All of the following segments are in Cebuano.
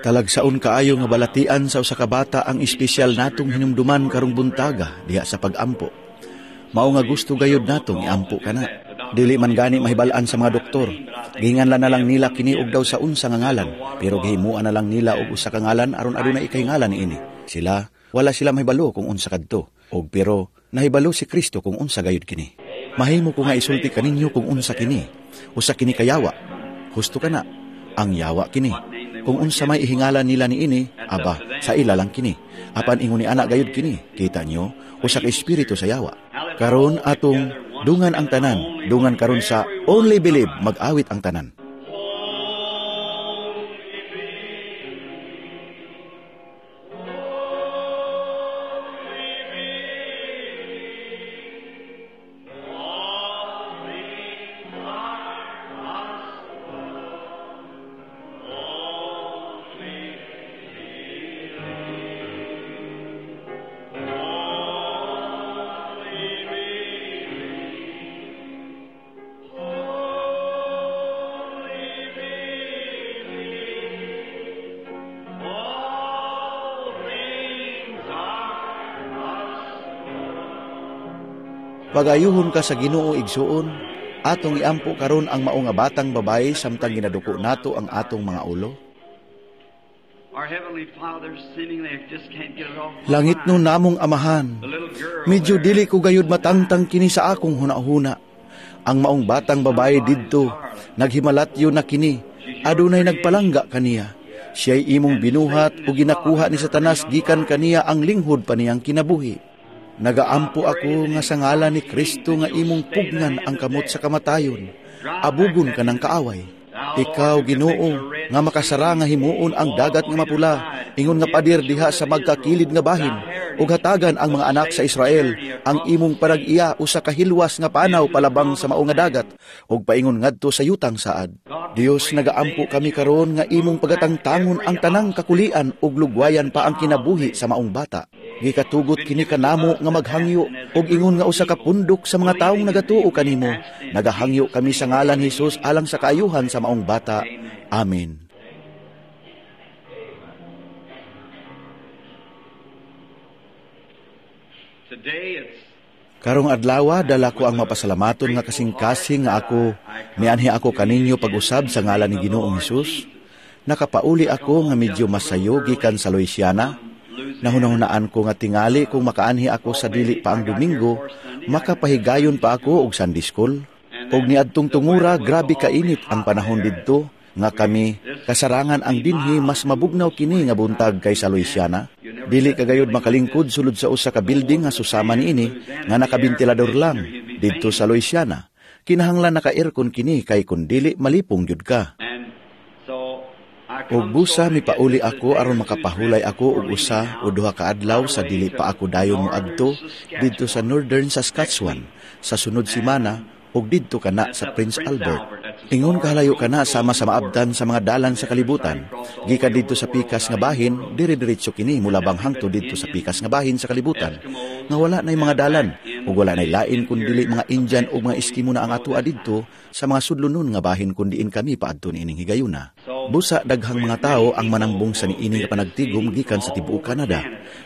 Talagsaon kaayo nga balatian sa usa ka bata ang espesyal natong hinumduman karong buntaga diha sa pag-ampo. Mao nga gusto gayud natong iampo kana. Dili man gani mahibal-an sa mga doktor. Gihinganlan na lang nila kini og daw sa unsa nga ngalan, pero gihimuan na lang nila og usa ka ngalan aron adunay ikahingalan niini. Sila, wala sila mahibalo kung unsa kadto. Og pero nahibalo si Kristo kung unsa gayud kini. Mahimo ko nga isulti kaninyo kung unsa kini. Usa kini kayawa. Husto kana. Ang yawa kini. Kung unsa may ihingalan nila niini, aba, sa ila lang kini. Apan ingon ni anak gayud kini, kita nyo, usa ka espiritu sa yawa. Karon atong dungan ang tanan, dungan karon sa Only Believe, mag-awit ang tanan. Pagayuhon ka sa Ginoo igsuon, atong iampo karon ang mao nga batang babae samtang ginaduko nato ang atong mga ulo. Langit no namong amahan, medyo dili ko gayud matangtang kini sa akong hunahuna. Ang maong batang babae didto, naghimalatyo na kini, adunay nagpalangga kaniya. Siya'y imong binuhat o ginakuha ni Satanas gikan kaniya ang linghod pa niyang kinabuhi. Nagaampo ako nga sa ngalan ni Kristo nga imong pugnan ang kamot sa kamatayon. Abugon ka ng kaaway. Ikaw, Ginoo, nga makasara nga himuon ang dagat nga mapula, ingon nga pader diha sa magkakilid nga bahin, ug hatagan ang mga anak sa Israel ang imong parag-iya usa ka hilwas nga panaw palabang sa mao nga dagat, ug paingon ngadto sa yutang saad. Dios, nagaampo kami karon nga imong pagatangtangon ang tanang kakulian ug lugwayan pa ang kinabuhi sa maong bata. Gikatugot kini kanamo nga maghangyo ug ingon nga usa ka pundok sa mga taong nagatuo kanimo. Nagahangyo kami sa ngalan ni Jesus alang sa kaayuhan sa maong bata. Amen. Karong adlaw dala ko ang mapasalamaton nga kasing-kasing nga ako mianhi ako kaninyo pag-usab sa ngalan ni Ginoong Hesus. Nakapauli ako nga medyo masayo gikan sa Louisiana. Nahunahunaan ko nga tingali kung makaanhi ako sa dili pa ang Domingo, makapahigayon pa ako og Sunday school. Og niadtong tungura, grabe kainit ang panahon didto nga kami kasarangan ang dinhi mas mabugnaw kini nga buntag kaysa Louisiana. Dili kagayod makalingkod sulod sa usa ka building nga susama niini nga nakabentilador lang didto sa Louisiana. Kinahanglan naka-aircon kini kay kun dili malipong gyud ka. Og busa mipauli ako aron makapahulay ako og usa o duha ka adlaw sa dili pa ako dayon moadto didto sa Northern Saskatchewan sa sunod semana og didto kana sa Prince Albert. Ingon kahalayo kana sama sa maabtan sa mga dalan sa kalibutan. Gikan didto sa pikas nga bahin, dire-diretso kini mulabang hangtod didto sa pikas nga bahin sa kalibutan. Nga wala nay mga dalan ug wala nay lain kun dili mga Indian ug mga Eskimo na ang atoa didto sa mga sudlonon nga bahin kun diin kami paadto niining higayuna. Busa daghang mga tao ang manambong sa niini nga panagtigom gikan sa tibuok Canada.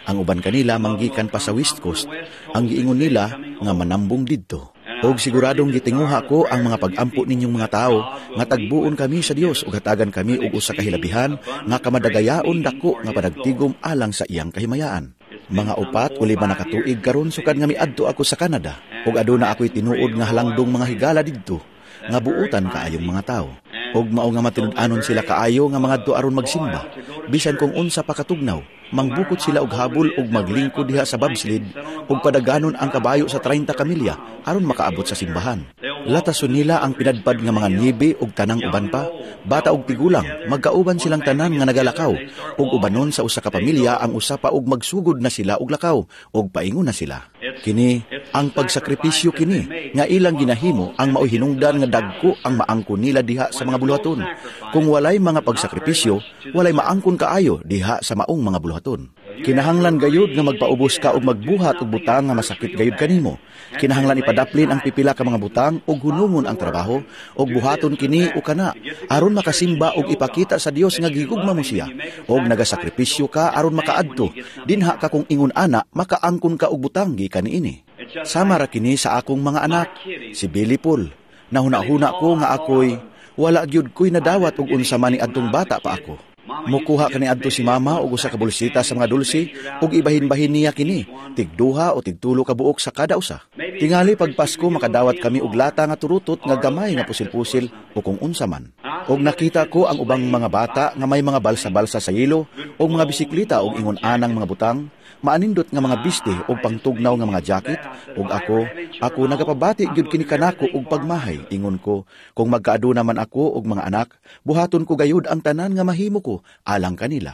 Ang uban kanila manggikan pa sa West Coast. Ang giingon nila nga manambong didto. Og siguradong gitinguha ko ang mga pag-ampo ninyong mga tao nga tagbuon kami sa Dios ug hatagan kami og usa ka hilabihan nga kamadagayaon dako nga panagtigom alang sa iyang kahimayaan. Mga 4 o 5 na katuig karon sukad nga miadto ako sa Canada ug aduna ako'y tinuod nga halangdong mga higala didto nga buutan kaayong mga tao. Og mao nga matinud-anon sila kaayo nga mangadto aron magsimba bisan kung unsa pa katugnaw. Mangbukot sila og habol og maglingkod diha sa bobsled ug padaganon ang kabayo sa 30 ka milya aron makaabot sa simbahan. Latason nila ang pinadpad nga mga niebe ug tanang uban pa, bata og tigulang, magkauban silang tanan nga nagalakaw ug ubanon sa usa ka pamilya ang usa pa og magsugod na sila og lakaw ug paingon na sila. Kini ang pagsakripisyo kini nga ilang ginahimo ang maoy hinungdan nga dagko ang maangkon nila diha sa mga buluhaton. Kung walay mga pagsakripisyo, walay maangkon kaayo diha sa maong mga buluhaton. Kinahanglan gayud nga magpaubos ka og magbuhat og butang nga masakit gayud kanimo. Kinahanglan ipadaplin ang pipila ka mga butang og hunungon ang trabaho og buhaton kini o kana aron makasimba og ipakita sa Dios nga gigugma mo siya. Og nagasakripisyo ka aron makaadto. Dinha ka kung ingon ana, makaangkon ka og butang gikan niini. Sama ra kini sa akong mga anak, si Billy Paul. Nahuna-huna ko nga ako'y wala gyud ko'y nadawat og unsa man ni adtong bata pa ako. Mukuha kani adto si mama og usa ka bulsita sa mga dulse ug ibahin-bahin niya kini, tigduha o tigtulo ka buok sa kada usa. Tingali pag Pasko makadawat kami og lata nga turutot nga gamay nga pusil-pusil o kung unsa man. Og nakita ko ang ubang mga bata nga may mga balsa-balsa sa yelo og mga bisikleta og ingon anang mga butang, maanindot nga mga biste og pangtugnaw nga mga jacket, ug ako nagapabati gyud kini kanako og pagmahay. Ingon ko, kung magkaaduna man ako og mga anak, buhaton ko gayud ang tanan nga mahimo ko alang kanila.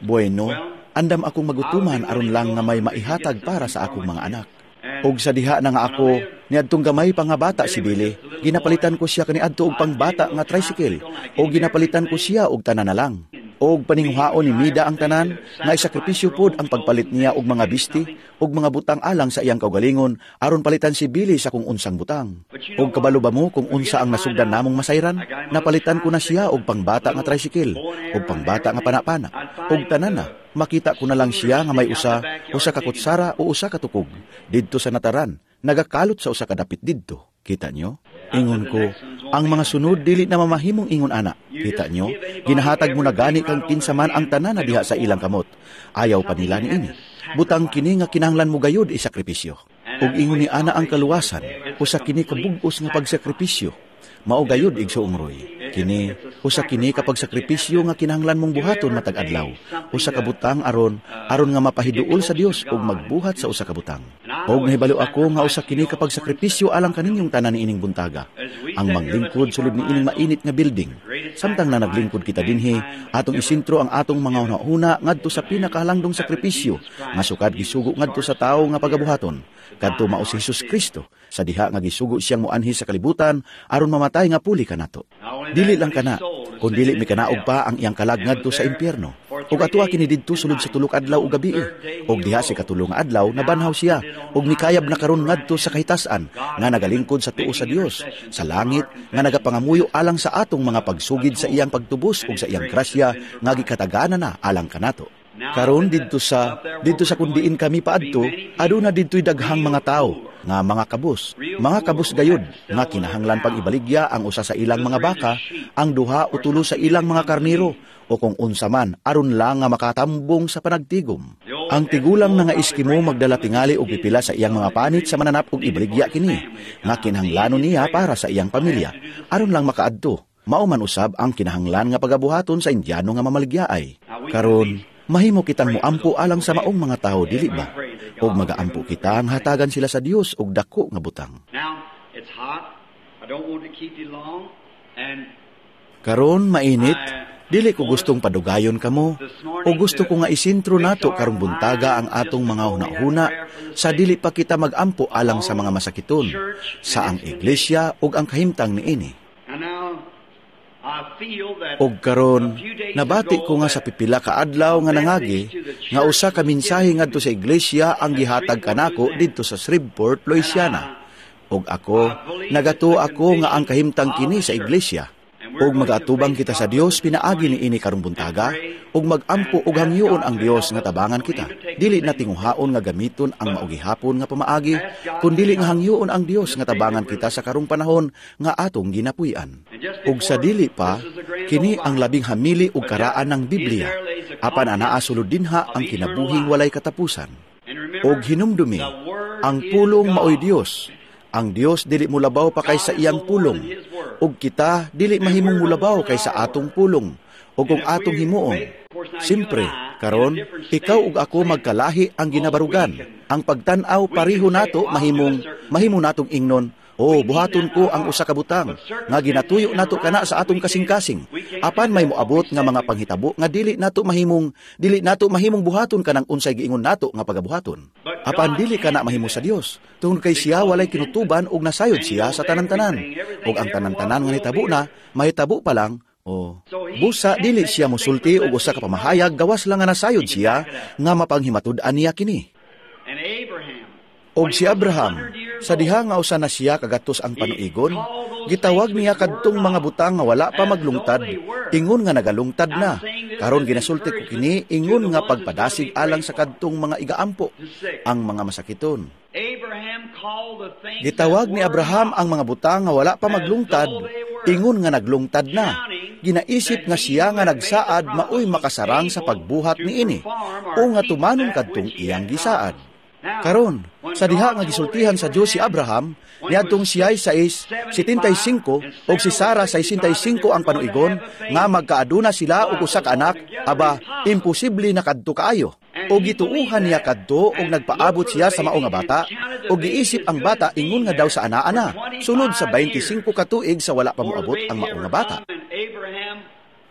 Bueno, andam akong magutuman aron lang nga may maihatag para sa akong mga anak. Og sa diha na nga ako, niadtong gamay pa nga bata si Billy, ginapalitan ko siya kaniadto og pangbata nga tricycle, o ginapalitan ko siya og tanan na lang. Og paninguhaon ni Mida ang tanan, nga isakripisyo pod ang pagpalit niya og mga bisti og mga butang alang sa iyang kaugalingon aron palitan si Billy sa kung unsang butang. Og kabalo ba mo kung unsa ang nasugdan namong masayran? Napalitan ko na siya og pangbata nga tricycle, og pangbata nga panapana, og tanan na. Makita ko na lang siya nga may usa ka kutsara o usa ka tukog didto sa nataran, nagakalot sa usa ka dapit didto. Kita nyo? Ingon ko, ang mga sunod dili na mamahimong ingon ana. Kita nyo? Ginahatag mo na gani kang kinsa man ang tanan na diha sa ilang kamot. Ayaw pa nila niini. Butang kini nga kinahanglan mo gayud isakripisyo. Ug ingon ni ana ang kaluwasan, usa kini kabug-os nga pagsakripisyo. Mao gayud, igsoong Roy. Kini, usa kini kapag sakripisyo nga kinahanglan mong buhaton matag adlaw. Usa ka butang aron nga mapahiduol sa Dios ug magbuhat sa usa ka butang. Og nahibalo ako nga usa kini kapag sakripisyo alang kaninyong tanan niining buntaga. Ang maglingkod sulod niining mainit nga building. Samtang na naglingkod kita dinhi, atong isintro ang atong mga hunahuna ngadto sa pinakahalangdong sakripisyo nga sukad gisugo ngadto sa tawo nga pagabuhaton. Kadto mao si Jesus Kristo sa diha nga gisugo siyang moanhi sa kalibutan aron mamatay nga puli kanato. Dili lang kana, kun dili mikanaog pa ang iyang kalag ngadto sa impyerno. Ug atoa kini didto sulod sa 3 ka adlaw ug gabii. Ug diha sa ikatulo nga adlaw nabanhaw siya ug mikayab na karon ngadto sa kahitasan nga nagalingkod sa tuo sa Dios sa langit nga nagapangamuyo alang sa atong mga pagsugid sa iyang pagtubos ug sa iyang grasya nga gikatagana na alang kanato. Karon didto sa kundiin kami paadto, aduna didto'y daghang mga tawo nga mga kabus. Mga kabus gayud nga kinahanglan pag ibaligya ang usa sa ilang mga baka, ang duha o tulo sa ilang mga karniro o kung unsa man aron lang nga makatambong sa panagtigom. Ang tigulang na nga Eskimo magdala tingali og pipila sa iyang mga panit sa mananap og ibaligya kini nga kinahanglanon niya para sa iyang pamilya aron lang makaadto. Mao man usab ang kinahanglan nga pagabuhaton sa Indiano nga mamaligyaay. Karon mahimo kitang moampo alang sa maong mga tawo, dili ba? Og magaampo kita ang hatagan sila sa Dios og dako nga butang. Karon mainit, dili ko gustong padugayon kamo, o gusto ko nga isintro nato karong buntaga ang atong mga hunahuna sa dili pa kita magampo alang sa mga masakiton, sa ang iglesia ug ang kahimtang niini. Og karon nabati ko nga sa pipila ka adlaw nga nangagi nga usa ka mensahe ngadto sa iglesia ang gihatag kanako didto sa Shreveport, Louisiana. Og ako nagatuo ako nga ang kahimtang kini sa iglesia. Og magaatubang kita sa Dios pinaagi niini karong buntaga ug magampo og hangyoon ang Dios nga tabangan kita. Dili na tinguhaon nga gamiton ang maugihapon nga pamaagi, kun dili nga hangyoon ang Dios nga tabangan kita sa karong panahon nga atong ginapuy-an. Ug sa dili pa, kini ang labing hamili ug karaan ng Biblia, apan anaa sulod dinha ang kinabuhing walay katapusan. Og hinumdumi, ang pulong maoy Dios. Ang Dios dili mulabaw pa kaysa iyang pulong, ug kita dili mahimong mulabaw kaysa atong pulong, ug kung atong himuon. Simpre, karon ikaw ug ako magkalahi ang ginabarugan. Ang pagtan-aw pareho nato mahimo natong ingnon, "Oh, buhaton ko ang usa ka butang nga ginatuyo nato kana sa atong kasing-kasing." Apan may moabot nga mga panghitabo nga dili nato mahimong buhaton kanang unsay giingon nato nga pagabuhaton. Apan dili kana mahimo sa Dios, tungod kay siya walay kinutuban ug nasayod siya sa tanan-tanan. Ug ang tanan-tanan nga nitabo na, mahitabo pa lang O, busa dili siya mosulti og usa ka pamahayag gawas lang nga nasayod siya nga mapanghimatud-an niya kini. Og si Abraham, sa diha nga usa na siya kagatos ang panuigon, gitawag niya kadtong mga butang nga wala pa maglungtad, ingon nga nagalungtad na. Karon ginasulti ko kini ingon nga pagpadasig alang sa kadtong mga igaampo, ang mga masakiton. Gitawag ni Abraham ang mga butang nga wala pa maglungtad, ingon nga naglungtad na. Ginaisip nga siya nga nagsaad maoy makasarang sa pagbuhat niini, o nga tumanon kadtong iyang gisaad. Karon, sa diha nga gisultihan sa Dios si Abraham, niadtong siya'y 75 og si Sara 65 ang panuigon, nga magkaaduna sila og usa ka anak, aba, imposible na kadto kaayo. O gituuhan niya kadto og nagpaabot siya sa mao nga bata, og giisip ang bata ingon nga daw sa ana-ana, sulod sa 25 ka tuig sa wala pa moabot ang mao nga bata.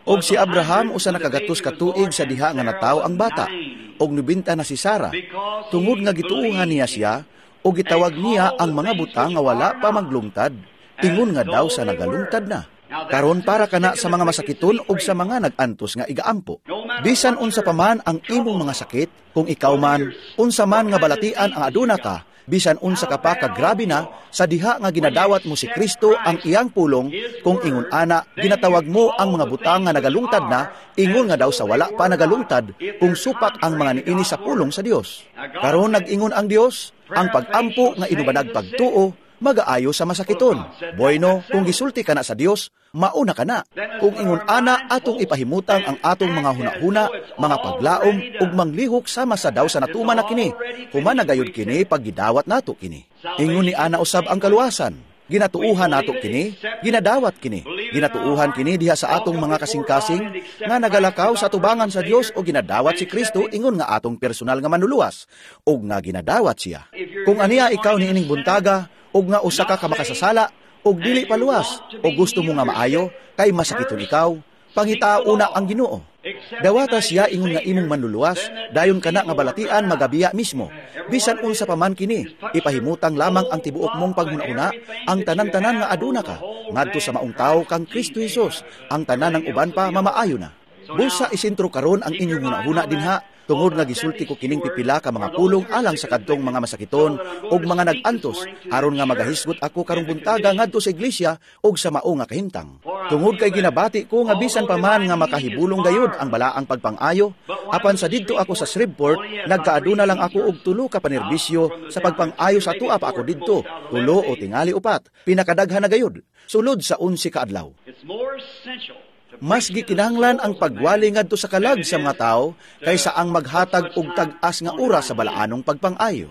Og si Abraham usa na kagatos ka tuig sa diha nga natawo ang bata, og 90 na si Sara. Tungod nga gituuhan niya siya, og gitawag niya ang mga butang nga wala pa maglungtad, ingon nga daw sa nagalungtad na. Karon para kana sa mga masakiton og sa mga nag-antos nga igaampo. Bisan unsa pa man ang imong mga sakit, kung ikaw man, unsa man nga balatian ang aduna ka, bisan unsa ka pa kagrabe na, sa diha nga ginadawat mo si Kristo ang iyang pulong, kung ingon ana, ginatawag mo ang mga butang nga nagalungtad na, ingon nga daw sa wala pa nagalungtad, kung supak ang mga niini sa pulong sa Dios. Karon nag-ingon ang Dios, ang pag-ampo nga inubanag pagtuo, magaayo sa masakiton. Bueno, kung gisulti ka na sa Dios, mauna ka na. Kung ingon ana, atong ipahimutang ang atong mga hunahuna, mga paglaom, ug manglihok sama sa daw sa natuman na kini. Human na gayud kini pag gidawat nato kini. Ingon ni ana usab ang kaluwasan. Ginatuuhan nato kini, ginadawat kini. Ginatuuhan kini diha sa atong mga kasing-kasing nga nagalakaw sa tubangan sa Dios o ginadawat si Kristo ingon nga atong personal nga manluluwas ug nga ginadawat siya. Kung aniya ikaw niining buntaga ug nga usa ka makasasala ug dili paluwas o gusto mo nga maayo kay masakiton ikaw, pangitaa una ang Ginoo. Dawata siya ingon nga imong manluluwas, dayon kana nga balatian magabiya mismo. Bisan unsa pa man kini, ipahimutang lamang ang tibuok mong paghuna-huna, ang tanan-tanan nga aduna ka, ngadto sa maong tawo kang Kristo Hesus, ang tanan ng uban pa mamaayo na. Busa isentro karon ang inyong hunahuna dinha, tungod nga gisulti ko kining pipila ka mga pulong alang sa kadtong mga masakiton ug mga nag-antos, aron nga magahisgot ako karong buntaga ngadto sa iglesia ug sa mao nga kahimtang. Tungod kay ginabati ko nga bisan pa man nga makahibulong gayud ang balaang pagpang-ayo, apan sa didto ako sa Shreveport, nagkaaduna lang ako og tulo ka panerbisyo sa pagpang-ayo sa tua pa ako didto, tulo o tingali upat, pinakadaghan na gayud, sulod sa 11 ka adlaw. Mas gikinahanglan ang pagwali ngadto sa kalag sa mga tao kaysa ang maghatag og tag-as nga oras sa balaanong pagpang-ayo.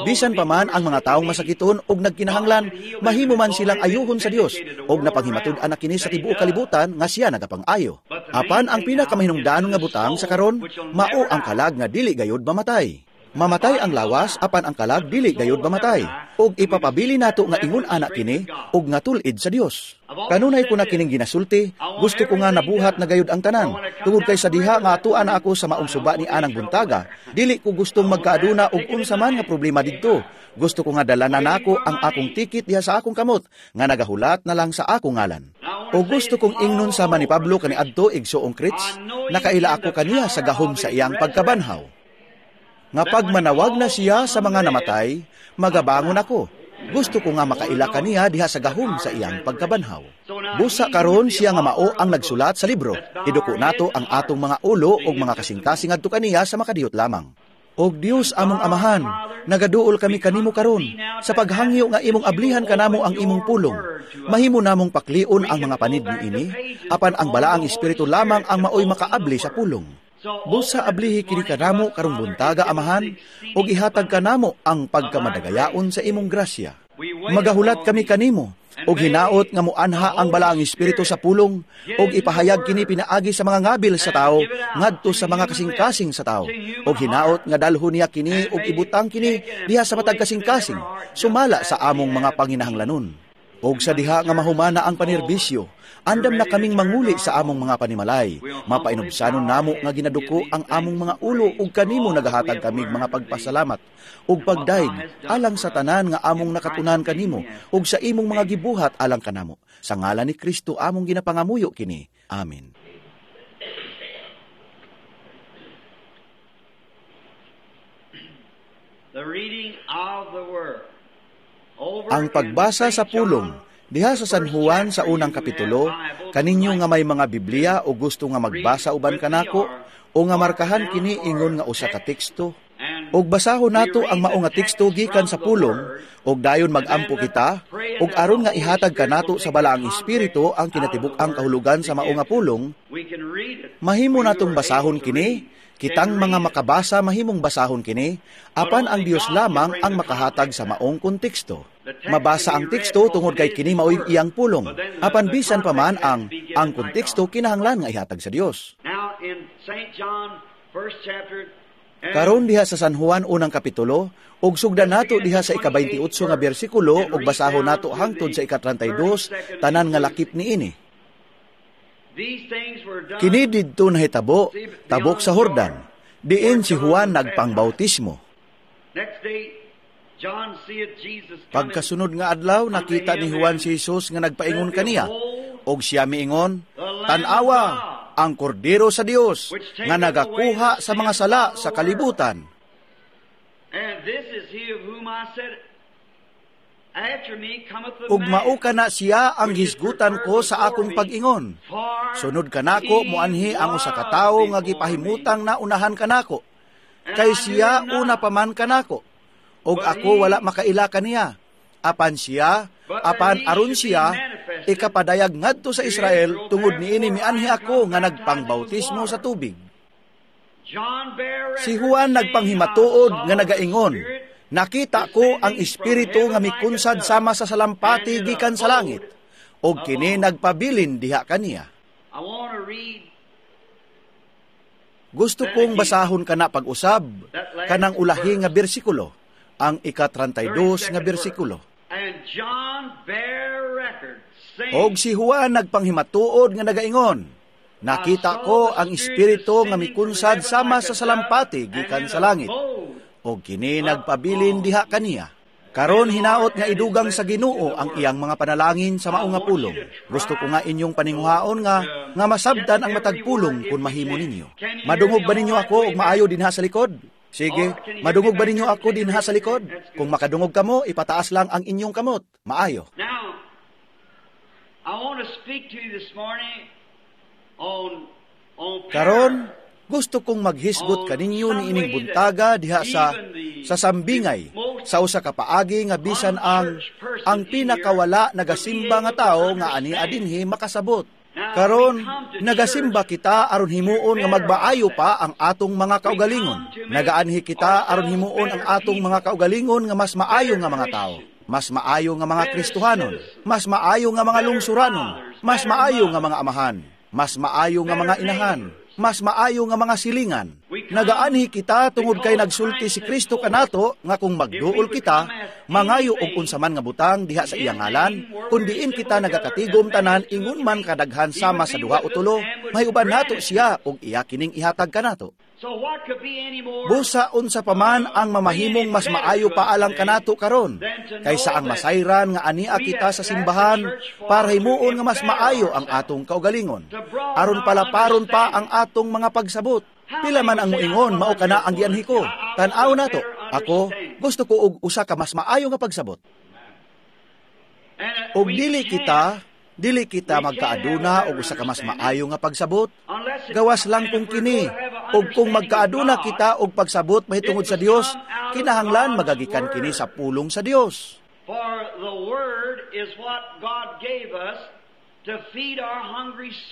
Bisan pa man ang mga taong masakiton og nagkinahanglan, mahimo man silang ayuhon sa Dios og napanghimatud-an na kini sa tibuok kalibutan nga siya nagapang-ayo. Apan ang pinakamahinungdanon nga butang sa karon, mao ang kalag nga dili gayud mamatay. Mamatay ang lawas, apan ang kalag dili gayud mamatay. Og ipapabili nato nga ingon ana kini og nga tul-id sa Dios. Kanunay ko na kining ginasulti, gusto ko nga nabuhat na gayud ang tanan. Tungod kay sa diha nga atuan na ako sa maong suba ni anang buntaga, dili ko gustong magkaaduna og unsa man nga problema didto. Gusto ko nga dala na nako ang akong tikit diha sa akong kamot, nga nagahulat na lang sa akong ngalan. O gusto kong ingnon sama ni Pablo kaniadto igsuong Crits, nakaila ako kaniya sa gahom sa iyang pagkabanhaw. Nga pag manawag na siya sa mga namatay, magabangon ako. Gusto ko nga makaila kaniya diha sa gahom sa iyang pagkabanhaw. Busa karon siya nga mao ang nagsulat sa libro. Iduko nato ang atong mga ulo og mga kasing-kasing adto kaniya sa makadiyot lamang. Og Dios among Amahan, nagaduol kami kanimo karon sa paghangyo nga imong ablihan kanamo ang imong pulong. Mahimo namong paklion ang mga panid niini, apan ang balaang espiritu lamang ang maoy makaabli sa pulong. Busa ablihi kini kanamo karong buntaga, Amahan, ug ihatag kanamo ang pagkamadagayaon sa imong grasya. Magahulat kami kanimo, ug hinaot nga moanha ang balaang espiritu sa pulong, ug ipahayag kini pinaagi sa mga ngabil sa tao ngadto sa mga kasing-kasing sa tao. Ug hinaot nga dalhon niya kini ug ibutang kini diha sa matag kasing-kasing, sumala sa among mga panginahanglanon. Og sa diha nga mahumana ang panerbisyo, andam na kaming manguli sa among mga panimalay. Mapainubsanon namo nga ginaduko ang among mga ulo ug kanimo nagahatag kamig mga pagpasalamat ug pagdaig alang sa tanan nga among nakatunan kanimo ug sa imong mga gibuhat alang kanamo. Sa ngalan ni Kristo among ginapangamuyo kini. Amen. The reading of the word. Ang pagbasa sa pulong diha sa San Juan sa unang kapitulo, kaninyo nga may mga Biblia o gusto nga magbasa uban kanako o nga markahan kini ingon nga usa ka teksto. Og basahon nato ang mao nga teksto gikan sa pulong og dayon magampo kita og aron nga ihatag kanato sa Balaang Espiritu ang kinatibuk-ang kahulugan sa mao nga pulong. Mahimo natong basahon kini. Kitang mga makabasa mahimong basahon kini, apan ang Dios lamang ang makahatag sa maong konteksto. Mabasa ang teksto tungod kay kini maoy iyang pulong, apan bisan pa man ang konteksto kinahanglan nga ihatag sa Dios. Karon diha sa San Juan unang kapitulo, ug sugdan nato diha sa ika-28 nga bersikulo ug basahon nato hangtod sa ika-32 tanan nga lakip niini. Kini didto nahitabo tabok sa Jordan, diin si Juan nagpangbautismo. Pagkasunod nga adlaw, nakita ni Juan si Jesus nga nagpaingon kaniya, og siya miingon, "Tan-awa ang kordero sa Dios nga nagakuha sa mga sala sa kalibutan." Ug mao kana siya ang hisgutan ko sa akong pag-ingon. Sunod kanako moanhi ang usa ka tawo nga gipahimutang na unahan kanako. Kay siya una pa man kanako. Ug ako wala makaila kaniya. Apan siya, apan aron siya ikapadayag ngadto sa Israel tungod niini mianhi ako nga nagpangbautismo sa tubig. Si Juan nagpanghimatuod nga nagaingon, "Nakita ko ang espiritu nga mikunsad sama sa salampati gikan sa langit, og kini nagpabilin diha kaniya." Gusto kong basahon kana pag-usab kanang ulahi nga bersikulo, ang ika-32 nga bersikulo. Og si Juan nagpanghimatuod nga nagaingon, "Nakita ko ang espiritu nga mikunsad sama sa salampati gikan sa langit, og kini nagpabilin diha kaniya." Karon hinaot nga idugang sa Ginoo ang iyang mga panalangin sa mao nga pulong. Gusto ko nga inyong paninguhaon nga masabtan ang matag pulong kung mahimo ninyo. Madungog ba ninyo ako og maayo dinha sa likod? Sige, madungog ba ninyo ako dinha sa likod? Kung makadungog kamo, ipataas lang ang inyong kamot. Maayo. Now, I want to speak to you this morning on Karon, gusto kong maghisgot kaninyo niining buntaga diha sa sambingay, sa usa ka paagi nga bisan ang pinakawala nagasimba nga tawo nga ani adinhi makasabot. Karon, nagasimba kita aron himuon nga magbaayo pa ang atong mga kaugalingon. Nagaanhi kita aron himuon ang atong mga kaugalingon nga mas maayo nga mga tawo, mas maayo nga mga Kristohanon, mas maayo nga mga lungsuranon, mas maayo nga mga amahan, mas maayo nga mga inahan, mas maayo nga mga silingan. Nagaanhi kita tungod kay nagsulti si Kristo kanato nga kung magduol kita, mangayo og unsa man nga butang diha sa iyang ngalan, kun diin kita nagakatigom tanan ingon man kadaghan sama sa duha o tulo, mahiuban nato siya og iya kining ihatag kanato. Busa unsa pa man ang mamahimong mas maayo pa alang kanato karon, kaysa ang masayran nga ania kita sa simbahan para himuon nga mas maayo ang atong kaugalingon, aron palaparon pa ang atong mga pagsabot. Pila man ang moingon, mao kana ang gianhi ko. Tan-aw nato. Ako, gusto ko og usa ka mas maayo nga pagsabot. Og dili kita magkaaduna og usa ka mas maayo nga pagsabot. Gawas lang kung kini, og kung magkaaduna kita og pagsabot mahitungod sa Dios, kinahanglan magagikan kini sa pulong sa Dios.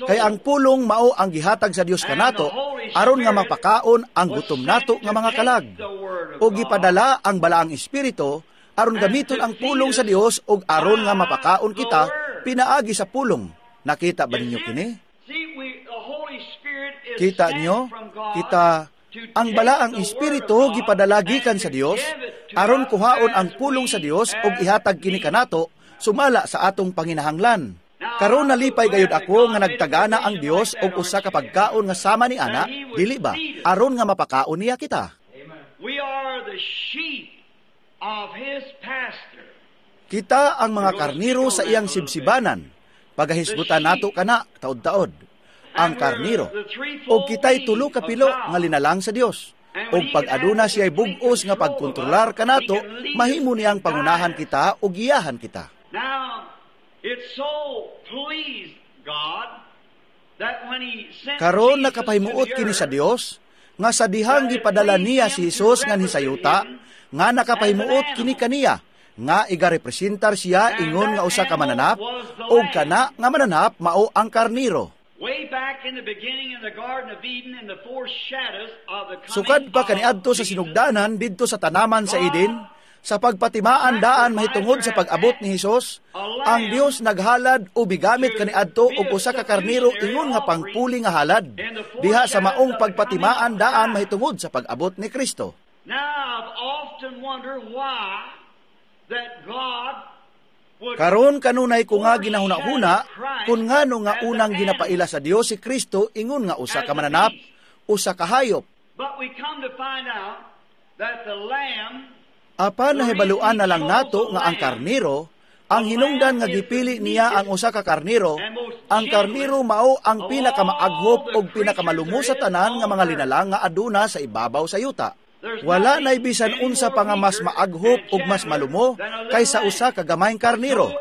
Kay ang pulong mao ang gihatag sa Dios kanato aron nga mapakaon ang gutom nato nga mga kalag. Og gipadala ang Balaang Espiritu aron gamiton ang pulong sa Dios og aron nga mapakaon kita pinaagi sa pulong. Nakita ba ninyo kini? Kita nyo? Kita ang Balaang Espiritu gipadala gikan sa Dios aron kuhaon ang pulong sa Dios og ihatag kini kanato sumala sa atong panginahanglan. Karon nalipay gayud ako nga nagtagana ang Dios og usa ka pagkaon nga sama ni ana, dili ba? Aron nga mapakaon niya kita. We are the sheep of His pasture. Kita ang mga karniro sa iyang sibsibanan. Pagahisgutan nato kana taod-taod. Ang karniro. Og kita'y tulo ka pilo nga linalang sa Dios. Og pag aduna siya'y bug-os nga pagkontrolar kanato, mahimo niyang pangunahan kita o giyahan kita. Now, it so pleased God that when He sent Karon Jesus nakapahimuot to the kini sa earth, Dios nga sa dihang gipadala niya si Hesus nganhi sa yuta, nga nakapahimuot kini kaniya nga igarepresentar siya ingon nga usa ka mananap, ug kana nga mananap mao ang karniro. Way back in the beginning in the Garden of Eden, in the foreshadows of the coming Sukad pa of kaniadto sa Jesus, sinugdanan didto sa tanaman sa Eden, sa pagpatimaan daan mahitungod sa pag-abot ni Hesus, ang Dios naghalad o bigamit kaniadto og usa ka karniro ingon nga pangpuli nga halad diha sa maong pagpatimaan daan mahitungod sa pag-abot ni Kristo. Now, I've often wondered why that God would Karon kanunay ko nga ginahuna-huna kung ngano nga unang ginapaila sa Dios si Kristo ingon nga usa ka mananap, usa ka hayop. But we come to find out that the lamb Apan nahibaluan na lang nato nga ang karniro, ang hinungdan nga gipili niya ang usa ka karniro, ang karniro mao ang pinakamaaghop og pinakamalumo sa tanan nga mga linalang nga aduna sa ibabaw sa yuta. Wala nay bisan unsa pa nga mas maaghop ug mas malumo kaysa usa ka gamayng karniro.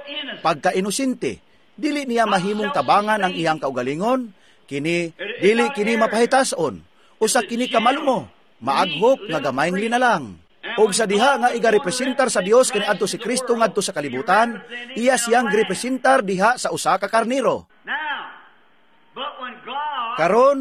Pagka-inosente, dili niya mahimong tabangan ang iyang kaugalingon, kini dili kini mapahitason, usa kini ka malumo, maaghop nga gamayng linalang. Og sa diha nga igarepresentar sa Dios kaniadto si Kristo ngadto sa kalibutan, iya siyang girepresentar diha sa usa ka karniro. Now, but when God Karon,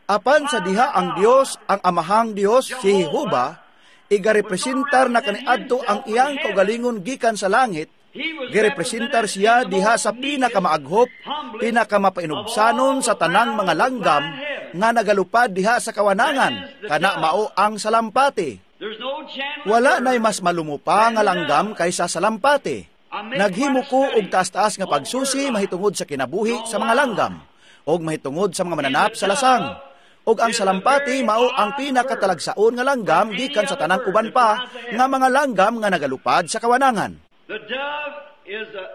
apan sa diha ang Dios, ang Amahang Dios, si Jehova, igarepresentar na kaniadto ang iyang kaugalingon gikan sa langit, He was girepresentar siya diha sa pinakamaaghop, pinakamapainubsanon sa tanang mga langgam nga nagalupad diha sa kawanangan, kana mao ang salampati. There's no gentler Wala na'y mas malumo pa nga langgam kaysa salampati. Naghimo ko og taas-taas nga pagsusi mahitungod sa kinabuhi sa mga langgam og mahitungod sa mga mananap sa lasang. Og ang salampati mao ang pinakatalagsaon nga langgam gikan sa tanang uban pa nga mga langgam nga nagalupad sa kawanangan. The dove is a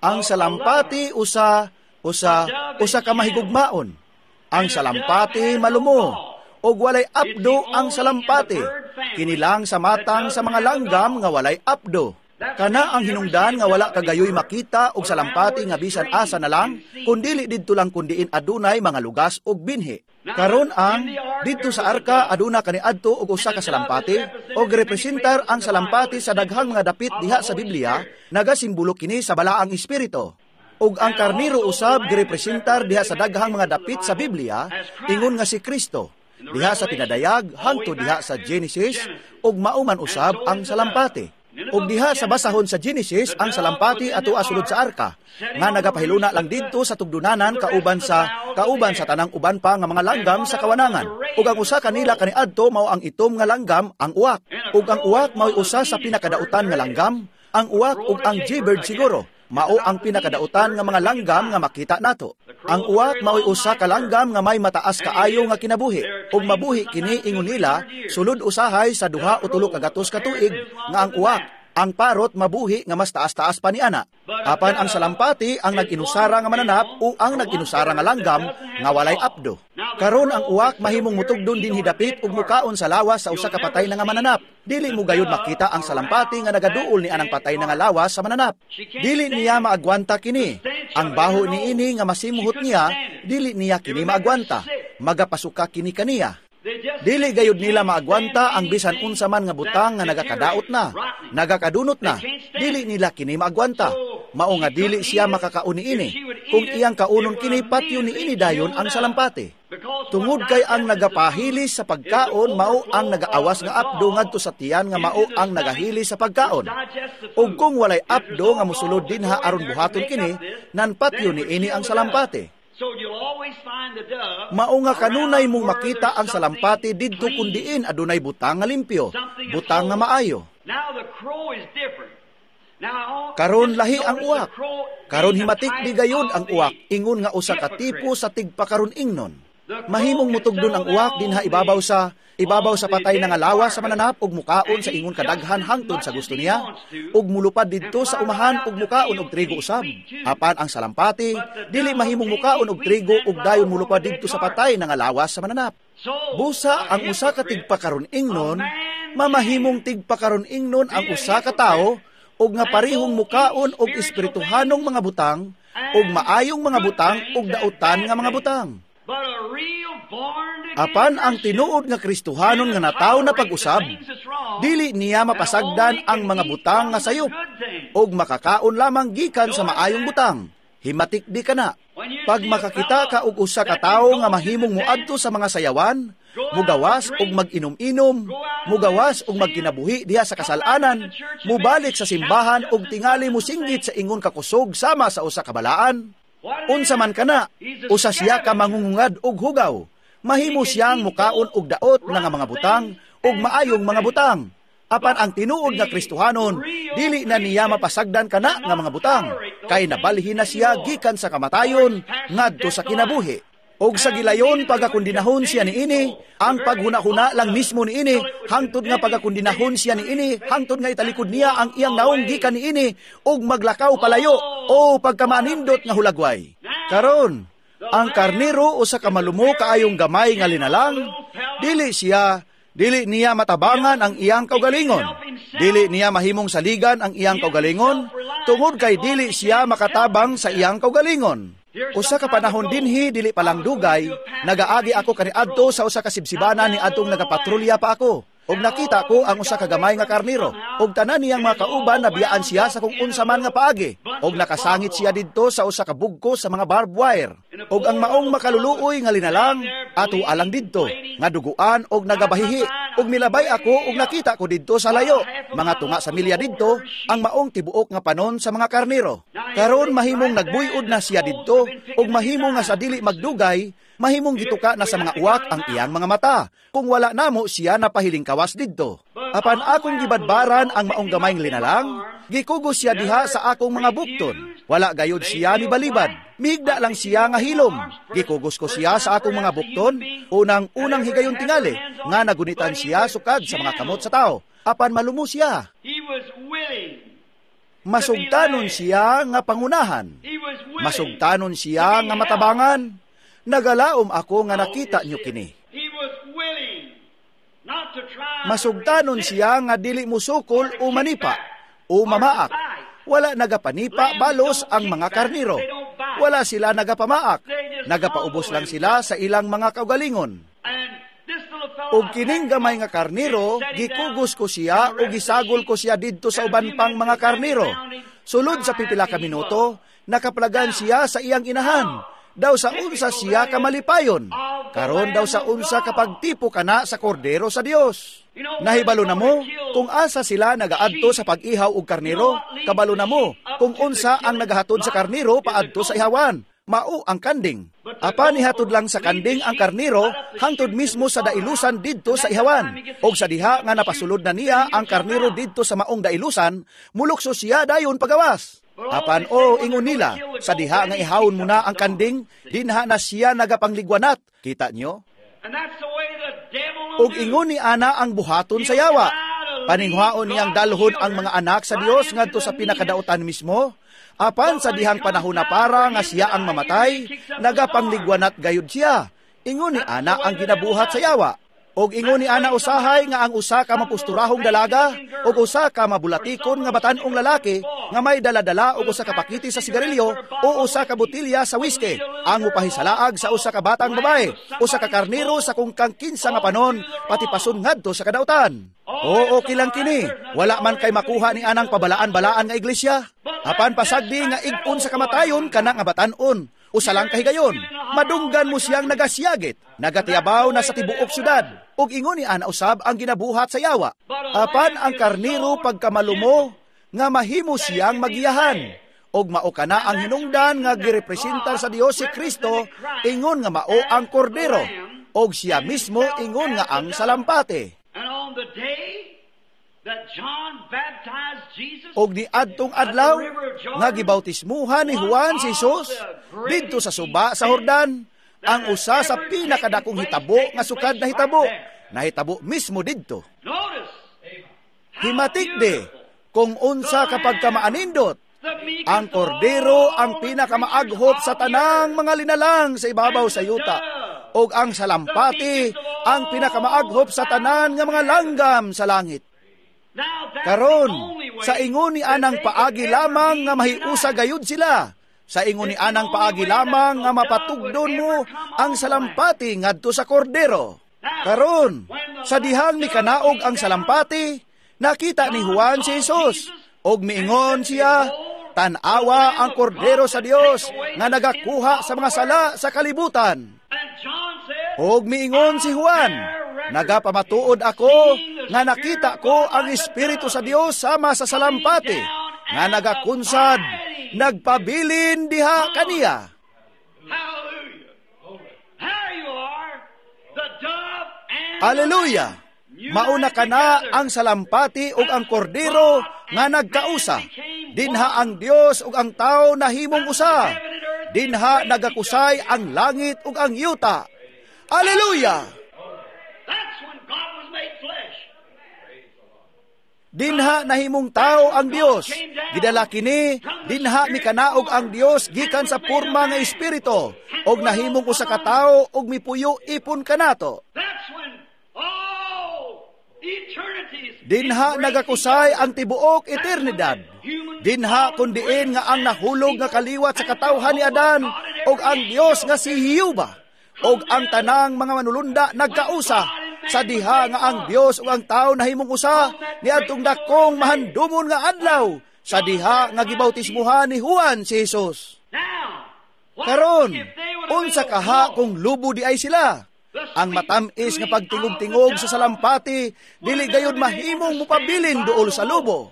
Ang salampati usa usa usa ka mahigugmaon. Ang salampati malumo og walay apdo ang salampati. Kini lang sa matang sa mga langgam nga walay apdo. Kana ang hinungdan nga wala kagayoy makita og salampati nga bisan asa na lang, kundili didto lang kundiin adunay mga lugas og binhi. Karon ang didto sa arka aduna kaniadto og usa ka salampati og representar ang salampati sa daghang mga dapit diha sa Biblia, nagasimbolo kini sa balaang espiritu. Ug ang karniro usab girepresentar diha sa daghang mga dapit sa Biblia, ingon nga si Kristo. Diha sa pinadayag hangtod diha sa Genesis ug mao man usab ang salampati. Ug diha sa basahon sa Genesis ang salampati ato sulod sa arka nga nagapahiluna lang didto sa tugdunanan kauban sa tanang uban pa nga mga langgam sa kawanangan. Ug ang usa kanila kaniadto mao ang itom nga langgam, ang uwak. Ug ang uwak mao'y usa sa pinakadautan nga langgam, ang uwak ug ang jaybird siguro mao ang pinakadautan nga mga langgam nga makita nato. Ang uwak mao'y usa ka langgam nga may mataas kaayo nga kinabuhi ug mabuhi kini ingon nila sulod usahay sa 2 o 300 ka tuig nga ang uwak, ang parrot, mabuhi nga mas taas-taas pa ni ana. Apan ang salampati ang nag-inusara nga mananap o ang nag-inusara nga langgam nga walay apdo. Karon ang uwak mahimong mutugdon dinhi dapit ug mukaon sa lawas sa usa ka patay na nga mananap. Dili mo gayud makita ang salampati nga nagaduol ni anang patay na nga lawas sa mananap. Dili niya maagwanta kini. Ang baho ni ini nga masimuhot niya, dili niya kini maagwanta. Magapasuka kini kaniya. Dili gayud nila maagwanta ang bisan unsa man nga butang nga nagakadaot na, nagakadunot na. Dili nila kini maagwanta. Mao nga dili siya makakaon niini. Kung iyang kaunon kini, patyon niini dayon ang salampati. Tungod kay ang nagapahilis sa pagkaon mao ang nagaawas nga apdo ngadto sa tiyan nga mao ang nagahilis sa pagkaon. Ug kung walay apdo nga mosulod dinha aron buhaton kini, nan patyon niini ang salampati. Mao nga kanunay mong makita ang salampati didto kun diin adunay butang nga limpyo, butang nga maayo. Now the crow is different. Karon lahi ang uwak. Karon himatik di gayud ang uwak ingon nga usa ka tipo sa tigpakaron ingnon. Mahimong mutugdon ang uwak dinha ibabaw sa patay nga lawas sa mananap ug mukaon sa ingon kadaghan hangtod sa gusto niya, ug mulupad didto sa umahan ug mukaon og trigo usab. Apan ang salampati dili mahimong mukaon og trigo ug dayon mulupad didto sa patay nga lawas sa mananap. Busa ang usa ka tigpakaron ingnon, mamahimong tigpakaron ingnon ang usa ka tawo ug nga parehong mukaon og espirituhanong mga butang ug maayong mga butang ug dautan nga mga butang. Apan ang tinuod nga Kristohanon nga natawo na pag-usab, dili niya mapasagdan ang mga butang nga sayop ug makakaon lamang gikan sa maayong butang. Himatik di kana. Pag makakita ka og usa ka tawo nga mahimong moadto sa mga sayawan, mugawas og mag-inom-inom, mugawas og magkinabuhi diha sa kasalanan, mubalik sa simbahan og tingali mosinggit sa ingon kakusog sama sa usa ka balaan, unsa man kana, usa siya ka mangungungad og hugaw. Mahimo siyang mukaon og daot nga mga butang ug maayong mga butang. Apan ang tinuod nga Kristohanon, dili na niya mapasagdan kana nga mga butang, kay nabalhin na siya gikan sa kamatayon ngadto sa kinabuhi. Og sa gilayon pagakundinahon siya niini, ang paghuna-huna lang mismo niini, hangtod nga pagakundinahon siya niini, hangtod nga italikod niya ang iyang naong gikan niini, ug maglakaw palayo, o pagkamanindot nga hulagway. Karon, ang karnero usa ka malumo kaayong gamay nga linalang, dili niya matabangan ang iyang kaugalingon. Dili niya mahimong saligan ang iyang kaugalingon, tungod kay dili siya makatabang sa iyang kaugalingon. Usa ka panahon dinhi dili pa lang dugay, nagaagi ako kaniadto sa usa ka sibsibana ni adtong nagapatrolya pa ako. Ug nakita ko ang usa ka gamay nga karnero, ug tanan niyang mga kauban nabiyaan siya sa kung unsa man nga paagi, ug nakasangit siya didto sa usa ka bugko sa mga barbed wire. Ug ang maong makaluluoy nga linalang ato alang didto, nga duguan og nagabahihi. Ug milabay ako ug nakita ko didto sa layo, mga tunga sa milya didto, ang maong tibuok nga panon sa mga karnero. Karon mahimong nagbuyod na siya didto, ug mahimong nga sa dili magdugay, mahimong gituka na sa mga uwak ang iyang mga mata, kung wala namo siya napahiling kawas didto. Apan akong gibadbaran ang maong gamayng linalang, gikugos siya diha sa akong mga bukton. Wala gayud siya ni balibad, migda lang siya nga hilom. Gikugos ko siya sa akong mga bukton, unang-unang higayon tingali, nga nagunitan siya sukad sa mga kamot sa tao. Apan malumo siya. Masugtanon siya nga pangunahan. Masugtanon siya nga matabangan. Nagalaom ako nga nakita niyo kini. Masugtanon siya nga dili musukol o manipa o mamaak. Wala nagapanipa balos ang mga karniro. Wala sila nagapamaak. Nagapaubos lang sila sa ilang mga kaugalingon. Og kining gamay nga karniro, gikugos ko siya o gisagol ko siya didto sa uban pang mga karniro. Sulod sa pipila ka minuto, nakaplagan siya sa iyang inahan. Daw sa unsa siya kamalipayon. Karon daw sa unsa kapagtipo kana sa kordero sa Dios. Nahibalo na mo kung asa sila nagaadto sa pag-ihaw og karnero, kabalo na mo kung unsa ang nagahatod sa karnero paadto sa ihawan. Mao ang kanding. Apan ihatod lang sa kanding ang karnero hangtod mismo sa dailusan didto sa ihawan. Og sa diha nga napasulod na niya ang karnero didto sa maong dailusan, mulukso siya dayon pagawas. Apan o ingon nila, sa diha nga ihawon mo na ang kanding, dinha na siya nagapangligwanat. Kita nyo? Og ingon ni ana ang buhaton sa yawa. Paninghuaon niyang dalhon ang mga anak sa Dios ngadto sa pinakadautan mismo. Apan sa dihang panahon na para nga siya ang mamatay, nagapangligwanat gayud siya. Ingon ni ana ang ginabuhat sa yawa. Og ingon ni ana usahay nga ang usa ka mapusturahong dalaga og usa ka mabulatikon nga batan-ong lalaki nga may dala-dala og usa ka pakiti sa sigarilyo o usa ka botelya sa whiskey ang mupahisalaag sa usa ka batang babae, usa ka karnero sa kung kang kinsa nga panon patipason ngadto sa kadautan. Oo, okay lang kini. Wala man kay makuha ni anang pabalaan-balaan nga iglesia. Apan pasagdi nga ig-on sa kamatayon kana nga batan-on. Usa lang kahigayon, madunggan mo siyang nagasiyagit, nagatiabaw na sa tibuok syudad, ug ingon ni ana usab ang ginabuhat sa yawa. Apan ang karnero pagkamalumo, nga mahimo siyang magiyahan, ug mao kana ang hinungdan nga girepresentar sa Dios si Kristo, ingon nga mao ang kordero, ug siya mismo ingon nga ang salampate. Og niadtong adlaw nga gibautismuhan ni Juan si Jesus didto sa suba sa Jordan, ang usa sa pinakadakong hitabo nga sukad na hitabo, nahitabo mismo didto. Himatik de kung unsa kapag kamaanindot, ang kordero ang pinakamaaghop sa tanang mga linalang sa ibabaw sa yuta, og ang salampati ang pinakamaghop sa tanan nga mga langgam sa langit. Karon, sa ingon ni anang paagi lamang nga mahiusa gayud sila, sa ingon ni anang paagi lamang nga mapatugdon mo ang salampati ngadto sa kordero. Karon, sa dihang mikanaog ang salampati, nakita ni Juan si Jesus, og miingon siya, "Tan-awa ang kordero sa Dios nga nagakuha sa mga sala sa kalibutan." Og miingon si Juan, "Nagapamatuod ako nga nakita ko ang Espiritu sa Dios sama sa salampati nga nagakunsad, nagpabilin diha kaniya." Alleluia! Mauna kana ang salampati ug ang kordero nga nagkausa. Dinha ang Dios ug ang tao nahimong usa. Dinha nagakusay ang langit ug ang yuta. Alleluia! Dinha nahimong tao ang Dios. Gidala kini, dinha mikanaog ang Dios gikan sa porma nga espiritu og nahimong usa ka tawo og mipuyo ipon kanato. Dinha nagakusay ang tibuok eternidad. Dinha kun diin nga ang nahulog nga kaliwat sa katawhan ni Adan og ang Dios nga si Jehova og ang tanang mga manulunda nagkausa sa diha nga ang Dios ug ang tao nahimong usa niadtong dakong mahandumon nga adlaw sa diha nga gibautismuhan ni Juan si Jesus. Karon, unsa kaha kung lubo di ay sila? Ang matamis nga pagtingog-tingog sa salampati dili gayud mahimong mupabilin duol sa lubo.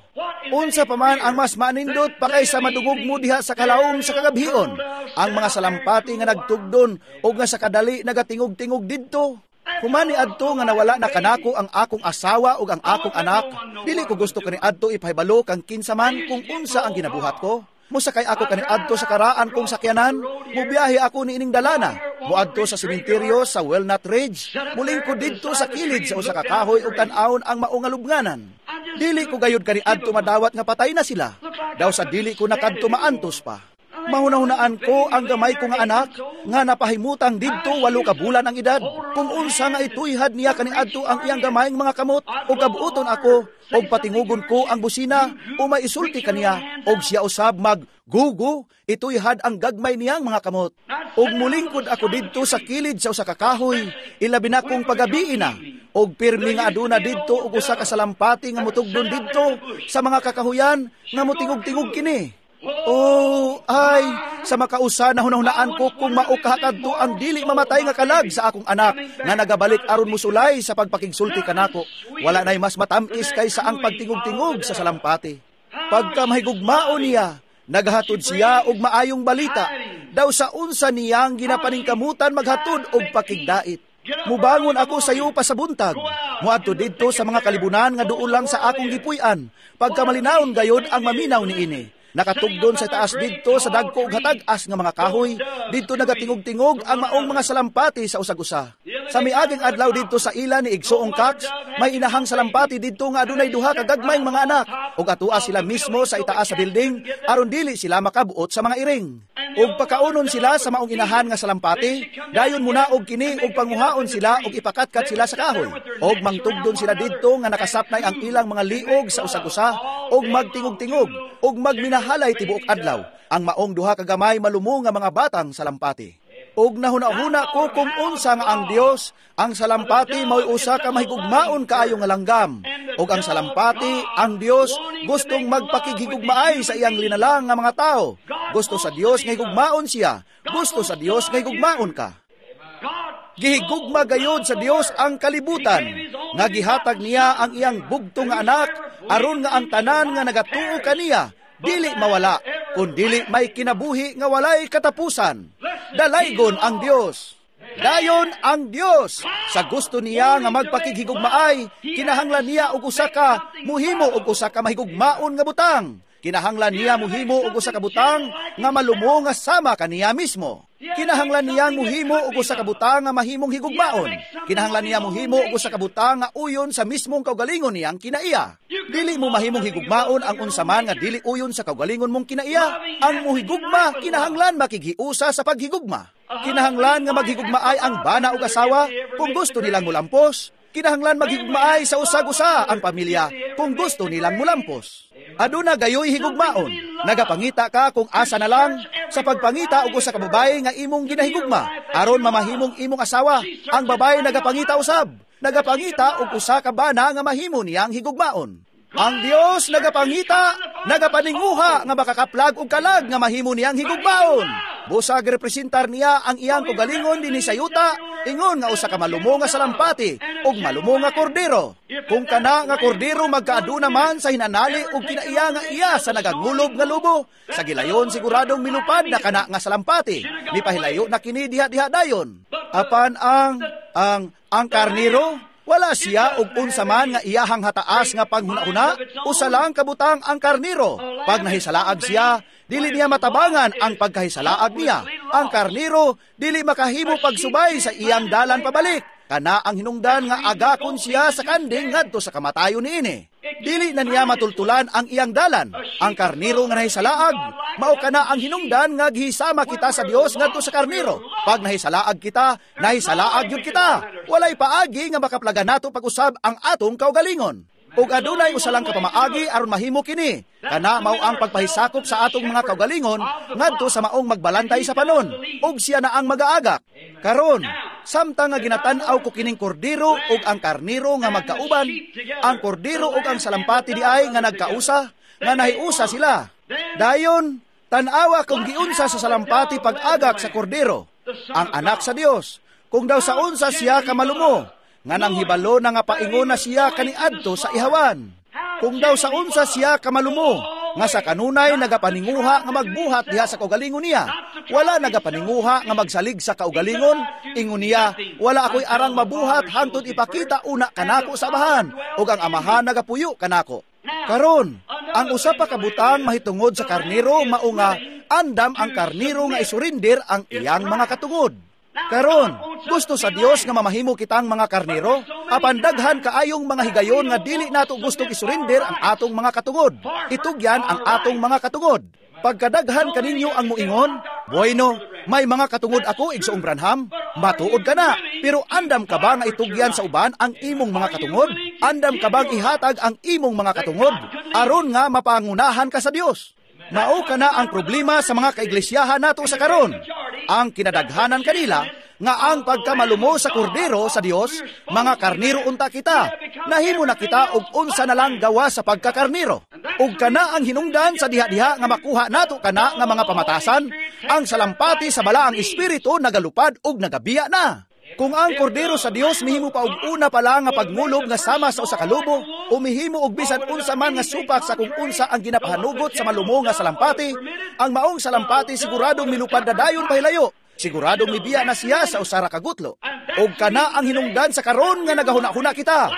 Unsa pa man ang mas manindot pa kaysa madungog mo diha sa kalawom sa kagabhion, ang mga salampati nga nagtugdon og nga sa kadali nagatingog-tingog didto. Human ni adto nga nawala na kanako ang akong asawa ug ang akong anak, dili ko gusto kani adto ipahibalo kang kinsa man kung unsa ang ginabuhat ko. Mosakay ako kani adto sa karaan kong sakyanan, mubiyahe ako niining dalana, muadto sa sementeryo sa Walnut Ridge, mulingkod didto sa kilid sa usa ka kahoy ug tan-awon ang maong lubnganan. Dili ko gayud kani adto madawat nga patay na sila. Daw sa dili ko nakadto maantos pa. Mahunahunaan ko ang gamay ko nga anak nga napahimutang didto 8 ka bulan ang edad. Kung unsa nga ituyhad niya kaniadto ang iyang gamayng mga kamot og kabuoton ako og patingugon ko ang busina o maisulti kaniya og siya usab maggugo ituyhad ang gagmay niyang mga kamot. Og mulingkod ako didto sa kilid sa usa ka kahoy, ilabi na kong pagabii na og pirmi nga aduna didto og usa ka salampati nga motugdon didto sa mga kakahuyan nga motingog-tingog kini. Oh, ay, sa makausa na hunahunaan ko kung maukahakadto ang dili mamatay nga kalag sa akong anak nga nagabalik aron musulay sa pagpakigsulti kanako. Wala na'y mas matamis kaysa ang pagtingog-tingog sa salampati. Pagka mahigugmao niya, naghatod siya og maayong balita. Daw sa unsa niyang ginapaningkamutan maghatod og pakigdait. Mubangon ako sa iyo pa sa buntag. Muadto didto sa mga kalibunan nga duol lang sa akong gipuy-an. Pagkamalinaon gayod ang maminaw niini. Nakatugdon sa taas didto sa dagko ug hatag-as nga mga kahoy, didto nagatingog-tingog ang maong mga salampati sa usag-usa. Sa miaging adlaw didto sa ila ni Igsoong Cox, may inahang salampati didto nga adunay duha ka gagmayng mga anak, ug atua sila mismo sa itaas sa building aron dili sila makabuot sa mga iring. Ug pakaunon sila sa maong inahan nga salampati, dayon munaog kini ug panguhaon sila ug ipakatkat sila sa kahoy. Og mangtugdon sila didto nga nakasapnay ang ilang mga liog sa usag-usa ug magtingog-tingog ug magminahalay tibuok adlaw ang maong duha ka gamay malumo nga mga batang salampati. Og nahuna-huna ko kung unsa nga ang Dios, ang salampati mao'y usa ka mahigugmaon kaayo nga langgam. Og ang salampati, ang Dios, gustong magpakighigugmaay sa iyang linalang nga mga tao. Gusto sa Dios nga higugmaon siya, gusto sa Dios nga higugmaon ka. Gihigugma gayud sa Dios ang kalibutan, nga gihatag niya ang iyang bugtong nga anak, aron nga ang tanan nga nagatuo kaniya dili mawala, kun dili may kinabuhi nga walay katapusan. Dalaygon ang Dios. Dayon ang Dios sa gusto niya nga magpakighigugmaay, kinahanglan niya og usa ka muhimo og usa ka mahigugmaon nga butang. Kinahanglan niya muhimo og usa ka butang nga malumo nga sama kaniya mismo. Kinahanglan niya muhimo og usa ka butang nga mahimong higugmaon. Kinahanglan niya muhimo og usa ka butang nga uyon sa mismong kaugalingon niyang kinaiya. Dili mo mahimong higugmaon ang unsa man nga dili uyon sa kaugalingon mong kinaiya. Ang muhigugma kinahanglan makighiusa sa paghigugma. Kinahanglan nga maghigugmaay ang bana ug asawa kung gusto nilang mulampos. Kinahanglan maghigugmaay sa usag-usa ang pamilya kung gusto nilang mulampos. Aduna gayoy higugmaon. Nagapangita ka kung asa na lang sa pagpangita og usa ka babaye nga imong ginahigugma aron mamahimong imong asawa. Ang babaye nagapangita usab, nagapangita og usa ka bana nga mahimo niyang higugmaon. Ang Dios nagapangita, nagapaninguha nga makakaplag og kalag nga mahimo niyang higugmaon. Busag representar niya ang iyang kaugalingon dinhi sa yuta, ingon nga usa ka malumo nga salampati ug malumo nga kordero. Kung kana nga kordero magkaaduna man sa hinanali ug kinaiya nga iya sa nagangulob nga lubo, sa gilayon siguradong milupad na kana nga salampati, mipahilayo na kini diha-diha dayon. Apan ang karnero, wala siya og unsa man nga iyahang hataas nga panghuna-huna, usa lang kabutang ang karnero. Pag nahisalaag siya, dili niya matabangan ang pagkahisalaag niya. Ang karnero dili makahimo pagsubay sa iyang dalan pabalik. Kana ang hinungdan nga agakon siya sa kanding ngadto sa kamatayon niini. Dili na niya matultulan ang iyang dalan. Ang karnero nga nahisalaag, mao kana ang hinungdan nga gihisama kita sa Dios ngadto sa karnero. Pag nahisalaag kita, nahisalaag yun kita. Walay paagi nga makaplagan nato pag-usab ang atong kaugalingon. Ug adunay usa lang ka pamaagi aron mahimo kini. Kana mao ang pagpahisakop sa atong mga kaugalingon ngadto sa maong magbalantay sa panon, ug siya na ang magaagak. Karon, samtang nga ginatan-aw ko kining kordero ug ang karnero nga magkauban, ang kordero ug ang salampati diay nga nagkausa, nga nahiusa sila. Dayon, tan-awa kung giunsa sa salampati pag-agak sa kordero, ang anak sa Dios, kung daw sa unsa siya kamalumo, nga nang hibalo na nga paingon na siya kaniadto sa ihawan. Kung daw sa unsa siya kamalumo, nga sa kanunay nagapaninguha nga magbuhat diha sa kaugalingon niya. Wala nagapaninguha nga magsalig sa kaugalingon, ingon niya, wala ako'y arang mabuhat hangtod ipakita una kanako sa amahan, ug ang amahan nagapuyo kanako. Karon, ang usa pa ka butang mahitungod sa karnero mao nga andam ang karnero nga isurinder ang iyang mga katungod. Karon, gusto sa Dios nga mamahimo kitang mga karnero, apan daghan kaayong mga higayon nga dili nato gustong isurinder ang atong mga katungod. Itugyan ang atong mga katungod. Pagkadaghan kaninyo ang muingon, "Bueno, may mga katungod ako, Igsoong Branham." Matuod ka na, pero andam ka ba nga itugyan sa uban ang imong mga katungod? Andam ka bang ihatag ang imong mga katungod aron nga mapangunahan ka sa Dios? Mao ka na ang problema sa mga kaiglesyahan nato sa karon. Ang kinadaghanan kanila nga ang pagkamalumo sa kordero sa Dios, mga karnero unta kita. Nahimo na kita og unsa na lang gawa sa pagkakarnero. Ug kana ang hinungdan sa diha-diha nga makuha nato kana nga mga pamatasan, ang salampati sa balaang espiritu nagalupad ug nagabiya na. Kung ang kordero sa Dios mihimo pa og una pa lang nga pagmulob nga sama sa usa ka lobo, o mihimo og bisan unsa man nga supak sa kung unsa ang ginapahanugot sa malumo nga salampati, ang maong salampati siguradong milupad na dayon pahilayo. Siguradong mibiya na siya sa usa ra ka gutlo. Og kana ang hinungdan sa karon nga nagahuna-huna kita.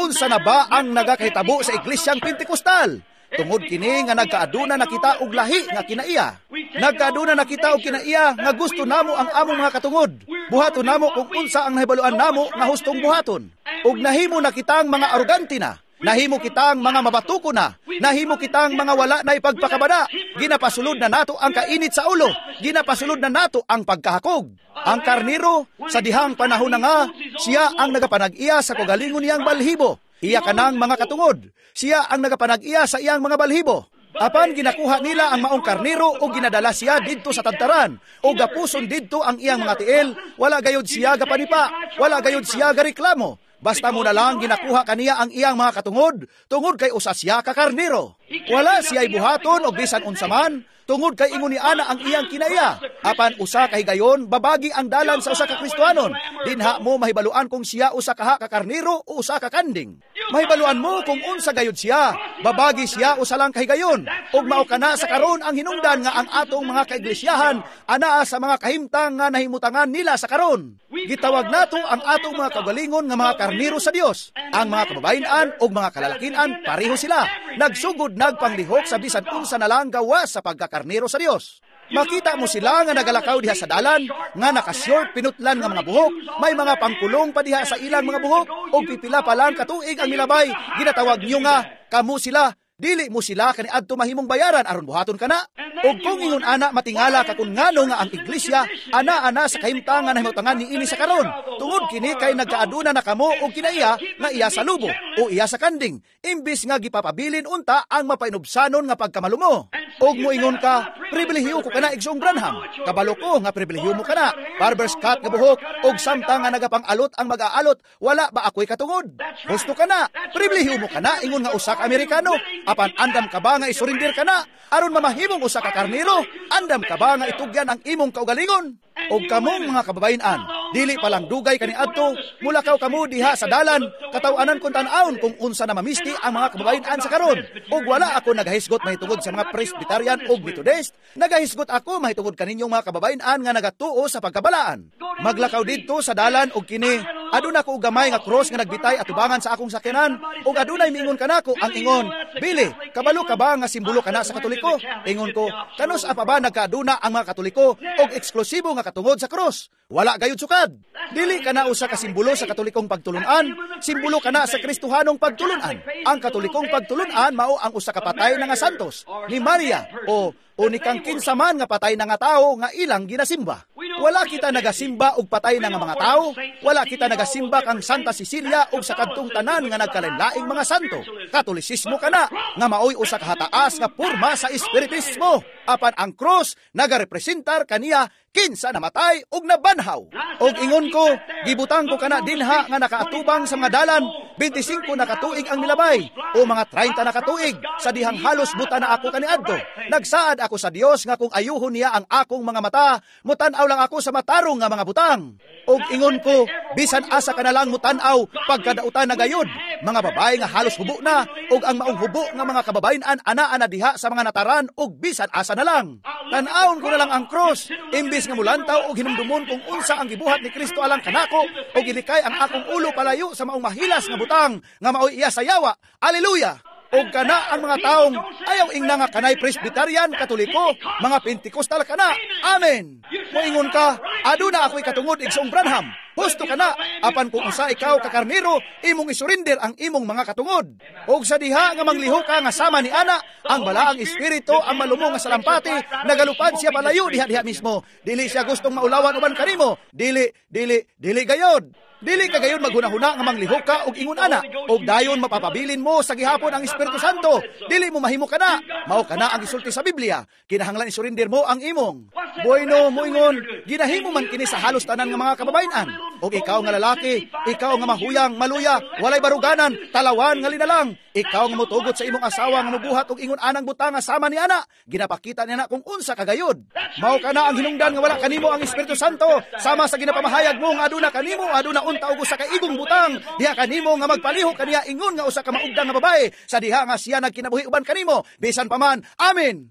Unsa na ba ang nagakahitabo sa Iglesyang Pentekostal? Tungod kini nga nagkaaduna na kita og lahi nga kinaiya. Nagkaaduna na kita og kinaiya nga gusto namo ang among mga katungod. Buhaton namo kung unsa ang nahibaluan namo nga hustong buhaton. Ug nahimo na kitang mga arogante na. Nahimo kitang mga mabatuko na. Nahimo kitang mga wala na ipagpakabada. Ginapasulod na nato ang kainit sa ulo. Ginapasulod na nato ang pagkahakog. Ang karnero sa dihang panahon na nga, siya ang nagapanag-iya sa kaugalingon niyang balhibo. Iya kanang mga katungod. Siya ang nagapanag-iya sa iyang mga balhibo. Apan ginakuha nila ang maong karnero o ginadala siya didto sa tagtaran o gapuson didto ang iyang mga tiil. Wala gayod siya gapanipa, wala gayod siya gareklamo. Basta mo na lang ginakuha kaniya ang iyang mga katungod, tungod kay usa siya ka karnero. Wala siya'y buhaton o bisan unsa man, tungod kay ingon ni ana ang iyang kinaiya. Apan usa ka higayon, babagi ang dalan sa usa ka Kristohanon. Dinha mo mahibaluan kung siya usa kaha ka karnero o usa ka kanding. Mahibaluan mo kung unsa gayud siya. Babagi siya usa lang kahigayon. Ug mao kana sa karon ang hinungdan nga ang atong mga kaiglesyahan anaa sa mga kahimtang nga nahimutangan nila sa karon. Gitawag nato ang atong mga kaugalingon nga mga karniro sa Dios. Ang mga kababayen-an ug mga kalalakian pareho sila. Nagsugod nagpanglihok sa bisan unsa na lang gawas sa pagkakarniro sa Dios. Makita mo sila nga nagalakaw diha sa dalan, nga naka-short pinutlan nga mga buhok, may mga pangkulong pa diha sa ilang mga buhok, ug pipila pa lang katuig ang milabay, ginatawag niyo nga kamo sila. Dili mo sila kaniadto mahimong bayaran aron buhaton kana. Ug kung ingon ana matingala ka kun ngano nga ang iglesia ana-ana sa kahimtang nga nahimutangan niini sa karon. Tungod kini kay nagkaaduna na kamo og kinaiya nga iya sa lubo o iya sa kanding, imbis nga gipapabilin unta ang mapainubsanon nga pagkamalumo. Og moingon ka, pribilehiyo ko kana, Igsoong Branham. Kabalo ko nga pribilehiyo mo kana. Barber's cut nga buhok og samtang nga nagapang-alot ang mag-aalot, wala ba ako'y katungod? Gusto kana, pribilehiyo mo kana ingon nga usa ka Amerikano. Apan andam ka ba nga isurinder ka na aron mamahimong usa ka karniro? Andam ka ba nga itugyan ang imong kaugalingon? Og kamong mga kababayen-an, dili pa lang dugay kaniadto, mulakaw kamo diha sa dalan, kataw-anan kon tan-awon kung unsa na mamisti ang mga kababayen-an sa karon. Og wala ako nagahisgot mahitungod sa mga Presbyterian og Methodist, nagahisgot ako mahitungod kaninyong mga kababayen-an nga nagatuo sa pagkabalaan. Maglakaw didto sa dalan og kini, aduna ko og gamay nga cross nga nagbitay atubangan sa akong sakyanan, og adunay miingon kanako ang ingon, "Billy, kabalo ka ba nga simbolo kana sa Katoliko?" Ingon ko, "Kanus apa ba nagkaaduna ang mga Katoliko og eksklusibo nga katungod sa cross? Wala gayud sukad. Dili kana usa ka simbolo sa Katolikong pagtulunan, simbolo kana sa Kristohanong pagtulunan. Ang Katolikong pagtulunan mao ang usa ka patay na nga santos ni Maria o ni kang kinsa man nga patay na nga tawo nga ilang ginasimba. Wala kita nagasimba og patay na nga mga tawo, wala kita nagasimba kang Santa Cecilia og sa kadtong tanan nga nagkalainlaing mga santo. Katolisismo kana nga maoy usa ka hataas nga porma sa espiritismo. Apan ang cross nagarepresentar kaniya kinsa namatay og nabanhaw. Og ingon ko, gibutang ko kana dinha nga nakaatubang sa mga dalan, 25 na katuig ang milabay o mga 30 na katuig sa dihang halos buta na ako kaniadto. Nagsaad ako sa Dios nga kung ayuhon niya ang akong mga mata, mutan-aw lang ako sa matarong nga mga butang. Og ingon ko, bisan asa ka na lang mutan-aw pagkadautan na gayud, mga babae nga halos hubo na og ang maong hubo nga mga kababayen-an ana-ana diha sa mga nataran og bisan asa na lang. Tan-awon ko na lang ang cross, imbis nga mulantaw og hinumdumon kung unsa ang gibuhat ni Kristo alang kanako, og ilikay ang akong ulo palayo sa maong mahilas nga butang nga maoy iya sa yawa. Aleluya! Og kana ang mga taong ayaw ingna nga kanay Presbyterian, Katoliko, mga Pentecostal kana. Amen. Moingon ka, aduna ako'y katungod, Igsoong Branham. Husto kana, apan kung usa ikaw ka karniro, imong isurinder ang imong mga katungod. Og sa diha nga mangliho ka nga sama ni ana, ang balaang espiritu ang malumong nga salampati, nagalupad siya palayo diha-diha mismo. Dili siya gustong maulawan uban kanimo. Dili, dili, dili gayod. Dili ka gayon maghunahuna nga manglihok ka og ingon ana, og dayon mapapabilin mo sa gihapon ang Espiritu Santo. Dili mo mahimo kana. Mao kana ang gisulti sa Biblia. Kinahanglan isurinder mo ang imong. Bueno, moingon, ginahimo man kini sa halos tanan nga mga kababayen-an. Og ikaw nga lalaki, ikaw nga mahuyang, maluya, walay baruganan, talawan nga linalang, ikaw nga motugot sa imong asawa nga mobuhat og ingon anang butang nga sama ni ana, ginapakita niya na kung unsa kagayod. Mao kana ang hinungdan nga wala kanimo ang Espiritu Santo, sama sa ginapamahayag mo nga aduna kanimo, aduna unta og usa ka igong butang diha kanimo nga magpalihok kaniya ingon nga usa ka maugdang nga babae sa diha nga siya nagkinabuhi uban kanimo bisan pa man. Amen.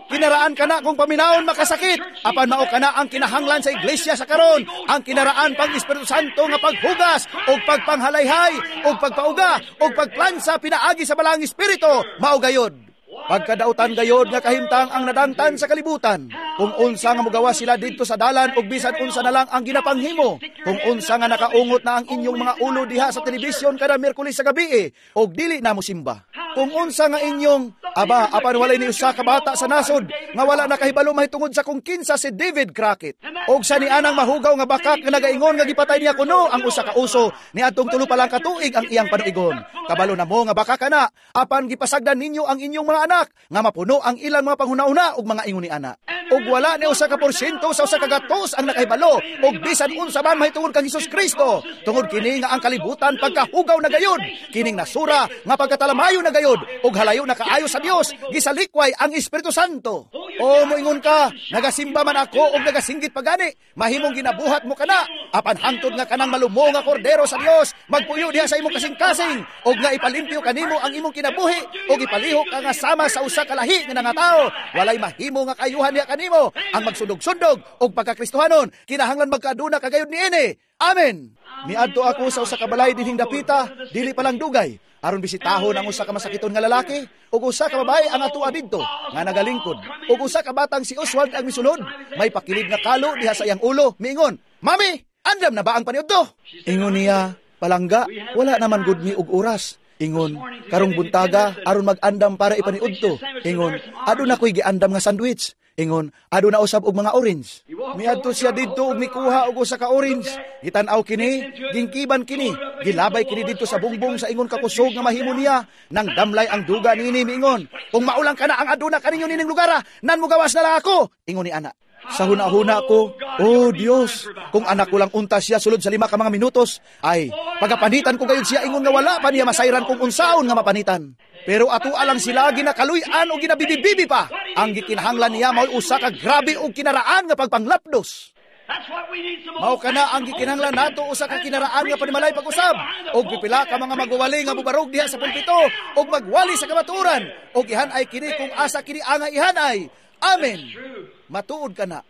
Kinaraan kana kung paminawon makasakit, apan mao kana ang kinahanglan sa iglesia sa karon, ang kinaraan pang Espiritu Santo nga paghugas og pagpanghalayhay og pagpauga og pagplansa pinaagi sa Balaang Espiritu, mao gayod. Pagkadautan gayod nga kahimtang ang nadangtan sa kalibutan. Kung unsa nga mogawa sila didto sa dalan og bisan unsa na lang ang ginapanghimo. Kung unsa nga nakaungot na ang inyong mga ulo diha sa telebisyon kada Miyerkules sa gabi og dili na mosimba. Kung unsa nga inyong aba apan walay ni usa ka bata sa nasod nga wala na kahibalo mahitungod sa kung kinsa si David Crockett. Og sa nianang mahugaw nga bakak nga nagaingon nga gipatay niya kuno ang usa ka uso niadtong tulo pa lang ka tuig ang iyang panuigon. Kabalo na mo nga baka kana apan gipasagdan ninyo ang inyong mga anak nga mapuno ang ilang mga panghuna-una ug mga ingon ni ana. Ug wala ni usa ka porsyento sa usa ka gatos ang nakahibalo og bisan unsa man mahitungod kang Hesus Kristo. Tungod kini nga ang kalibutan pagkahugaw na gayud, kining nasura nga pagkatalamayo na gayud ug halayo na kaayo sa Dios, gisalikway ang Espiritu Santo. O moingon ka, nagasimba man ako og nagasinggit pagani, mahimong ginabuhat mo kana, apan hangtod nga kanang malumo nga kordero sa Dios magpuyo diha sa imong kasing-kasing, og nga ipalimpyo kanimo ang imong kinabuhi, og ipalihok ka nga sama sa usa ka lahi nga nangatawo, walay mahimo nga kayuhan niya kanimo. Ang magsundog-sundog og pagkakristohanon, kinahanglan magkaaduna kagayod niini. Amen. Miadto ako sa usa ka balay dinhing dapita, dili pa lang dugay, aron bisitahon ang usa ka masakiton nga lalaki ug usa ka babae ang atoa didto nga nagalingkod, ug usa ka batang si Oswald ang misulod, may pakilid nga kalo diha sa iyang ulo, miingon, "Mami, andam na ba ang paniudto?" Ingon niya, "Palangga, wala naman gud mi og oras." Ingon, "Karong buntaga aron mag-andam para ipaniudto." Ingon, "Aduna ko'y giandam nga sandwich." Ingon, "Aduna usab og mga orange." Miadto siya didto og mikuha og usa ka orange. Gitan-aw kini, gingkiban kini, gilabay kini didto sa bungbong sa ingon kakusog nga mahimo niya. Nang damlay ang duga niini, miingon, "Kung maulang kana ang aduna kaninyo nining lugar, nan mugawas na lang ako." Ingon ni ana. Sa huna-huna ko, "Oh Dios, kung anak ko lang unta siya sulod sa 5 ka mga minutos, ay pagapanitan ko gayud siya ingon nga wala pa niya masayran kung unsaon nga mapanitan." Pero ato alang sila ginakaluy-an o ginabibibibi pa. Ang gikinahanglan niya mao'y usa ka grabe og kinaraan nga pagpanglapdos. Mao kana ang gikinahanglan nato, usa ka kinaraan nga panimalay pag-usab. Og pipila ka mga magwawali nga mubarog diha sa pulpito og magwali sa kamatuoran og ihanay kini kung asa kini angay ihanay. Amen. Matuod ka na.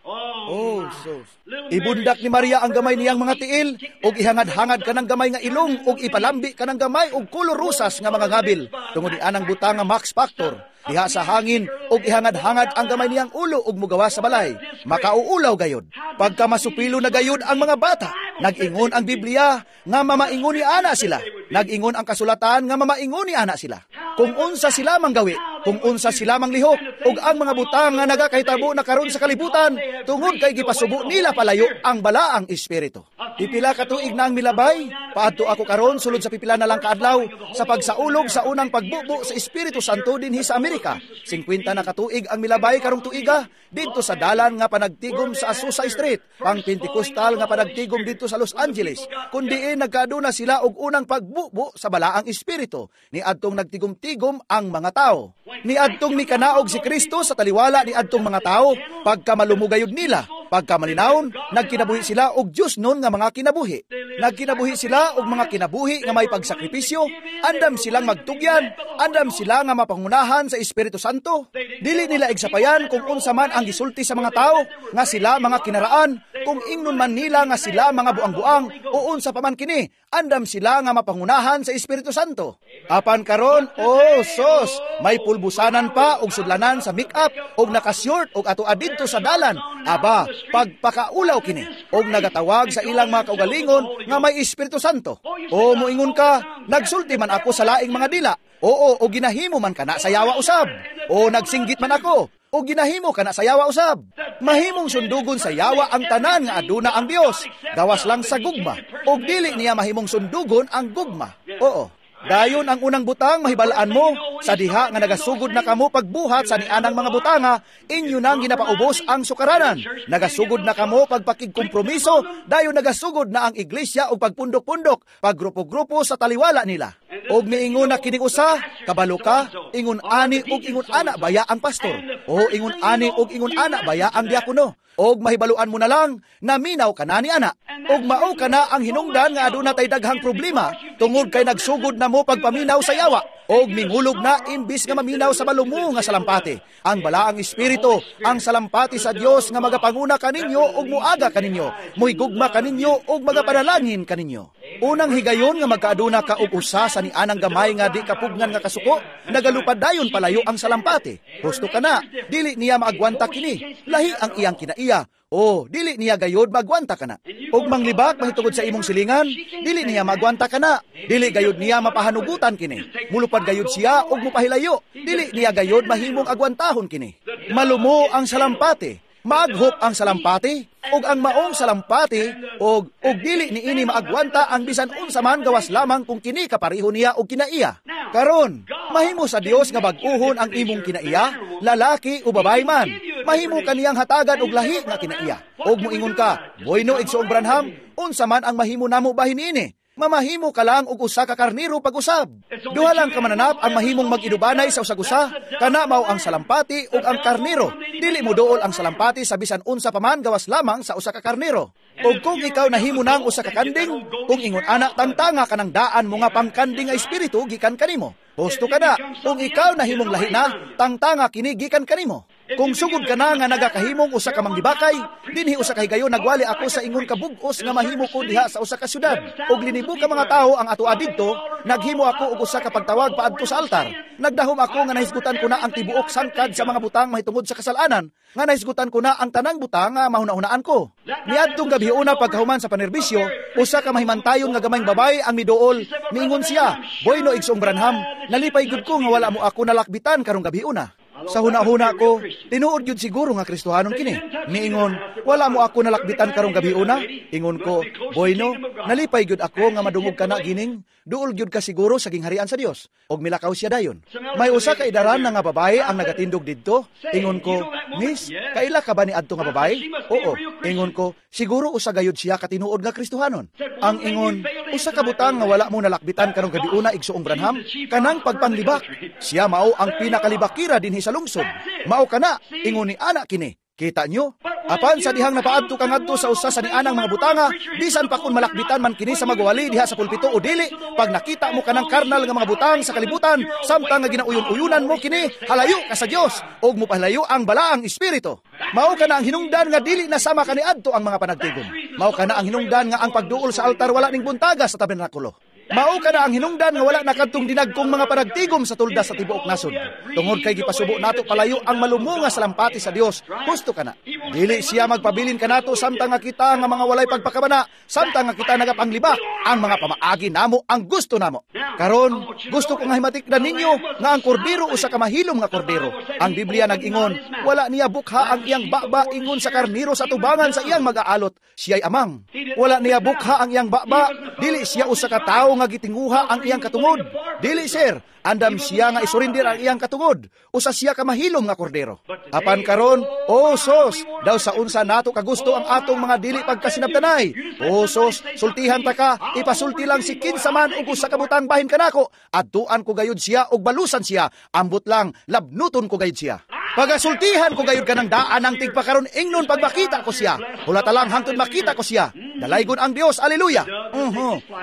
Oh, sus. Ibundak ni Maria ang gamay niyang mga tiil, ug ihangad-hangad ka ng gamay nga ilong, ug ipalambi ka ng gamay og kolor rosas nga mga ngabil. Tungod ni anang butang nga Max Factor. Diha sa hangin, ug ihangad-hangad ang gamay niyang ulo ug mugawa sa balay. Makauulaw gayod. Pagka masupilo na gayod ang mga bata, nag-ingon ang Biblia nga mamaingon ni ana sila. Nag-ingon ang kasulatan nga mamaingon ni ana sila. Kung unsa sila manggawi, kung unsa sila manglihok, ug ang mga butang nga nagakahitabo na karon sa kalibutan, tungod kay gipasubo nila palayo ang balaang espiritu. Pipila ka tuig na ang milabay, paadto ako karon sulod sa pipila na lang kaadlaw sa pagsaulog sa unang pagbubo sa Espiritu Santo dinhi sa Amerika. 50 na katuig ang milabay karong tuiga didto sa dalan nga panagtigom sa Azusa Street, pang Pentecostal nga panagtigom didto sa Los Angeles, kun diin nagkaaduna sila og unang pagbubo sa balaang espiritu niadtong nagtigom-tigom ang mga tao. Niadtong mikanaog si Kristo sa taliwala niadtong mga tao, pagka malumugayod nila, pagka malinawon, nagkinabuhi sila og Dios nun nga mga kinabuhi. Nagkinabuhi sila og mga kinabuhi nga may pagsakripisyo, andam silang magtugyan, andam sila nga mapangunahan sa Espiritu Santo. Dili nila igsapayan kung unsa man ang gisulti sa mga tao nga sila mga kinaraan, kung ingnon man nila nga sila mga buang-buang o unsa pa man kini, andam sila nga mapangunahan sa Espiritu Santo. Apan karon, oh sos, may pulbusanan pa og sudlanan sa make-up og nakashort og ato adidto sa dalan. Aba, pagpakaulaw kini og nagatawag sa ilang mga kaugalingon nga may Espiritu Santo. O moingon ka, nagsulti man ako sa laing mga dila. Oo, o ginahimo man kana sa yawa usab. O nagsinggit man ako, o ginahimo kana sa yawa usab. Mahimong sundugon sa yawa ang tanan nga aduna ang Dios, gawas lang sa gugma. Og dili niya mahimong sundugon ang gugma. Oo. Dayon ang unang butang mahibalaan mo sa diha nga nagasugod na kamo pagbuhat sa nianang mga butanga, inyo nang ginapaubos ang sukaranan. Nagasugod na kamo pagpakigkompromiso, dayon nagasugod na ang iglesia og pagpundok-pundok, paggrupo-grupo sa taliwala nila. Og miingon na kining usa, kabalo ka, ingon ani og ingon ana baya ang pastor, o ingon ani og ingon ana baya ang diakono. Og mahibaluan mo na lang na minaw ka na ni ana. Og mao ka na ang hinungdan nga aduna tay daghang problema tungod kay nagsugod na mo pagpaminaw sa yawa. Og mingulog na imbis nga maminaw sa malumo nga salampati. Ang balaang espiritu, ang salampati sa Dios nga magapanguna kaninyo og muaga kaninyo, muhigugma kaninyo og magapanalangin kaninyo. Unang higayon nga magkaaduna ka og usa sa nianang gamay nga di kapugnan nga kasuko, nagalupad dayon palayo ang salampati. Husto ka na, dili niya maagwanta kini, lahi ang iyang kinaiya. O, dili niya gayod magwanta ka na. Og manglibak mahitungod sa imong silingan, dili niya magwanta ka na. Dili gayod niya mapahanugutan kini. Mulupad gayod siya og mupahilayo. Dili niya gayod mahimong agwantahon kini. Malumo ang salampati, maaghop ang salampati, og ang maong salampati, og dili niini maagwanta ang bisan unsa man gawas lamang kung kini kapareho niya og kinaiya. Karon, mahimo sa Dios nga bag-uhon ang imong kinaiya, lalaki o babae man. Mahimo kaniyang hatagan og lahi nga kinaiya. Og moingon ka, "Bueno, Igsoong Branham, unsa man ang mahimo namo bahin niini?" Mamahimo ka lang og usa ka karniro pag-usab. Duha lang ka mananap ang mahimong mag-inubanay sa usag-usa, kana mao ang salampati ug ang karniro. Dili mo duol ang salampati sa bisan unsa pa man gawas lamang sa usa ka karniro. Ug kung ikaw nahimo nang usa ka kanding, kung ingon ana tantanga kanang daan mo nga pangkanding nga espiritu gikan kanimo. Husto ka na, kung ikaw nahimong lahi na, tangtanga kini gikan kanimo. Kung sugod ka na nga nagakahimong usa ka manggibakay, dinhi usa ka higayon nagwali ako sa ingon ka bug-os nga mahimo ko diha sa usa ka syudad. Og linibo ka mga tawo ang atoa didto, naghimo ako og usa ka pagtawag paadto sa altar. Nagdahom ako nga nahisgutan ko na ang tibuok sangkad sa mga butang mahitungod sa kasalanan, nga nahisgutan ko na ang tanang butang nga mahuna-hunaan ko. Niadtong gabi una pagkahuman sa panerbisyo, usa ka mahimantayon nga gamayng babae ang miduol, miingon siya, "Boyno Igsoong Branham, nalipay gud ko nga wala mo ako nalakbitan karong gabi una." Sa huna-huna ko, tinuod gyud siguro nga Kristohanon kini. Niingon, "Wala mo ako nalakbitan karong gabi una." Ingon ko, "Boyno, nalipay gyud ako nga madungog ka na gining, duol gyud ka siguro sa gingharian sa Dios." Og milakaw siya dayon. May usa ka idaran na nga babae ang nagatindog didto. Ingon ko, "Miss, kaila ka ba ni adto nga babae?" "Oo." Ingon ko, "Siguro usa gayud siya katinuod nga Kristohanon." Ang ingon, "Usa ka butang nga wala mo nalakbitan karong gabi una, Igsoong Branham, kanang pagpanglibak. Siya mao ang pinakalibakira dinhi sa lungsod. Mao kana, ingon ni ana kini." Kita nyo? Apan sa dihang napaadto ka ngadto sa usa sa nianang mga butanga, bisan pa kun malakbitan man kini sa magwali diha sa pulpito o dili, pag nakita mo kanang karnal nga mga butang sa kalibutan, samtang nga ginauyon-uyunan mo kini, halayo ka sa Dios ug mopalayo ang balaang espiritu. Mao kana ang hinungdan nga dili na sama kaniadto ang mga panagtigom. Mao kana ang hinungdan nga ang pagduol sa altar wala ning buntaga sa tabernakulo. Mao kana ang hinungdan nga wala na kadtong dinagkong mga panagtigom sa tulda sa tibuok nasod. Tungod kay gipasubo nato palayo ang malumo nga salampati sa Dios, husto kana. Dili siya magpabilin kanato samtang nga kita nga mga walay pagpakabana, samtang nga kita nagapanglibak ang mga pamaagi namo ang gusto namo. Karon, gusto ko nga himatikdan ninyo nga ang kordero usa ka mahilom nga kordero. Ang Biblia nag-ingon, wala niya bukha ang iyang baba ingon sa karniro sa tubangan sa iyang mag-aalot. Siya'y amang. Wala niya bukha ang iyang baba, dili siya usa ka tawo nga gitinguha ang iyang katungod. Dili sir, andam siya nga isurindir ang iyang katungod. Usa siya ka mahilom nga kordero. Apan karon, oh sos, daw sa unsa nato kagusto ang atong mga dili pagkasinabtanay. Oh sos, sultihan ta ka, ipasulti lang si kinsa man og usa ka butang bahin kanako. Adtuan ko gayud siya og balusan siya. Ambot lang, labnuton ko gayud siya. Pagasultihan ko gayud kanang daan ang tigpakaron ingnon pag makita ko siya. Hulata lang hangtod makita ko siya. Dalaygon ang Dios, aleluya.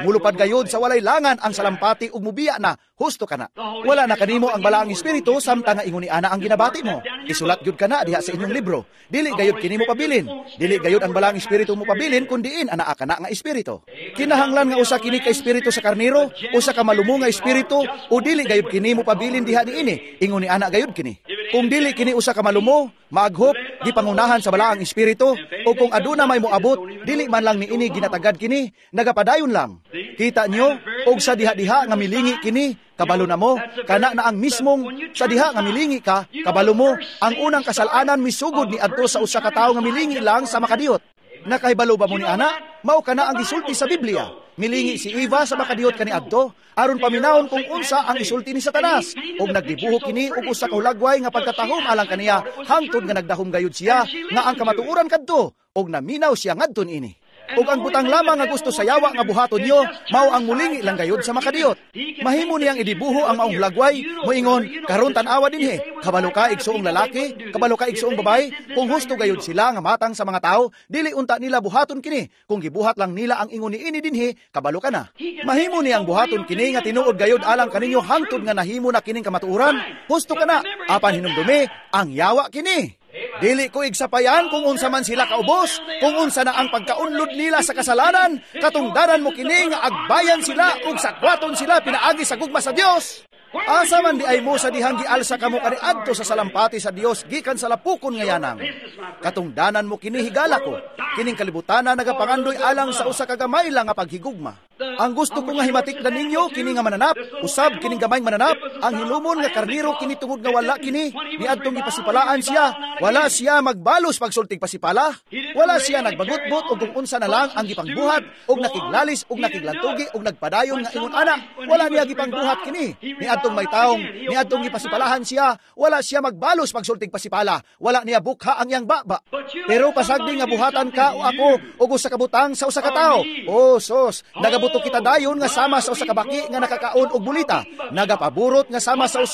Mulupad gayud sa walay langan ang salampati ug mubiya na, husto kana. Wala na kanimo ang balaang espiritu samtang nga ingon ni ana ang ginabati mo. Isulat gyud kana diha sa inyong libro. Dili gayud kini mo pabilin. Dili gayud ang balaang espiritu mo pabilin kun diin anaa kana nga espiritu. Kinahanglan nga usa kini ka espiritu sa karniro, usa ka malumo nga espiritu o dili gayud kini mo pabilin diha niini. Ingon ni ana gayud kini. Kung dili kini usa ka malumo, maaghop, gipangunahan sa balaang espiritu, o kung aduna may moabot, dili man lang niini ginatagad kini, nagapadayon lang. Kita nyo, og sa diha-diha nga milingi kini, kabalo na mo, kana na ang mismong sa diha nga milingi ka, kabalo mo, ang unang kasalanan misugod ni adto sa usa ka tawo nga milingi lang sa makadiyot. Nakahibalo ba mo ni ana? Mao kana ang gisulti sa Biblia. Milingi si Eva sa makadiyot kaniadto, aron paminawon kung unsa ang isulti ni Satanas. Og nagdibuho kini og usa ka hulagway nga pagkatahom alang kaniya, hangtod nga nagdahom gayud siya nga ang kamatuoran kadto, og naminaw siya ngadto niini. Ug ang butang lamang nga gusto sa yawa nga buhaton nyo, mao ang mulingi lang gayud sa makadiyot. Mahimo niyang idibuho ang maong hulagway, moingon, karon tan-awa dinhi, kabalo ka igsuong lalaki, kabalo ka igsuong babae, kung husto gayud sila nga matang sa mga tao, dili unta nila buhaton kini, kung gibuhat lang nila ang ingon niini dinhi, kabalo ka na. Mahimo niyang buhaton kini nga tinuod gayud alang kaninyo hangtod nga nahimo na kining kamatuoran, husto ka na, apan hinumdumi, ang yawa kini. Dili ko igsapayan kung unsa man sila kaubos, kung unsa na ang pagkaunlod nila sa kasalanan, katungdanan mo kini nga agbayan sila ug sakwaton sila pinaagi sa gugma sa Dios. Asa man di ay mo sa dihang gialsa kamo kaniadto sa salampati sa Dios gikan sa lapukon nga yanang. Katungdanan mo kini higala ko, kining kalibutana nagapangandoy alang sa usa ka gamay lang nga paghigugma. Ang gusto ko nga himatikdan ninyo kini nga mananap, usab kining gamayng mananap, ang hilumon nga karniro kini tungod nga wala kini niadtong gipasipalaan siya, wala siya magbalos pagsultig pasipala, wala siya nagbagutbot og kung unsa na lang ang gipangbuhat og nakiglalis og nakiglantugi og nagpadayon nga ingon ana, wala niya gipangbuhat kini. Niadtong may taong niadtong gipasipalahan siya, wala siya magbalos pagsultig pasipala, wala niya bukha ang iyang baba. Pero pasagdi nga buhatan ka o ako og usa ka butang sa usa ka tawo, oh sos, Nagabuto kita dayon nga sama sa usa ka baki nga nakakaon og bulita, nagapaburot nga sama sa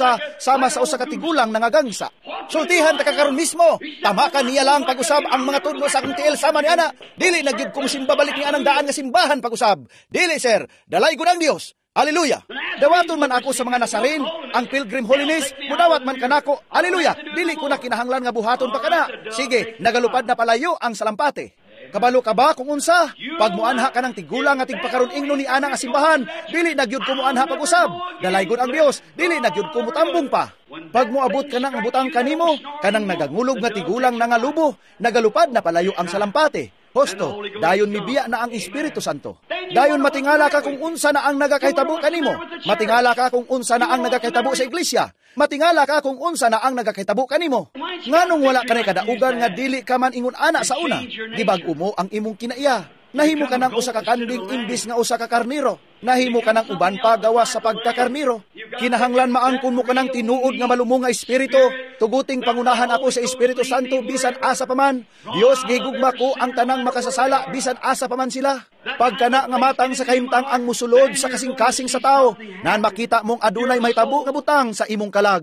usa ka tigulang nangagangsa. Sultihan ta ka karon mismo. Tama ka niya lang pag-usab ang mga tudlo sa akong tiil sama ni ana. Dili na gyud ko mosimba balik ni anang daan nga simbahan pag-usab. Dili, sir, dalaygon ang Dios. Hallelujah. Dawaton man ako sa mga Nazarene, ang Pilgrim Holiness, mudawat man kanako. Hallelujah. Dili ko na kinahanglan nga buhaton pa kana. Sige, nagalupad na palayo ang salampate. Kabalo ka ba kung unsa? Pag muanha ka ng tigulang nga tigpakaron ingno ni ana nga simbahan, dili na gyud ko muanha pag-usab. Dalaygon ang Dios, dili na gyud ko mutambong pa. Pag moabot ka nang butang kanimo, kanang nagangulog nga tigulang na nga lubo, nagalupad na palayo ang salampate. Husto, dayon mibiya na ang Espiritu Santo. Dayon matingala ka kung unsa na ang nagakahitabo kanimo. Matingala ka kung unsa na ang nagakahitabo sa iglesia. Matingala ka kung unsa na ang nagakahitabo kanimo. Nganong wala kanay kadaugan nga dili ka man ingon ana sa una, gibag-o mo ang imong kinaiya. Nahimo ka ng usa ka kanding imbis nga usa ka karniro. Nahimo ka ng uban pa gawas sa pagkakarniro. Kinahanglan maangkon mo ka ng tinuod nga malumong nga espiritu. Tuguting pangunahan ako sa Espiritu Santo bisan asa pa man. Dios, gigugma ko ang tanang makasasala bisan asa pa man sila. Pagkana nga matang sa kahimtang ang musulod sa kasing-kasing sa tao, nan makita mong adunay mahitabo nga butang sa imong kalag.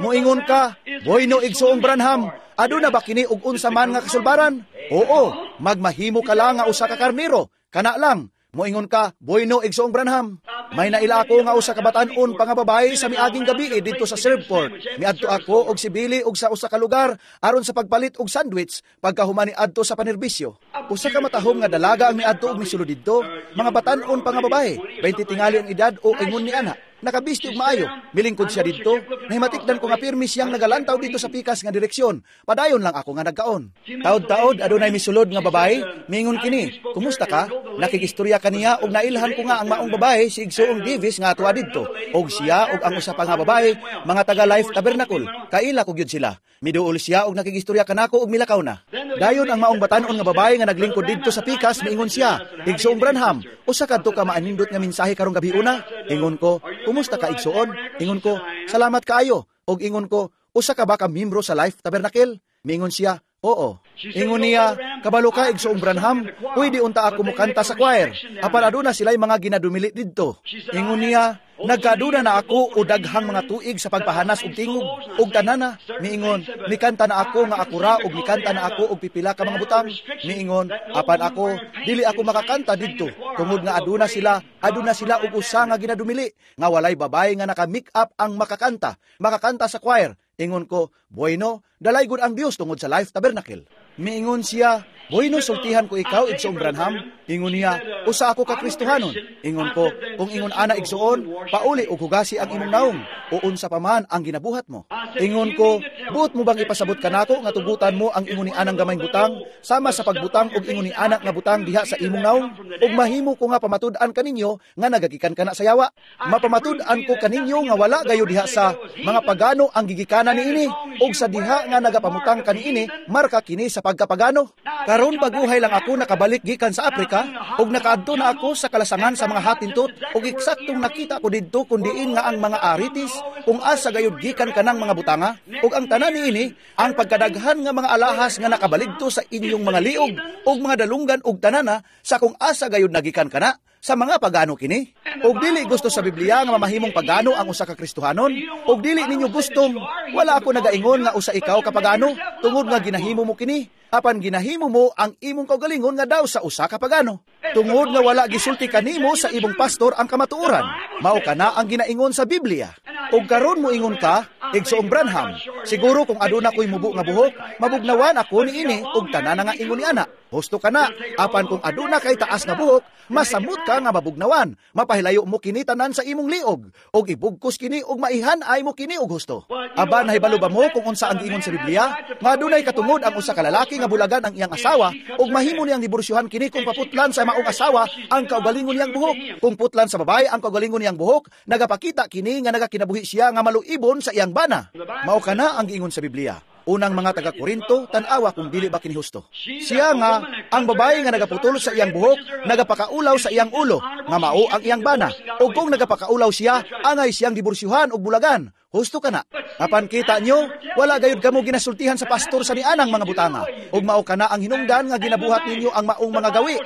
Moingon ka, "Bueno, Igsoong Branham, aduna ba kini og unsa man nga kasulbaran?" Oo, magmahimo ka lang nga usa ka karniro. Kana lang. Moingon ka, "Bueno, Igsoong Branham." May naila ako nga usa ka batan-on pa nga babae sa miaging gabi didto sa Shreveport. Miadto ako og si Billy og sa usa ka lugar aron sa pagpalit og sandwich pagkahuman ni adto sa panerbisyo. Usa ka matahom nga dalaga ang miadto og misulod didto, mga batan-on pa nga babae, 20 tingali ang edad o ingon ni ana. Nakabisti og maayo. Milingkod siya didto. Nahimatikdan ko nga pirmi siyang nagalantaw dito sa pikas nga direksyon. Padayon lang ako nga nagkaon. Taod-taod adunay misulod nga babae, miingon kini, "Kumusta ka?" Nakikistorya kaniya og nailhan ko nga ang maong babae si Igsoong Davis nga atuwa didto. Og siya og ang usa pa nga babae, mga taga Life Tabernacle. Kaila ko gyud sila. Miduol siya og nakigistorya kanako og milakaw na. Dayon ang maong batan-on nga babae nga naglingkod didto sa pikas miingon siya, "Igsoong Branham, usa kadto ka maanindot nga mensahe karong gabi una." Ingon ko, "Kumusta ka, igsoon?" Ingon ko, "Salamat kaayo." Og ingon ko, "Usa ka ba ka membro sa Life Tabernacle?" Miingon siya, "Oo." Ingon niya, "Kabalo ka, Igsoong Branham, pwede unta ako mukanta sa choir. Apan aduna sila'y mga ginadumili didto." Ingon niya, "Nagkaduna na ako o daghang mga tuig sa pagpahanas og tingog og tanana." Miingon, "Mikanta na ako nga ako ra og mikanta na ako og pipila ka mga butang." Miingon, "Apan ako, dili ako makakanta didto tungod nga aduna sila og usa nga ginadumili nga walay babae nga naka-make up ang makakanta sa choir." Ingon ko, "Bueno, dalaygon ang Dios tungod sa Life Tabernacle." Miingon siya, "Bueno, sultihan ko ikaw, Igsoong Branham." Ingon niya, "Usa ako ka Kristohanon." Ingon ko, "Kung ingon ana, igsoon, pauli og hugasi ang imong naong, o unsa pa man ang ginabuhat mo." Ingon ko, "Buot mo bang ipasabot kanako nga tugutan mo ang ingon ni anang gamayng butang, sama sa pagbutang og ingon ni anak nga butang diha sa imong naong, ug mahimo ko nga pamatud-an kaninyo nga nagagikan kana sa yawa? Mapamatud-an ko kaninyo nga wala gayo diha sa mga pagano ang gigikanan niini, ug sa diha nga nagapamutang kaniini, marka kini sa pagkapagano. Karon baguhay lang ako nakabalik gikan sa Afrika, ug nakaadto na ako sa kalasangan sa mga Hottentot, ug eksaktong nakita ko didto kun diin nga ang mga aritis, kung asa gayud gikan kanang mga butanga, ug ang tanan niini, ang pagkadaghan nga mga alahas nga nakabaligto sa inyong mga liog ug mga dalunggan ug tanana, sa kung asa gayud nagikan kana, sa mga pagano kini. Ug dili gusto sa Biblia nga mamahimong pagano ang usa ka Kristohanon, ug dili ninyo gustong, wala ako nagaingon nga usa ikaw ka pagano tungod nga ginahimo mo kini, apan ginahimo mo ang imong kaugalingon nga daw sa usa ka pagano. Tungod nga wala gisulti kanimo sa imong pastor ang kamatuoran, mao kana ang ginaingon sa Biblia. Ug karon mo ingon ka, 'Igsoong Branham, siguro kung aduna ko'y mubo nga buhok, mabugnawan ako niini ug tanan nga ingon ni ana.' Husto ka na, apan kung aduna kay taas nga buhok, masamot ka nga mabugnawan. Mapahilayo mo kini tanan sa imong liog, ug ibugkos kini ug maihan-ay mo kini og husto. Aba, nahibalo ba mo kung unsa ang giingon sa Biblia? Nga adunay katungod ang usa ka lalaki nga bulagan ang iyang asawa, ug mahimo niyang diborsyuhan kini kung paputlan sa maong asawa ang kaugalingon niyang buhok. Kung putlan sa babae ang kaugalingon niyang buhok, nagapakita kini nga nagakinabuhi siya nga maluibon sa iyang bana. Mao kana ang giingon sa Biblia. Unang mga taga-Korinto, tan-awa kung dili ba kini husto. Siya nga, ang babae nga nagaputol sa iyang buhok, nagapakaulaw sa iyang ulo, nga mao ang iyang bana. O kung nagapakaulaw siya, angay siyang diborsyuhan og bulagan. Husto ka na. Apan kita nyo, wala gayud kamo ginasultihan sa pastor sa nianang mga butanga. Og mao kana ang hinungdan nga ginabuhat ninyo ang maong mga gawi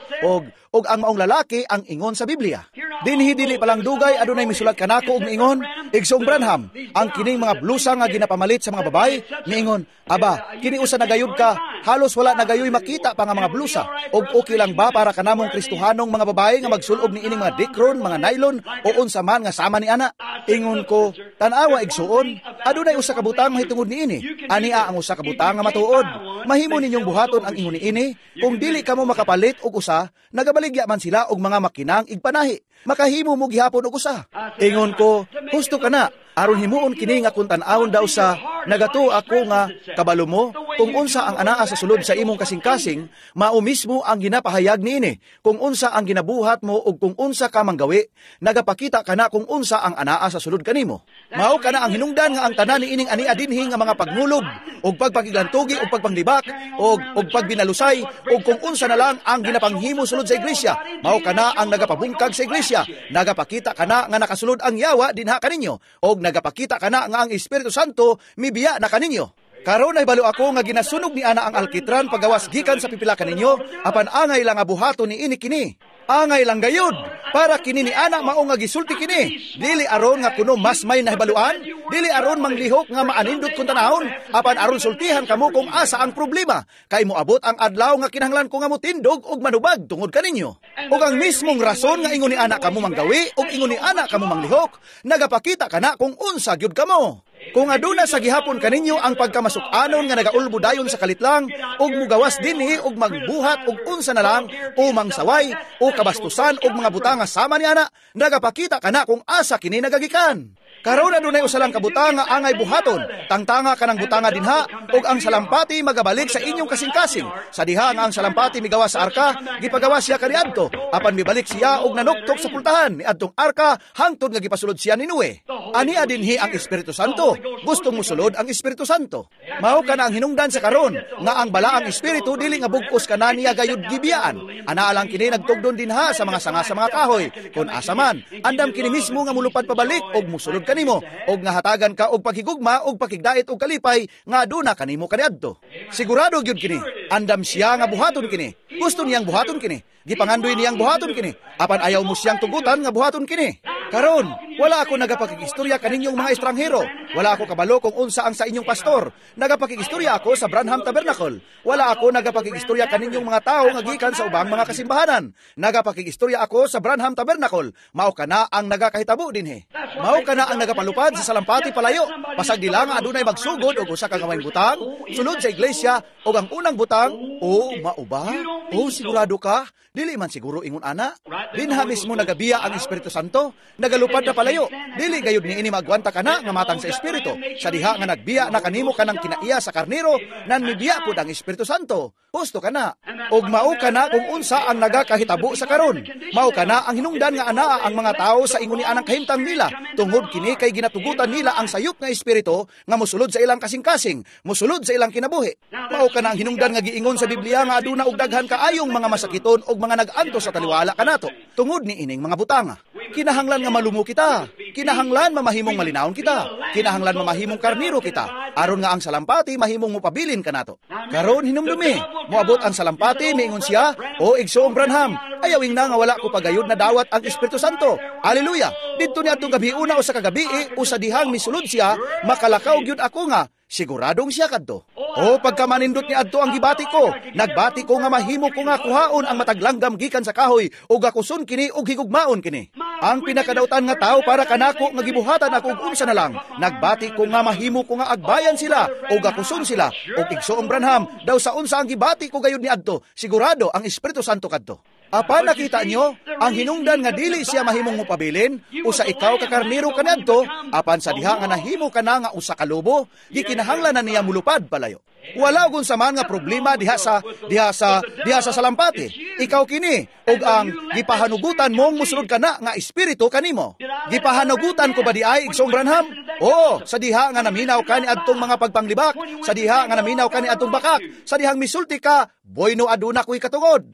og ang maong lalaki ang ingon sa Biblia. Dinhi dili palang dugay adunay misulat kanako og miingon, "Igsoong Branham, ang kining mga blusa nga ginapamalit sa mga babae," miingon, "aba, kini usa na gayud ka, halos wala na gayoy makita pa nga mga blusa. Og okay lang ba para kanamong Kristohanong mga babae nga magsulob ni ining mga dikron, mga nylon o unsa man nga sama ni ana?" Ingon ko, "Tan-awa, igsuon, adunay usa ka butang mahitungod niini. Ania ang usa ka butang nga matuod. Mahimo ninyong buhaton ang ingon niini. Kung dili kamo makapalit og usa, nagabaligya man sila og mga makinang igpanahi. Makahimo mo gihapon og usa." Ingon ko, "Husto ka na. Aron himuon kini nga kung tan-awon daw sa nagatuo ako nga kabalo mo kung unsa ang anaa sa sulod sa imong kasing-kasing, mao mismo ang ginapahayag niini. Kung unsa ang ginabuhat mo ug kung unsa ka manggawi, nagapakita kana kung unsa ang anaa sa sulod kanimo. Mao kana ang hinungdan nga ang tanan niining ania dinhi nga mga pagmulob ug pagpakiglantugi ug pagpanglibak ug pagbinalusay ug kung unsa na lang ang ginapanghimo sulod sa iglesia, mao kana ang nagapabungkag sa iglesia. Nagapakita kana nga nakasulod ang yawa dinha kaninyo og nagapakita kana nga ang Espiritu Santo mibiya na kaninyo. Karon ay balo ako nga ginasunog ni ana ang alkitran pagawas gikan sa pipila kaninyo, apan angay lang nga buhaton ni ini kini. Angay lang gayud para kini ni ana mao nga gisulti kini. Dili aron nga kuno mas may nahibaluan, dili aron manglihok nga maanindot kun tanahon, apan aron sultihan kamo kung asa ang problema. Kay moabot ang adlaw nga kinahanglan ko nga motindog og manubag tungod kaninyo. Ug ang mismong rason nga ingon ni ana kamo manggawi ug ingon ni ana kamo manglihok, nagapakita kana kung unsa gyud kamo. Kung aduna sa gihapon kaninyo ang pagkamasuk-anon nga nagaulbo dayon sa kalitlang ug mugawas dinhi ug magbuhat og unsa na lang o mangsaway o kabastusan og mga butanga sama ni ana, nagapakita kana kung asa kini nagagikan. Karon adunay usa lang ka butanga angay buhaton, tangtanga kanang butanga dinha ug ang salampati magabalik sa inyong kasing-kasing. Sa diha nga ang salampati migawas sa arka, gipagawas siya kaniadto, apan mibalik siya og nanuktok sa pultahan niadtong arka hangtod nga gipasulod siya ni Noe. Ania dinhi ang Espiritu Santo. Gustong mosulod ang Espiritu Santo. Mao kana ang hinungdan sa karon nga ang balaang espiritu dili nga bugkos kana niya gayud gibiyaan. Ana lang kini nagtugdon dinha sa mga sanga sa mga kahoy. Kun asa man, andam kini mismo nga mulupad pabalik og mosulod kanimo og nga hatagan ka og paghigugma og pakigdait og kalipay nga aduna kanimo kaniadto. Sigurado gyud kini. Andam siya nga buhaton kini. Gusto niyang buhaton kini. Gipangandoy niyang buhaton kini. Apan ayaw mo siyang tugutan nga buhaton kini. Karon, wala ako nagapakikistorya kaninyong mga estranghero. Wala ako kabalo kung unsa ang sa inyong pastor. Nagapakikistorya ako sa Branham Tabernacle. Wala ako nagapakikistorya kaninyong mga tao nga gikan sa ubang mga kasimbahanan. Nagapakikistorya ako sa Branham Tabernacle. Mao kana ang nagakahitabo dinhi. Mao kana ang nagapalupad sa salampati palayo. Pasag dila nga adunay magsugod og usa ka gamay butang sulod sa iglesia og ang unang butang, "Oh, mao ba? Oh, sigurado ka? Dili man siguro ingon ana." Dinha mismo nagabiya ang Espiritu Santo, nagalupad na palayo. Dili gayud niini magwanta kana nga matang sa Espiritu. Sa diha nga nagbiya na kanimo kanang kinaiya sa karnero, nan mibiya pud ang Espiritu Santo. Husto kana. Og mao kana kung unsa ang nagakahitabo sa karon. Mao kana ang hinungdan nga anaa ang mga tao sa ingon ni anang kahimtang nila. Tungod kini kay ginatugutan nila ang sayop nga espiritu nga mosulod sa ilang kasing-kasing, mosulod sa ilang kinabuhi. Mao kana ang hinungdan nga giingon sa Biblia nga aduna og daghan kaayong mga masakiton og mga nag-antos sa taliwala kanato tungod ni ining mga butanga. Kinahanglan nga malumo kita. Kinahanglan mamahimong malinawon kita. Kinahanglan mamahimong karniro kita. Aron nga ang salampati mahimong mopabilin kanato. Karon hinumdumi, moabot ang salampati, miingon siya, "O igsoong Branham, ayawing na nga wala ko pagayod na dawat ang Espiritu Santo. Aleluya! Didto ni atong gabi una o sa kagabi o sa dihang misulod siya, makalakaw gyud ako nga siguradong siya kadto. O pagkamanindot ni adto ang gibati ko, nagbati ko nga mahimo ko nga kuhaon ang mataglanggam gikan sa kahoy ug akuson kini ug higugmaon kini. Ang pinakadautan nga tao para kanako nga gibuhatan ako og unsa na lang, nagbati ko nga mahimo ko nga agbayan sila ug akuson sila. Ug igsoong Branham, daw sa unsa ang gibati ko gayud ni adto, sigurado ang Espiritu Santo kadto." Apan nakita nyo, ang hinungdan nga dili siya mahimong mopabilin, usa ikaw ka karniro kaniadto, apan sa diha nga nahimo ka na nga usa ka lobo, gikinahanglan na niya mulupad palayo. Wala og unsa man nga problema diha sa salampati. Ikaw kini ug ang gipahanugutan mong musulod kana nga espiritu kanimo. Gipahanugutan ko ba di ay, igsoong Branham? Oo, sa diha nga naminaw ka ni adtong mga pagpanglibak, sa diha nga naminaw ka ni adtong bakak, sa dihang misulti ka, "Boyno, aduna ko'y katungod."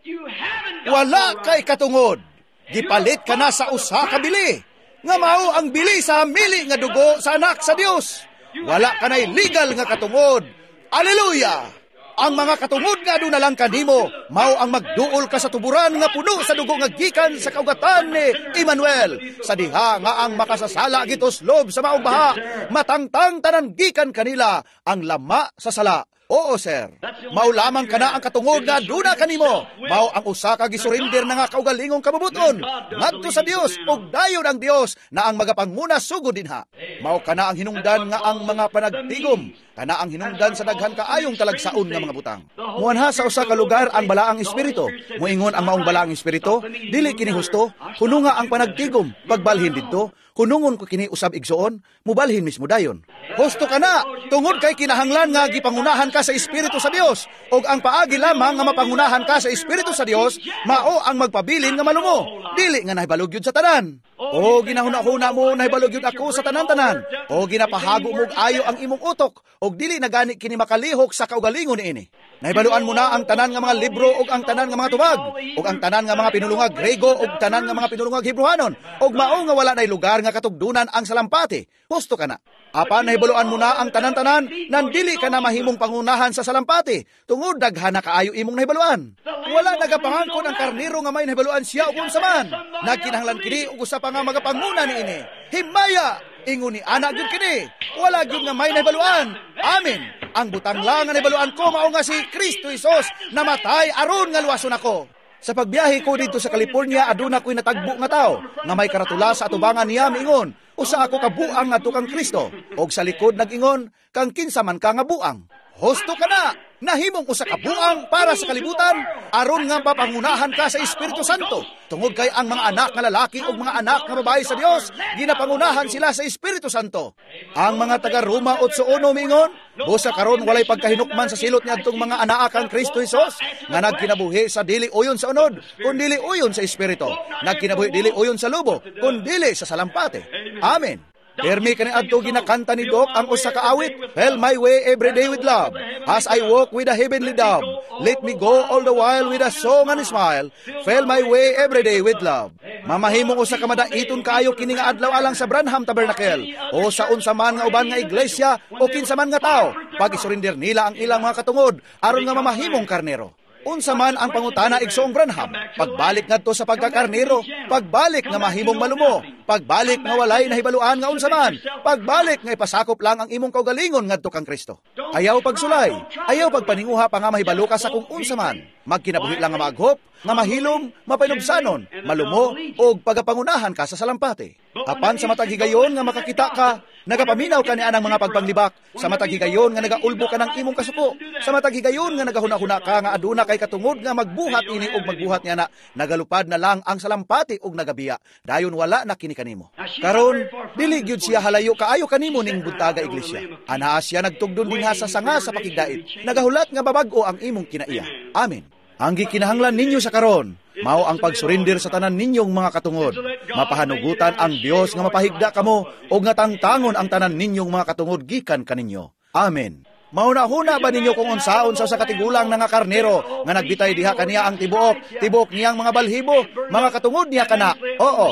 Wala kay katungod. Gipalit ka na sa usa ka bili. Nga mao ang bili sa hamili nga dugo sa anak sa Dios. Wala kanay legal nga katungod. Aleluya! Ang mga katungod nga aduna lang kanimo, mao ang magduol ka sa tuburan nga puno sa dugo nga gikan sa kaugatan ni Emmanuel. Sa diha nga ang makasasala gituslob sa maong baha, matangtang tanan gikan kanila ang lama sa sala. Oo, sir. Mao lamang kana ang katungod nga aduna kanimo. Mao ang usa ka gisurrender na nga kaugalingong kabubuton ngadto sa Dios, ug dayon ang Dios na ang magapanguna sugod dinha. Mao kana ang hinungdan nga ang mga panagtigom, kana ang hinungdan sa daghan kaayong talagsaon nga mga butang. Muanha sa usa ka lugar ang balaang espiritu. Muingon ang maong balaang espiritu, dili kini husto, kuno nga ang panagtigom, pagbalhin didto, kunungon ko kini usab igsoon, mubalhin mismo dayon. Husto ka na, tungod kay kinahanglan nga gipangunahan ka sa Espiritu sa Dios, ug ang paagi lamang nga mapangunahan ka sa Espiritu sa Dios, mao ang magpabilin nga malumo, dili nga nahibalog yun sa tanan. O ginahuna-huna mo nahibalog yun ako sa tanan-tanan, o ginapahago mo og ayo ang imong utok, og dili na gani kini makalihok sa kaugalingon niini. Nahibaluan mo na ang tanan nga mga libro ug ang tanan nga mga tubag, ug ang tanan nga mga pinulungag Grego ug tanan nga mga pinulungag Hebrehanon, ug mao nga wala nay lugar nga katugdunan ang salampati. Husto ka na. Apan nahibaluan mo na ang tanan-tanan, nandili ka na mahimong pangunahan sa salampati, tungod daghan na kaayo imong nahibaluan. Wala nagapangangkon ang karnero nga may nahibaluan siya ug unsa man. Nagkinahanglan kini og usa pa nga magapanguna niini. Himaya! Ingon ni ana gyud kini. Wala gyud nga may nahibaluan. Amen. Ang butang lang nga nahibaluan ko mao nga si Kristo Hesus namatay aron nga luwason ako. Sa pagbiyahe ko dito sa California, aduna ko'y natagbo nga tao nga may karatula sa atubangan niya miingon, usa ako ka buang ngadto kang Kristo. Og sa likod nag-ingon, kang kinsa man ka nga buang. Husto ka na, nahimong usa ka buang para sa kalibutan, aron nga papangunahan ka sa Espiritu Santo. Tungod kay ang mga anak nga lalaki ug mga anak nga babae sa Dios, ginapangunahan sila sa Espiritu Santo. Ang mga taga Roma 8:1 miingon, busa karon walay pagkahinukman sa silot niadtong mga anaa kang Kristo Hesus, nga nagkinabuhi sa dili uyon sa unod, kun dili uyon sa Espiritu. Nagkinabuhi dili uyon sa lubo, kun dili sa salampate. Amen. Permi kani adto ginakanta ni Doc ang usa ka awit, "Fell my way every day with love, as I walk with a heavenly dove. Let me go all the while with a song and a smile. Fell my way every day with love." Mamahimong usa ka madaiton kaayo kini nga adlaw alang sa Branham Tabernacle o sa unsa man nga uban nga iglesia o kinsa man nga tawo, pag isurrender nila ang ilang mga katungod aron nga mamahimong karnero. Unsa man ang pangutana igsoong Branham, pagbalik ngadto sa pagkakarnero, pagbalik nga mahimong malumo, pagbalik nga walay nahibaluan nga unsa man, pagbalik nga ipasakop lang ang imong kaugalingon ngadto kang Kristo. Ayaw pagsulay, ayaw pagpaninguha pa nga mahibalo ka sa kung unsa man. Magkinabuhi lang nga maaghop, nga mahilom, mapainubsanon, malumo, og pagapangunahan ka sa salampati. Apan sa matag higayon nga makakita ka, nagapaminaw ka ni anang mga pagpanglibak, sa matag higayon nga nagaulbo ka ng imong kasuko, sa matag higayon nga nagahuna-huna ka nga aduna kay katungod nga magbuhat ini og magbuhat niya na, nagalupad na lang ang salampati og nagabiya, dayon wala na kini kanimo. Karon, dili gyud siya halayo kaayo kanimo ning buntaga iglesia. Anaa siya nagtugdon dinha sa sanga sa pakigdait, nagahulat nga babag-o ang imong kinaiya. Amen. Ang gikinahanglan ninyo sa karon, mao ang pagsurrender sa tanan ninyong mga katungod. Mapahanugutan ang Dios nga mapahigda kamo og nga tangtangon ang tanan ninyong mga katungod gikan kaninyo. Amen. Mauna-huna ba ninyo kung unsaon sa usa ka tigulang na nga karnero nga nagbitay diha kaniya ang tibuok niyang mga balhibo, mga katungod niya kana? Oo.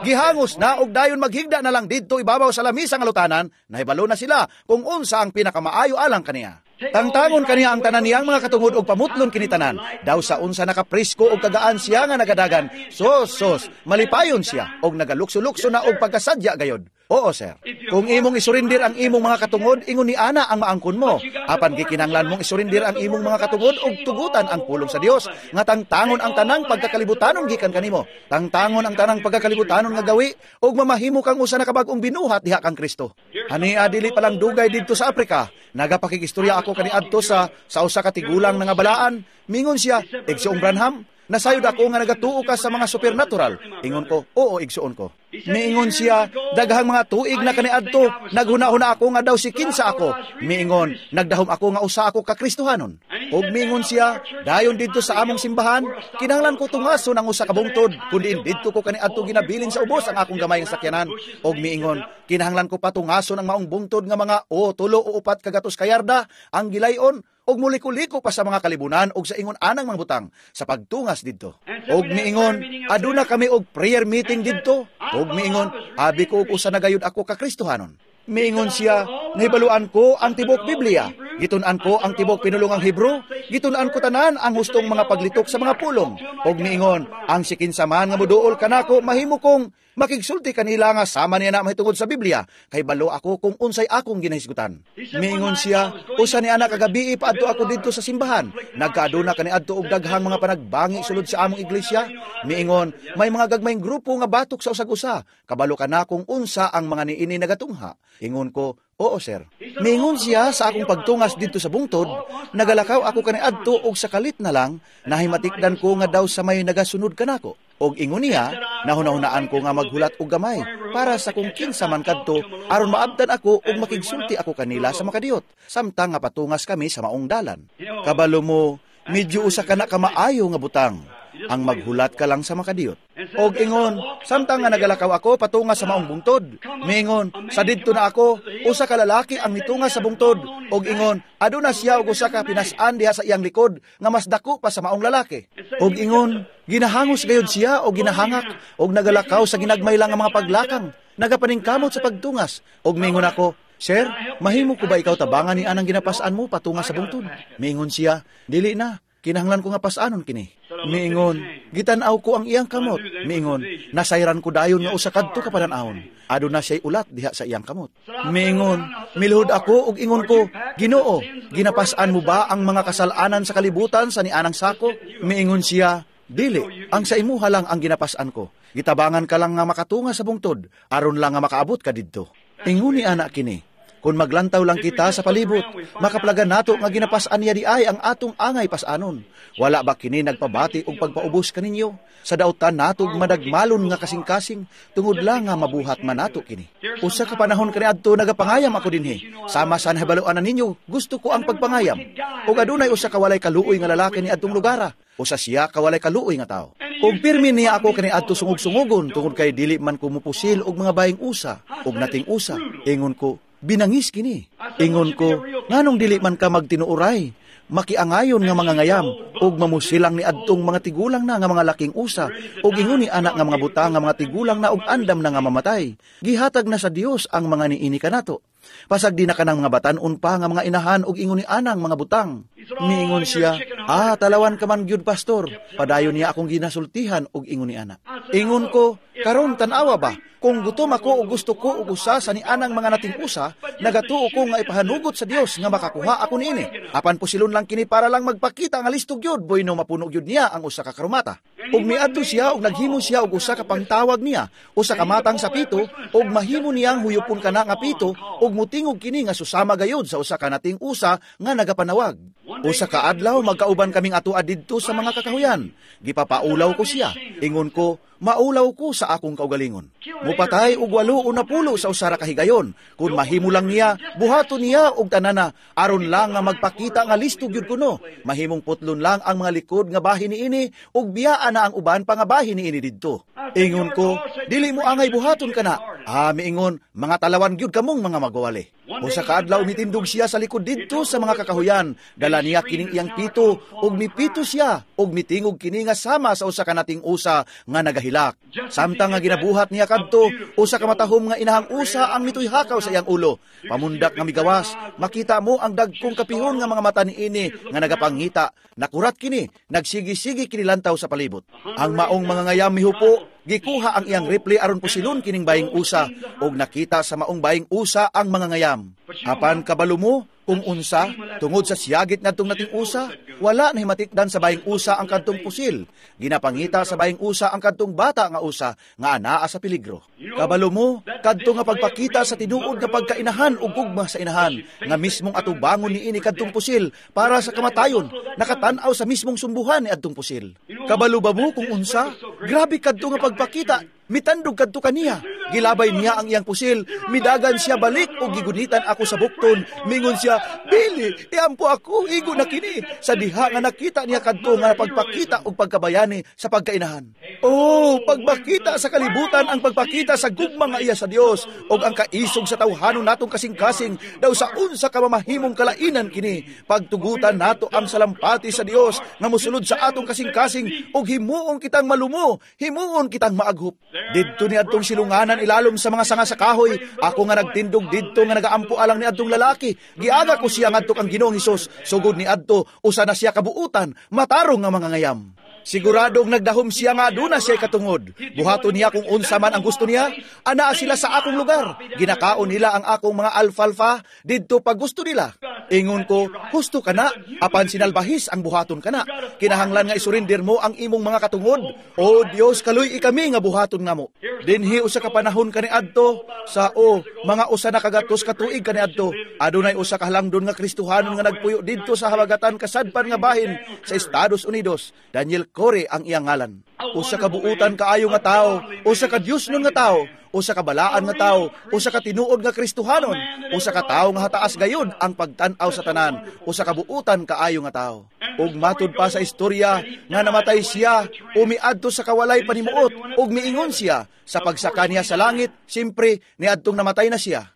Gihangos na og dayon maghigda na lang didto ibabaw sa lamisa nga lutanan, nahibalo na sila kung unsa ang pinakamaayo alang kaniya. Tangtangon kaniya ang tanan niyang mga katungod og pamutlon kini tanan. Daw sa unsa nakapresko og kagaan siya nga nagadagan. Sos, sos, malipayon siya og nagalukso-lukso na og pagkasadya gayod. Oo, sir. Kung imong isurinder ang imong mga katungod, ingon ni ana ang maangkon mo. Apan gikinahanglan mong isurinder ang imong mga katungod og tugutan ang pulong sa Dios nga tangtangon ang tanang pagkakalibutanon gikan kanimo. Tangtangon ang tanang pagkakalibutanon nga gawi og mamahimo kang usa na kabag-ong binuhat diha kang Kristo. Hania dili pa lang dugay didto sa Afrika. Nagapakikistorya ako kaniadto sa usa ka tigulang nga balaan. Mingon siya, "Igsoong Branham, nasayod ako nga nagatuo ka sa mga supernatural." Ingon ko, "Oo, igsoon ko." Miingon siya, "Daghang mga tuig na kaniadto, naghuna-huna ako nga daw si kinsa ako." Miingon, "Nagdahom ako nga usa ako ka Kristohanon." Ug miingon siya, "Dayon didto sa among simbahan, kinahanglan ko tungason ang usa ka bungtod, kundi didto ko kaniadto ginabilin sa ubos ang akong gamay nga sakyanan." Ug miingon, "Kinahanglan ko patungason ang maong bungtod nga mga o tulo o upat kagatos kayarda ang gilayon, og muliko-liko pa sa mga kalibunan og sa ingon anang mga butang sa pagtungas didto." Og miingon, "Aduna kami og prayer meeting didto." Og Ug miingon, "Abi ko og usa na gayud ako ka Kristohanon." Miingon siya, "Nahibaluan ko ang tibok Biblia. Gitun-an ko ang tibok pinulungang Hebrew. Gitun-an ko tanan ang hustong mga paglitok sa mga pulong." Og miingon, "Ang sikinsa man nga moduol kanako, mahimo kong makigsulti kanila nga sama niya na mahitungod sa Biblia, kay balo ako kung unsay akong ginahisgutan." Miingon siya, "Usa ni anak kagabi paadto ako didto sa simbahan. Nagkaaduna kaniadto og daghang mga panagbangi sulod sa among iglesia." Miingon, "May mga gagmayng grupo nga batok sa usag-usa. Kabalo ka na kung unsa ang mga niini nagatungha." Ingon ko, "Oo, sir." Miingon siya, "Sa akong pagtungas didto sa bungtod, nagalakaw ako kaniadto og sa kalit na lang, nahimatikdan ko nga daw sa may nagasunod kanako. Og ingon niya, nahunahunaan ko nga maghulat og gamay para sa kung kinsa man kadto aron maabtan ako ug makigsulti ako kanila sa makadiyot samtang nga patungas kami sa maong dalan." Kabalo mo, medyo usa ka na kamaayo nga butang ang maghulat ka lang sa makadiyot. Og ingon, "Samtang nga nagalakaw ako patunga sa maong bungtod," miingon, "sa didto na ako, usa ka lalaki ang mitunga sa bungtod. Og ingon, aduna siya og usa ka pinas-an diha sa iyang likod nga mas dako pa sa maong lalaki. Og ingon, ginahangos gayud siya og ginahangak og nagalakaw sa ginagmay lang nga mga paglakang, nagapaningkamot sa pagtungas. Og miingon ako, 'Sir, mahimo ko ba ikaw tabangan ni anang ginapas-an mo patunga sa bungtod?' Miingon siya, 'Dili na, kinahanglan ko nga pas-anon kini.' Miingon, gitan-aw ko ang iyang kamot. Miingon, nasayran ko dayon nga usa kadto ka panan-awon. Aduna siya'y ulat diha sa iyang kamot. Miingon, miluhod ako ug ingon ko, 'Ginoo, ginapas-an mo ba ang mga kasalanan sa kalibutan sa nianang sako?' Miingon siya, 'Dili, ang sa imuha lang ang ginapas-an ko. Gitabangan ka lang nga makatunga sa bungtod, aron lang nga makaabot ka didto.' Ingon ni anak kini, kung maglantaw lang kita sa palibot, makaplagan nato nga ginapas-an niya di ay ang atong angay pas-anon. Wala ba kini nagpabati og pagpaubos kaninyo? Sa dautan natog madagmalon nga kasing-kasing, tungod lang nga mabuhat man nato kini. Usa ka panahon kaniadto nagapangayam ako dinhi. Sama sa nahibaluan na ninyo, gusto ko ang pagpangayam. Ug adunay usa ka walay kaluoy nga lalaki ni adtong lugara. Usa siya ka walay kaluoy nga tawo. Ug pirmi niya ako kaniadto sungog-sungogon tungod kay dili man ko mupusil og mga baying usa ug nating usa. Ingon ko, 'Binangis kini.' Ingon ko, 'Nganong dili man ka magtinuoray, makiangayon nga mga ngayam, ug mamusilang ni adtong mga tigulang na nga mga laking usa, ug ingon ni anak nga mga butang nga mga tigulang na ug andam na nga mamatay. Gihatag na sa Dios ang mga niini kanato. Pasag di na kanang mga batan-on pa nga mga inahan ug ingon ni anang mga butang.' Miingon siya, 'Ah, talawan ka man gyud, pastor.' Padayon niya akong ginasultihan og ingon ni ana. Ingon ko, 'Karon tan-awa ba, kung gutom ako o gusto ko og usa sa nianang mga nating usa, nagatuo ko nga ipahanugot sa Dios nga makakuha ako niini. Apan pusilon lang kini para lang magpakita nga listo gyud, bueno mapuno gyud niya ang usa ka karumata.' Ug miadto siya og naghimo siya og usa ka pangtawag niya, usa ka matang sa pito, ug mahimo niyang huyupon kana nga pito, ug mutingog kini nga susama gayud sa usa ka nating usa nga nagapanawag. Usa ka adlaw magkauban kaming atoa didto sa mga kakahuyan. Gipapaulaw ko siya. Ingon ko, 'Maulaw ko sa akong kaugalingon. Mupatay og 80 sa usa ra ka higayon. Kung mahimo lang niya, buhaton niya og tanana, aron lang nga magpakita nga listo gyud kuno. Mahimong putlon lang ang mga likod nga bahin niini ug biyaan na ang uban pa nga bahin niini didto.' Ingon ko, 'Dili mo angay buhaton kana.' Ah, miingon, 'Mga talawan gyud kamong mga magwawali.' Usa ka adlaw mitindog siya sa likod didto sa mga kakahuyan. Dala niya kining iyang pito ug mipito siya ug mitingog kini nga sama sa usa ka nating usa nga nagahilak. Samtang nga ginabuhat niya kadto, usa ka matahom nga inahang usa ang mituy-hakaw sa iyang ulo. Pamundak nga migawas, makita mo ang dagkong kapihon nga mga mata niini nga nagapangita. Nakurat kini, nagsigi-sigi kini lantaw sa palibot. Ang maong mga ngayam mihupo, gikuha ang iyang rifle aron pusilon kining baying usa, ug nakita sa maong baying usa ang mga ngayam. Apan kabalo mo kung unsa, tungod sa siyagit ngadtong nating usa, wala nahimatikdan sa baying usa ang kadtong pusil. Ginapangita sa baying usa ang kadtong bata nga usa nga anaa sa peligro. Kabalo mo, kadto nga pagpakita sa tinuod nga pagkainahan ug gugma sa inahan, nga mismong atubangon niini kadtong pusil para sa kamatayon, nakatan-aw sa mismong sumbuhan ni adtong pusil. Kabalo ba mo kung unsa? Grabe kadto nga pagpakita. Mitandog kadto kaniya. Gilabay niya ang iyang pusil. Midagan siya balik og gigunitan ako sa bukton. Mingon siya, 'Billy!' Dili, iampo ako, igo na kini sa diha nga nakita niya kadto nga pagpakita og pagkabayani sa pagkainahan. Oh, pagpakita sa kalibutan ang pagpakita sa gugma nga iya sa Dios og ang kaisog sa tawhanon natong kasing-kasing daw sa unsa ka mamahimong kalainan kini. Pagtugutan nato ang salampati sa Dios nga mosulod sa atong kasing-kasing og himuon kitang malumo, himuon kitang maaghop. Didto ni adtong silunganan ilalom sa mga sanga sa kahoy, ako nga nagtindog didto nga nagaampo alang ni adtong lalaki. Giaga ko siya ngadto kang Ginoong Hesus. Sugod ni adto usa na siya kabuutan, matarong nga mga ngayam. Siguradong nagdahom siya nga aduna siya katungod. Buhaton niya kung unsa man ang gusto niya. Anaa sila sa akong lugar. Ginakaon nila ang akong mga alfalfa didto pag gusto nila. Ingon ko, husto ka na, apan sinalbahis ang buhaton ka na. Kinahanglan nga isurinder mo ang imong mga katungod. O Dios, kaluy kami nga buhaton namo. Dinhi usa ka panahon kaniadto sa o mga usa na kagatos ka tuig kaniadto. Adunay usa ka halangdon nga Kristohanon nga nagpuyo didto sa habagatan kasadpan nga bahin sa Estados Unidos. Daniel Corey ang iyang ngalan. Usa ka buutan kaayo nga tawo, usa ka Dios nun nga tawo, usa ka balaan nga tawo, usa ka tinuod nga Kristohanon, usa ka tawo nga hataas gayud ang pagtan-aw sa tanan, usa ka buutan kaayo nga tawo. Ug matud pa sa istorya nga namatay siya, umiadto sa kawalay panimuot, ug miingon siya sa pagsaka niya sa langit, simpre niadtong namatay na siya.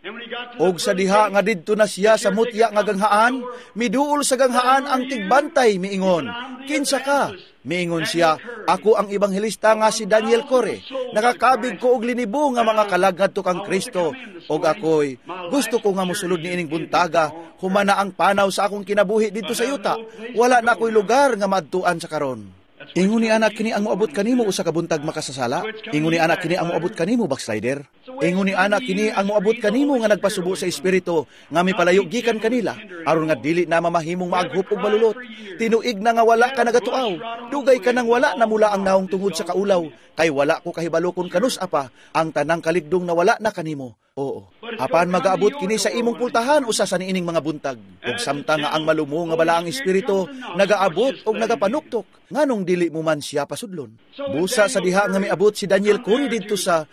Og sa diha nga didto na siya sa mutya nga ganghaan, miduol sa ganghaan ang tigbantay miingon, "Kinsa ka?" Miingon siya, "Ako ang ebanghelista nga si Daniel Corey. Nakakabig ko og linibo nga mga kalag ngadto kang Kristo. Og ako'y gusto ko nga mosulod niining buntaga, humana ang panaw sa akong kinabuhi didto sa yuta. Wala na ako'y lugar nga maadtuan sa karon." Ingon ni anak kini ang moabot kanimo usa ka buntag makasasala. Ingon ni anak kini ang moabot kanimo, backslider. Ingon ni anak kini ang moabot kanimo nga nagpasubo sa espiritu nga mipalayo gikan kanila aron nga dili na mamahimong maaghop og malulot. Tinuig na nga wala ka nagatuaw. Dugay ka nang wala namula ang naong tungod sa kaulaw kay wala ko kahibalo kon kanus apa ang tanang kaligdong nawala na kanimo. Oo. Apan magaabot kini sa imong pultahan usa sa niining mga buntag. Ug samtang nga ang malumo nga balaang espiritu nagaabot og nagapanuktok, nganong dili mo man siya pasudlon? Busa sa diha nga miabot si Daniel Corey didto sa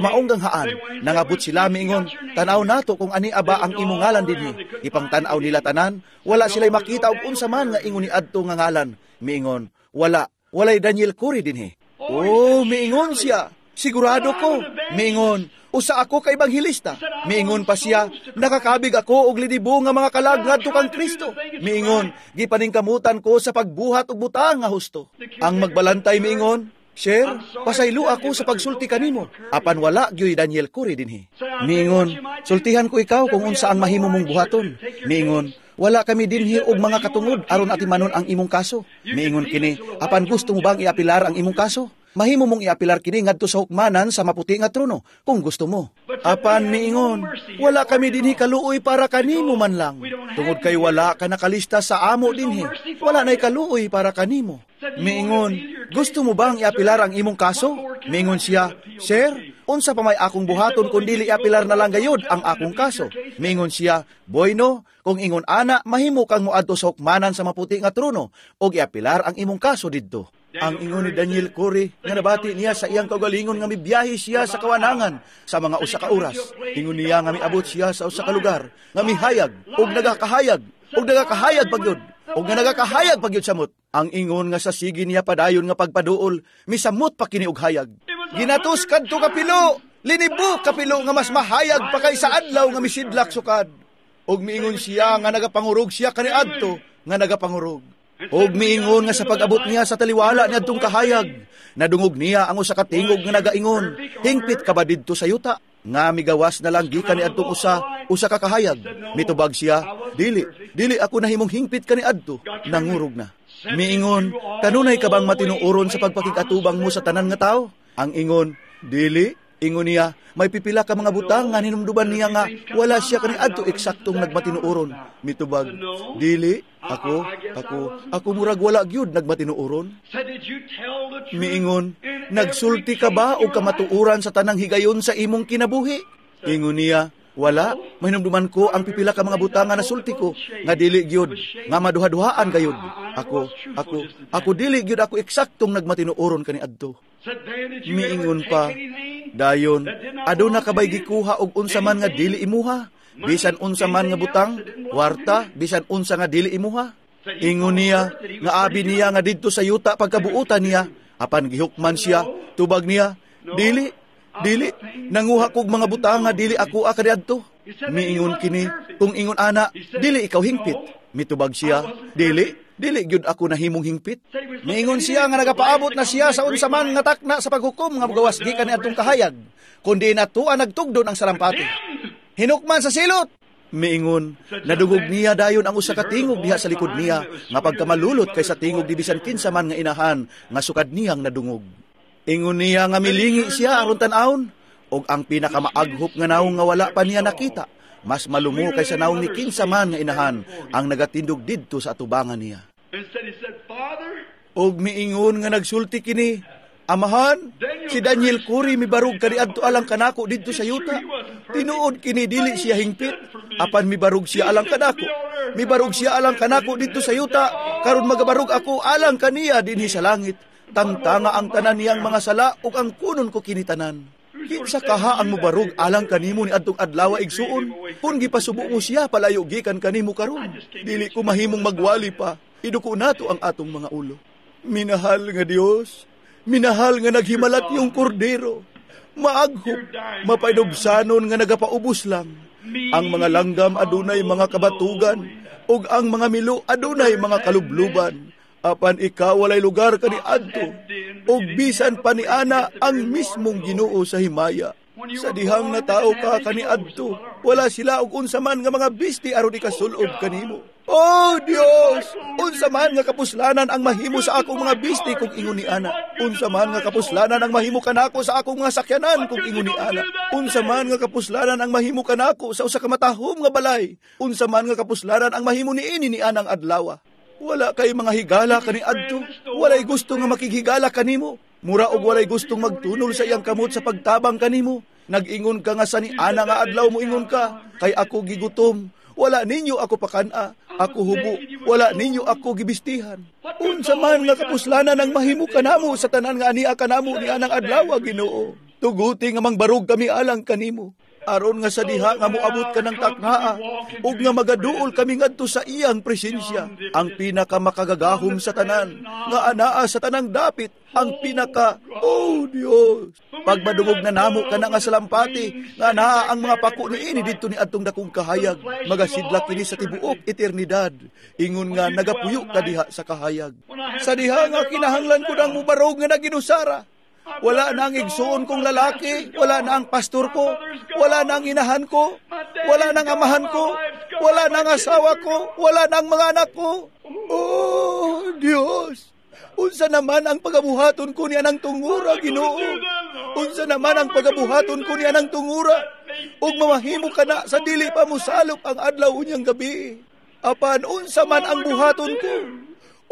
maong ganghaan, nangabot sila miingon, "Tan-aw nato kung ani aba ang imong ngalan dinhi." Ipangtan-aw nila tanan, wala sila'y makita og unsa man nga ingon ni adto nga ngalan. Miingon, "Wala, walay Daniel Corey dinhi." Oh, miingon siya, "Sigurado ko." Miingon, "Usa ako ka ebanghelista." Miingon pa siya, "Nakakabig ako og linibo nga mga kalag ngadto kang Kristo." Miingon, "Gipaningkamutan ko sa pagbuhat og butang nga husto." Ang magbalantay miingon, "Sir, pasaylo ako sa pagsulti kanimo. Apan wala gyoy Daniel Corey dinhi." Miingon, "Sultihan ko ikaw kung unsa ang mahimo mong buhaton." Miingon, "Wala kami dinhi og mga katungod aron atimanon ang imong kaso." Miingon kini, "Apan gusto mo bang iapilar ang imong kaso? Mahimo mong iapilar kini ngadto sa hukmanan sa maputi nga trono kung gusto mo." Apan miingon, "Wala kami dinhi kaluoy para kanimo man lang. Tungod kay wala ka nakalista sa amo dinhi. Wala na'y kaluoy para kanimo." Miingon, "Gusto mo bang iapilar ang imong kaso?" Miingon siya, "Sir, unsa pa may akong buhaton kun dili iapilar na lang gayud ang akong kaso?" Miingon siya, "Bueno, kung ingon ana, mahimo kang moadto sa hukmanan sa maputi nga trono og iapilar ang imong kaso didto." Ang ingon ni Daniel Corey nga nabati niya sa iyang kaugalingon nga mibiyahe siya sa kawanangan sa mga usa ka oras. Ingon niya nga miabot siya sa usa ka lugar nga mihayag og nagakahayag og nagakahayag pagyud og nga nagakahayag pagyud samot. Ang ingon nga sa sige niya padayon nga pagpaduol, misamot pa kini og hayag. Ginatos kadto kapilo, linibo kapilo nga mas mahayag pa kay sa adlaw nga misidlak sukad. Og miingon siya nga nagapangurog siya kaniadto nga nagapangurog. Og miingon nga sa pag-abot niya sa taliwala niadtong kahayag, nadungog niya ang usa ka tingog nga nagaingon, "Hingpit ka ba didto sa yuta?" Nga migawas na lang gikan niadtong usa ka kahayag. Mitubag siya, "Dili, dili ako nahimong hingpit kaniadto, nangurog na." Miingon, "Kanunay ka bang matinuoron sa pagpakig-atubang mo sa tanan nga tao?" Ang ingon, "Dili." Ingon niya, may pipila ka mga butang nga hinumduman niya nga wala siya kaniadto eksaktong nagmatinuoron. Mitubag, "Dili, ako murag wala gyud nagmatinuoron." Miingon, "Nagsulti ka ba og kamatuoran sa tanang higayon sa imong kinabuhi?" Ingon niya, "Wala, mahinumduman ko ang pipila ka mga butang nga nasulti ko nga dili gyud, nga maduha-duhaan gayud. Ako dili gyud ako eksaktong nagmatinuoron kaniadto." Miingon pa, Dayon, aduna ka bay gikuha og unsa man nga dili imuha? Bisan unsa man nga butang, kwarta, bisan unsa nga dili imuha? Ingon niya, nga abi niya nga didto sa yuta pagkabuutan niya, apan gihukman siya, tubag niya, dili, dili, nanguha kog mga butang nga dili ako kaniadto. Miingon kini, kung ingon ana, dili ikaw hingpit. Mitubag siya, dili, dili gyud ako nahimong hingpit. Miingon siya nga nagapaabot na siya sa unsa man nga takna sa paghukom nga mogawas gikan niadtong kahayag, kundi natua nagtugdon ang salampati. Hinukman sa silot. Miingon, nadungog niya dayon ang usa ka tingog diha sa likod niya, nga pagkamalulot kay sa tingog di bisan kinsa man nga inahan nga sukad niyang nadungog. Ingon niya nga milingi siya aron tan-awon, og ang pinakamaaghop nga nawong nga wala pa niya nakita, mas malumo kaysa nawong ni kinsa man nga inahan ang nagatindog didto sa atubangan niya. Og miingon nga nagsulti kini, Amahan, si Daniel Curry mibarog kaniadto alang kanako didto sa yuta. Tinuod kini dili siya hingpit, apan mibarog siya alang kanako. Mibarog siya alang kanako didto sa yuta, karon magabarog ako alang kaniya dinhi sa langit. Tangtanga ang tanan niyang mga sala ug ang kunon ko kini tanan. Kinsa kaha ang mobarog alang kanimo ni adtong adlaw igsuon? Kun gipasubo mo siya palayo gikan kanimo karon. Dili ko mahimong magwali pa. Iduko nato ang atong mga ulo. Minahal nga Dios, minahal nga naghimalat yung kordero. Maaghop, mapainubsanon nga nagapaubos lang. Ang mga langgam adunay mga kabatugan, ug ang mga milo adunay mga kalubluban. Apan ikaw walay lugar kaniadto, ug bisan pa ni ana ang mismong Ginoo sa himaya. Sa dihang natao ka kaniadto, wala sila og unsa man nga mga bisti aron ikasulob kanimo. Oh Dios, unsa man nga kapuslanan ang mahimo sa akong mga bisti kung ingon ni ana. Unsa man nga kapuslanan ang mahimo kanako sa akong mga sakyanan kung ingon ni ana. Unsa man nga kapuslanan ang mahimo kanako sa usa ka matahom nga balay. Unsa man nga kapuslanan ang mahimo niini ni anang adlaw. Wala kay mga higala kaniadto, walay gusto nga makighigala kanimo. Mura og walay gustong magtunol sa iyang kamot sa pagtabang kanimo. Nag-ingon ka nga sa ni ana nga adlaw mo ingon ka, kay ako gigutom, wala ninyo ako pakana, ako hubo, wala ninyo ako gibistihan. Unsa man nga kapuslanan ang mahimo kanamo sa tanan nga ania kanamo ni anang adlaw, Ginoo. Tuguti nga mangbarog kami alang kanimo. Aron nga sa diha nga moabot ka ng taknaa, ug nga magaduol kami ngadto sa iyang presensya, ang pinakamakagagahom sa tanan, nga anaa sa tanang dapit, ang pinaka, oh Dios! Pagmadungog na namo kana nga salampati, nga anaa ang mga pako niini didto ni adtong dakong kahayag, magasidlak kini sa tibuok eternidad, ingon nga nagapuyo ka diha sa kahayag. Sa diha nga kinahanglan ko nang mubarog nga naginusara, wala na ang igsuon kong lalaki, wala na ang pastor ko, wala na ang inahan ko, wala na ang amahan ko, wala na ang asawa ko, wala na ang mga anak ko. Oh, Dios! Unsa naman ang pagabuhaton ko niya ng tungura, Ginoo? Unsa naman ang pagabuhaton ko niya ng tungura? Ug mamahimo ka na sa dili pa mosalop ang adlaw unyang gabi. Apan unsa man ang buhaton ko?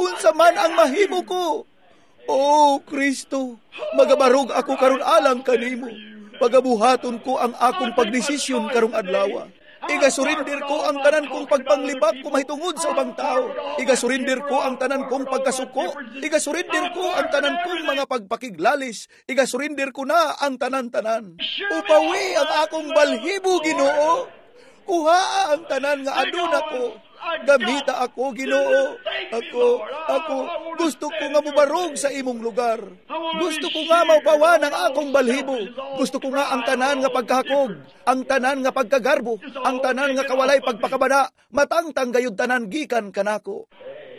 Unsa man ang mahimo ko? Oh, Kristo, magabarog ako karon alang kanimo. Pagabuhaton ko ang akong pagdesisyon karong adlaw. Igasurinder ko ang tanan kong pagpanglibak kumahitungod sa ubang tao. Igasurinder ko ang tanan kong pagkasuko. Igasurinder ko ang tanan kong mga pagpakiglalis. Igasurinder ko na ang tanan-tanan. Upawi ang akong balhibo, Ginoo. Kuha ang tanan nga aduna ko. Gamita ako, Ginoo. Ako, gusto ko nga mubarog sa imong lugar. Gusto ko nga maupawan ang akong balhibo. Gusto ko nga ang tanan nga pagkahakog, ang tanan nga pagkagarbo, ang tanan nga kawalay pagpakabana, matangtang gayud tanan gikan kanako.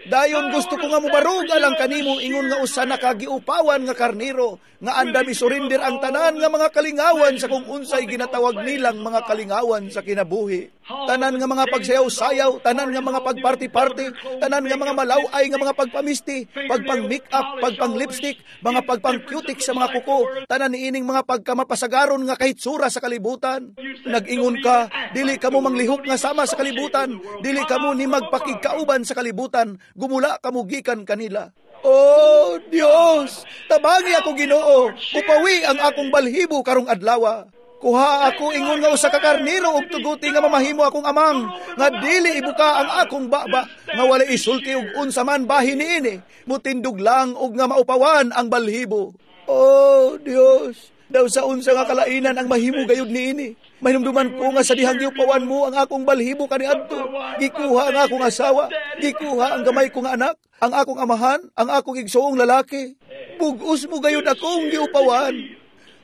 Dayon gusto ko nga mubarog alang kanimo ingon nga usa na kagiupawan nga karniro nga andam isurinder ang tanan nga mga kalingawan sa kung unsay ginatawag nilang mga kalingawan sa kinabuhi. Tanan nga mga pagsayaw-sayaw, tanan nga mga pagparty-party, tanan nga mga malaw-ay nga mga pagpamisti, pagpang-make-up, pagpang-lipstick, mga pagpang-cutic sa mga kuko, tanan niining mga pagkamapasagaron nga kahitsura sa kalibutan. Nag-ingon ka, dili kamo manglihok nga sama sa kalibutan, dili kamo ni magpakigkauban sa kalibutan, gumula kamo gikan kanila. Oh Dios, tabangi ako Ginoo, upawi ang akong balhibo karong adlaw. Kuha ako ingon nga usa ka karniro og tuguti nga mamahimo akong amang, nga dili ibuka ang akong baba, nga wala isulti og unsa man bahin niini, mutindog lang og nga maupawan ang balhibo. Oh Dios, Daw sa unsa nga kalainan ang mahimo gayud niini. Mahinumduman ko nga sa dihang giupawan mo ang akong balhibo kaniadto. Gikuha ang akong asawa, gikuha ang gamay ko nga anak, ang akong amahan, ang akong igsoong lalaki. Bug-os mo gayud akong giupawan.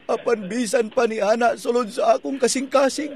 Apan bisan pa ni ana sulod sa akong kasing-kasing.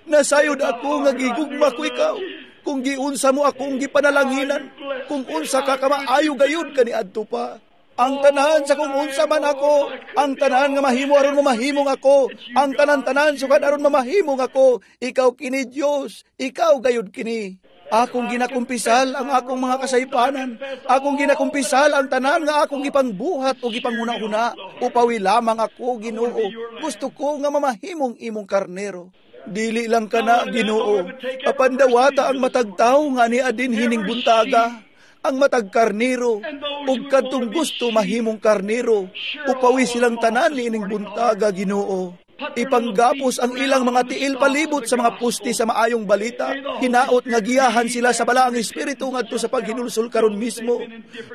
Nasayod ako nga gigugma ko ikaw. Kung giunsa mo akong gipanalanginan, kung unsa ka kamaayo gayud kaniadto pa. Ang tanan sa kung unsa man ako, ang tanan nga mahimo aron mamahimong ako, ang tanan-tanan sukad aron mamahimong ako, ikaw kini Dios, ikaw gayud kini. Akong ginakumpisal ang akong mga kasaypanan, akong ginakumpisal ang tanan nga akong gipangbuhat o gipanghuna-huna, upawi lamang ako, Ginoo. Gusto ko nga mamahimong imong karnero. Dili lang kana, Ginoo, apan dawata ang matag tawo nga ania din hining buntaga, ang matag karnero, ug kadtong gusto mahimong karnero, upawi silang tanan niining buntaga, Ginoo. Ipanggapos ang ilang mga tiil palibot sa mga puste sa maayong balita. Hinaot nga giyahan sila sa balaang espiritu ngadto sa paghinulsol karon mismo.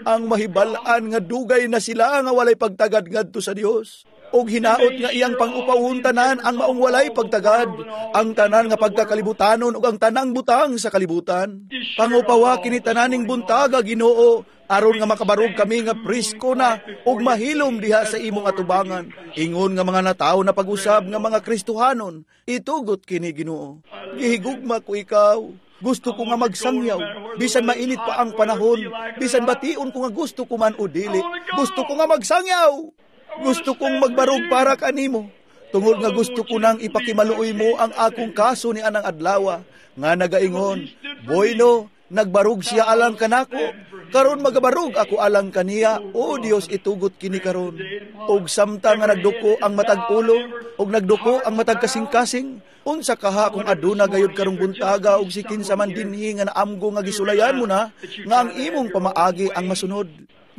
Ang mahibal-an nga dugay na sila nga walay pagtagad ngadto sa Dios. Og hinaot nga iyang pang-upawon tanan ang maong walay pagtagad, ang tanan nga pagkakalibutanon ug ang tanang butang sa kalibutan. Pangupawa kini tananing buntaga, Ginoo, aron nga makabarog kami nga presko na ug mahilom diha sa imong atubangan. Ingon nga mga natawo na pag-usab nga mga Kristohanon, itugot kini, Ginoo. Gihigugma ko ikaw. Gusto ko nga magsangyaw, bisan mainit pa ang panahon, bisan bation ko nga gusto ko man o dili. Gusto ko nga magsangyaw. Gusto kong magbarog para kanimo. Tungod nga gusto ko nang ipakimaluoy mo ang akong kaso ni anang adlawa, nga nagaingon, "Bueno, nagbarog siya alang kanako, karon magabarog ako alang kaniya." O Dios, itugot kini karon. Og samtang nga nagduko ang matag ulo, og nagduko ang matag kasing-kasing, unsa kaha kung aduna gayud karong buntaga og si kinsa man dinhi nga naamgo nga gisulayan mo na, nga ang imong pamaagi ang masunod.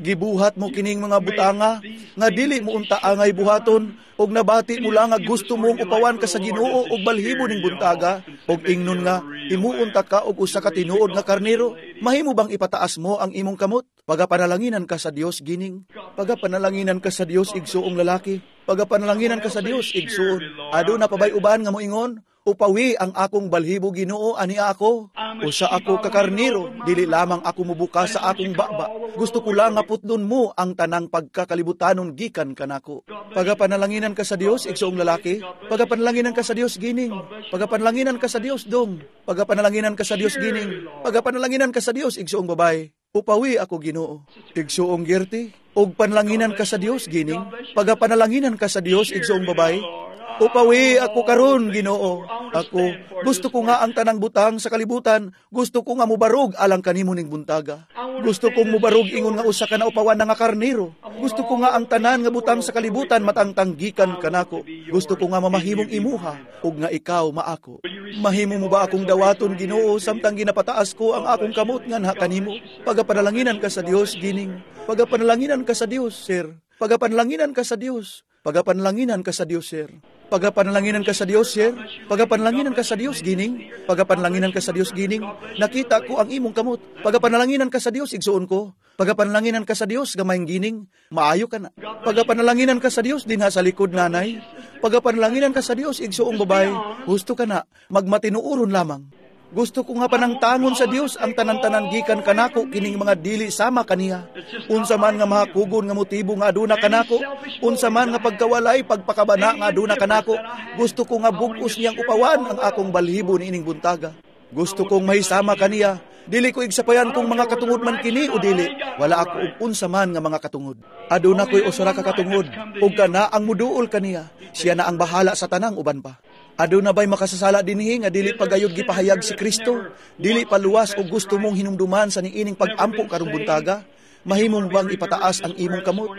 Gibuhat mo kining mga butanga nga dili mo unta angay buhaton, og nabati mo lang nga gusto mong upawan ka sa Ginoo og balhibo ning buntaga, og ingnon nga imuunta ka og usa ka tinuod nga karnero. Mahimo bang ipataas mo ang imong kamot? Pagapanalanginan ka sa Dios, gining. Pagapanalanginan ka sa Dios, igsuong lalaki. Pagapanalanginan ka sa Dios, igsuon. Aduna pa bay uban nga moingon, "Upawi ang akong balhibo, Ginoo, ani ako. Usa ako ka karnero, dili lamang ako mubuka sa akong baba. Gusto ko lang nga putlon mo ang tanang pagkakalibutanon gikan kanako." Pagapanalanginan ka sa Dios, igsuong lalaki. Pagapanalanginan ka sa Dios, gining. Pagapanalanginan ka sa Dios, dong. Pagapanalanginan ka sa Dios, gining. Pagapanalanginan ka sa Dios, igsuong babae. "Upawi ako, Ginoo." Igsuong Gerti, og panlanginan ka sa Dios, gining. Pagapanalanginan ka sa Dios, igsuong babae. "Upawi ako karon, Ginoo. Ako, gusto ko nga ang tanang butang sa kalibutan, gusto ko nga mubarog alang kanimo ning buntaga. Gusto kong mubarog ingon nga usa ka naupawan na nga karnero. Gusto ko nga ang tanan nga butang sa kalibutan matangtanggikan kanako. Gusto ko nga mamahimong imuha ug nga ikaw maako. Mahimo mo ba akong dawaton, Ginoo, samtang ginapataas ko ang akong kamot nganha kanimo?" Pagapanalanginan ka sa Dios, gining. Pagapanalanginan ka sa Dios, sir. Pagapanalanginan ka sa Dios. Pagapanalanginan ka sa Dios, sir. Pagapanalanginan ka sa Dios, sir. Pagapanalanginan ka sa Dios, gining. Pagapanalanginan ka sa Dios, gining. Nakita ko ang imong kamot. Pagapanalanginan ka sa Dios, igsuon ko. Pagapanalanginan ka sa Dios, gamayng gining. Maayo ka na. Pagapanalanginan ka sa Dios dinha sa likod, nanay. Pagapanalanginan ka sa Dios, igsuong babae. Gusto ka na, magmatinuoron lamang. Gusto ko nga panangtangon sa Dios ang tanan-tanan gikan kanako kining mga dili sama kaniya. Unsa man nga mahakugon nga motibo nga aduna kanako, unsa man nga pagkawalay pagpakabana nga aduna kanako, gusto ko nga bug-os niyang upawan ang akong balhibo niining buntaga. Gusto kong mahisama kaniya. Dili ko igsapayan kung mga katungod man kini o dili. Wala ako og unsa man nga mga katungod. Aduna ko'y usa ka katungod, ug kana ang muduol kaniya. Siya na ang bahala sa tanang uban pa. Aduna ba'y makasasala dinhi nga dili pagayod gipahayag si Kristo? Dili paluwas og gusto mong hinumduman sa niining pag-ampo karong buntaga? Mahimo mo bang ipataas ang imong kamot?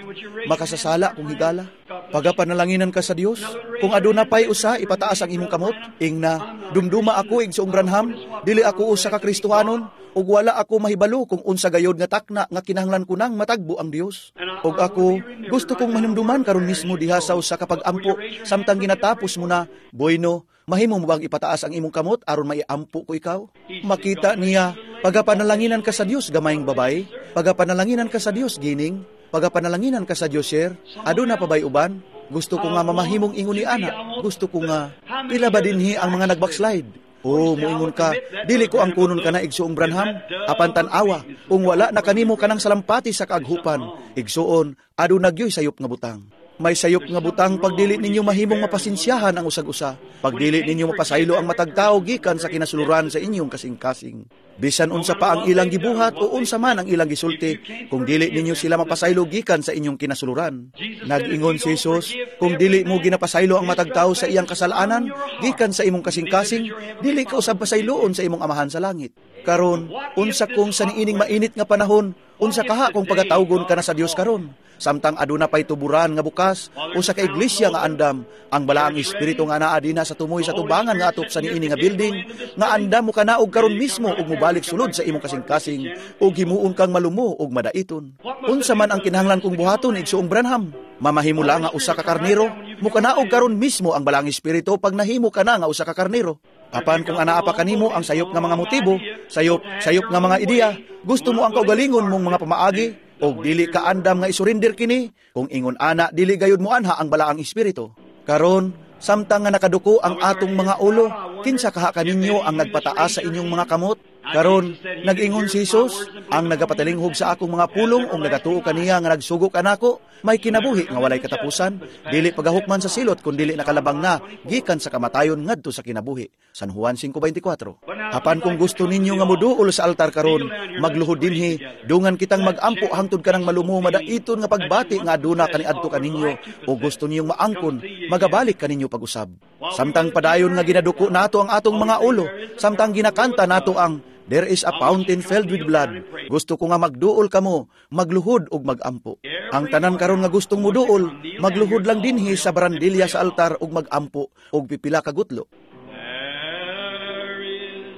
Makasasala kung higala. Pagapanalanginan ka sa Dios. Kung aduna pay usa, ipataas ang imong kamot. Ingna, "Dumduma ako, igsoong Branham, dili ako usa ka Kristohanon, ug wala ako mahibalo kung unsa gayod nga takna nga kinahanglan ko nang matagbo ang Dios. Og ako, gusto kong mahinumduman karon mismo diha sa usa ka pag-ampo samtang ginatapos mo na." Bueno, mahimo mo bang ipataas ang imong kamot aron maiampo ko ikaw? Makita niya. Pagapanalanginan ka sa Dios, gamayng babae. Pagapanalanginan ka sa Dios, gining. Pagapanalanginan ka sa Dios, sir. Aduna pa bay uban? Gusto ko nga mamahimong ingon ni ana. Gusto ko nga, pila ba dinhi ang mga nag-backslide? O, muingon ka, dili ko ang kunon ka na, Igsoong Branham, apan tan-awa, kung wala na kanimo kanang salampati sa kaaghupan, igsoon, aduna gyoy sayop nga butang. May sayop nga butang pagdili ninyo mahimong mapasensyahan ang usag-usa, pagdili ninyo mapasaylo ang matag tawo gikan sa kinasuluran sa inyong kasing-kasing. Bisan unsa pa ang ilang gibuhat o unsa man ang ilang gisulti, kung dili ninyo sila mapasaylo gikan sa inyong kinasuluran. Nag-ingon si Jesus, kung dili mo ginapasaylo ang matag tawo sa iyang kasalanan gikan sa imong kasing-kasing, dili ka usab pasayloon sa imong Amahan sa langit. Karon, unsa kung sa niining mainit nga panahon, unsa kaha kung pagatawgon ka na sa Dios karon? Samtang aduna pay tuburan nga bukas, usa ka iglesia nga andam, ang balaang espiritu nga naa dinha sa tumoy sa tubangan nga atop sa niini nga building, nga andam mo kanaog karon mismo ug mobalik sulod sa imong kasing-kasing ug himuon kang malumo ug madaiton. Unsa man ang kinahanglan kong buhaton, Igsoong Branham? Mamahimo lang nga usa ka karnero, mukanaog karon mismo ang balaang espiritu pag nahimo ka na nga usa ka karnero. Apan kung anaa pa kanimo ang sayop nga mga motibo, sayop nga mga ideya, gusto mo ang kaugalingon mong mga pamaagi, og dili ka andam nga isurrender kini, kung ingon ana dili gayud mo anha ang balaang espiritu. Karon, samtang nga nakaduko ang atong mga ulo, kinsa kaha kaninyo ang nagpataas sa inyong mga kamot? Karon, nag-ingon si Jesus, ang nagapatalinghog sa akong mga pulong ug nagatuo kaniya nga nagsugo kanako, may kinabuhi nga walay katapusan, dili pagahukman sa silot kun dili nakalabang na gikan sa kamatayon ngadto sa kinabuhi. San Juan 5:24. Apan kung gusto ninyo nga moduol sa altar karon, magluhod dinhi, dungan kitang magampo hangtod kanang malumo madaiton nga pagbati nga aduna kaniadto kaninyo, o gusto ninyong maangkon, magabalik kaninyo pag-usab. Samtang padayon nga ginaduko nato ang atong mga ulo, samtang ginakanta nato ang There is a fountain filled with blood. Gusto ko nga magduol kamo, magluhod ug magampo. Ang tanan karon nga gustong muduol, magluhod lang dinhi sa barandilya sa altar ug magampo og pipila ka gutlo. There is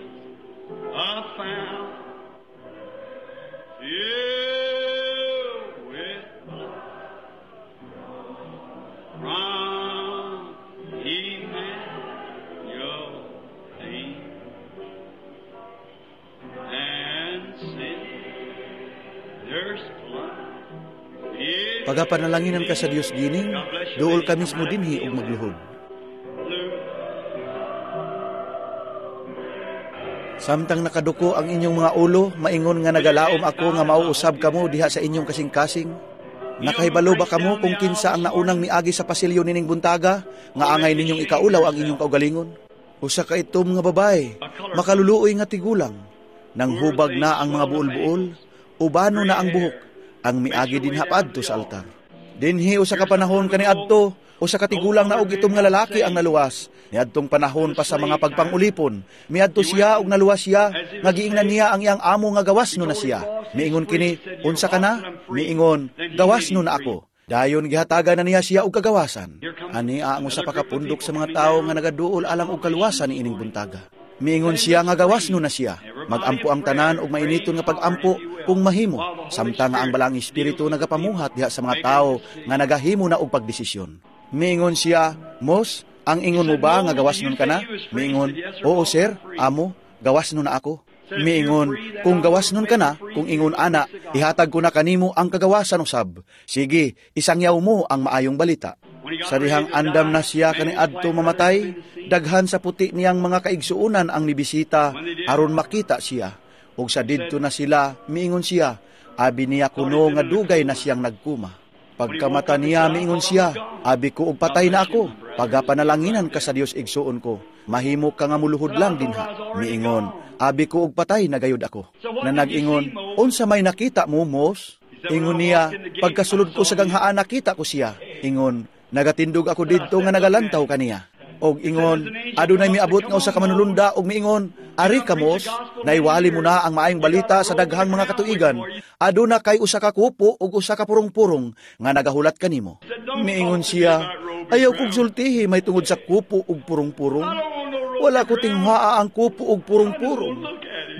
a fountain filled with blood from Emmanuel and sinners plunge. Pagapanalanginan ka sa Dios gining, duol ka mismo dinhi ug magluhod. Samtang nakaduko ang inyong mga ulo, maingon nga nagalaom ako nga mauusab kamo diha sa inyong kasing-kasing. Nakahibalo ba kamo kung kinsa ang naunang miagi sa pasilyo nining buntaga, nga angay ninyong ikaulaw ang inyong kaugalingon? Usa ka itom nga babae, makaluluoy nga tigulang, nang hubag na ang mga buol-buol, ubano na ang buhok, ang miagi dinha padto sa altar. Dinhi usa ka panahon kaniadto, usa ka tigulang na og itom nga lalaki ang naluwas. Niadtong panahon pa sa mga pagpangulipon, miadto siya og naluwas siya, nga giingnan niya ang iyang amo nga gawas no na siya. Miingon kini, unsa ka na? Miingon, gawas no na ako. Dayon gihatagan na niya siya og kagawasan. Ani ang usa pa ka pundok sa mga tawo nga nagaduol alang og kaluwasan niining buntaga. Miingon siya nga gawas no na siya. Magampo ang tanan og mainiton nga pagampo kung mahimo, samtang nga ang balaang espiritu nagapamuhat diha sa mga tawo nga nagahimo na og pagdesisyon. Miingon siya, Mos, ang ingon mo ba nga gawas nun ka na? Miingon, oo sir, amo, gawas nun na ako. Miingon, kung gawas nun ka na, kung ingon ana, ihatag ko na kanimo ang kagawasan usab. Sige, isangyaw mo ang maayong balita. Sa dihang andam na siya kaniadto mamatay, daghan sa puti niyang mga kaigsuonan ang nibisita aron makita siya. Ug sa didto na sila, miingon siya, abi niya kuno nga dugay na siyang nagkuma. Pagkamata niya, miingon siya, abi ko og patay na ako, pagapanalanginan ka sa Dios igsuon ko, mahimo ka nga muluhod lang dinha. Miingon, abi ko og patay na gayud ako. Na nag-ingon, unsa may nakita mo, Mos? Ingon niya, pagkasulod ko sa ganghaan nakita ko siya. Ingon, nagatindog ako didto nga nagalantaw kaniya. Og ingon, adunay miabot nga usa ka manulunda og miingon, ari ka Mos, naiwali mo na ang maayong balita sa daghang mga katuigan. Aduna kay usa ka kupo og usa ka purong-purong nga nagahulat kanimo. Miingon siya, ayaw kog sultihi may tungod sa kupo ug purong-purong. Wala ko tinghaa ang kupo ug purong-purong.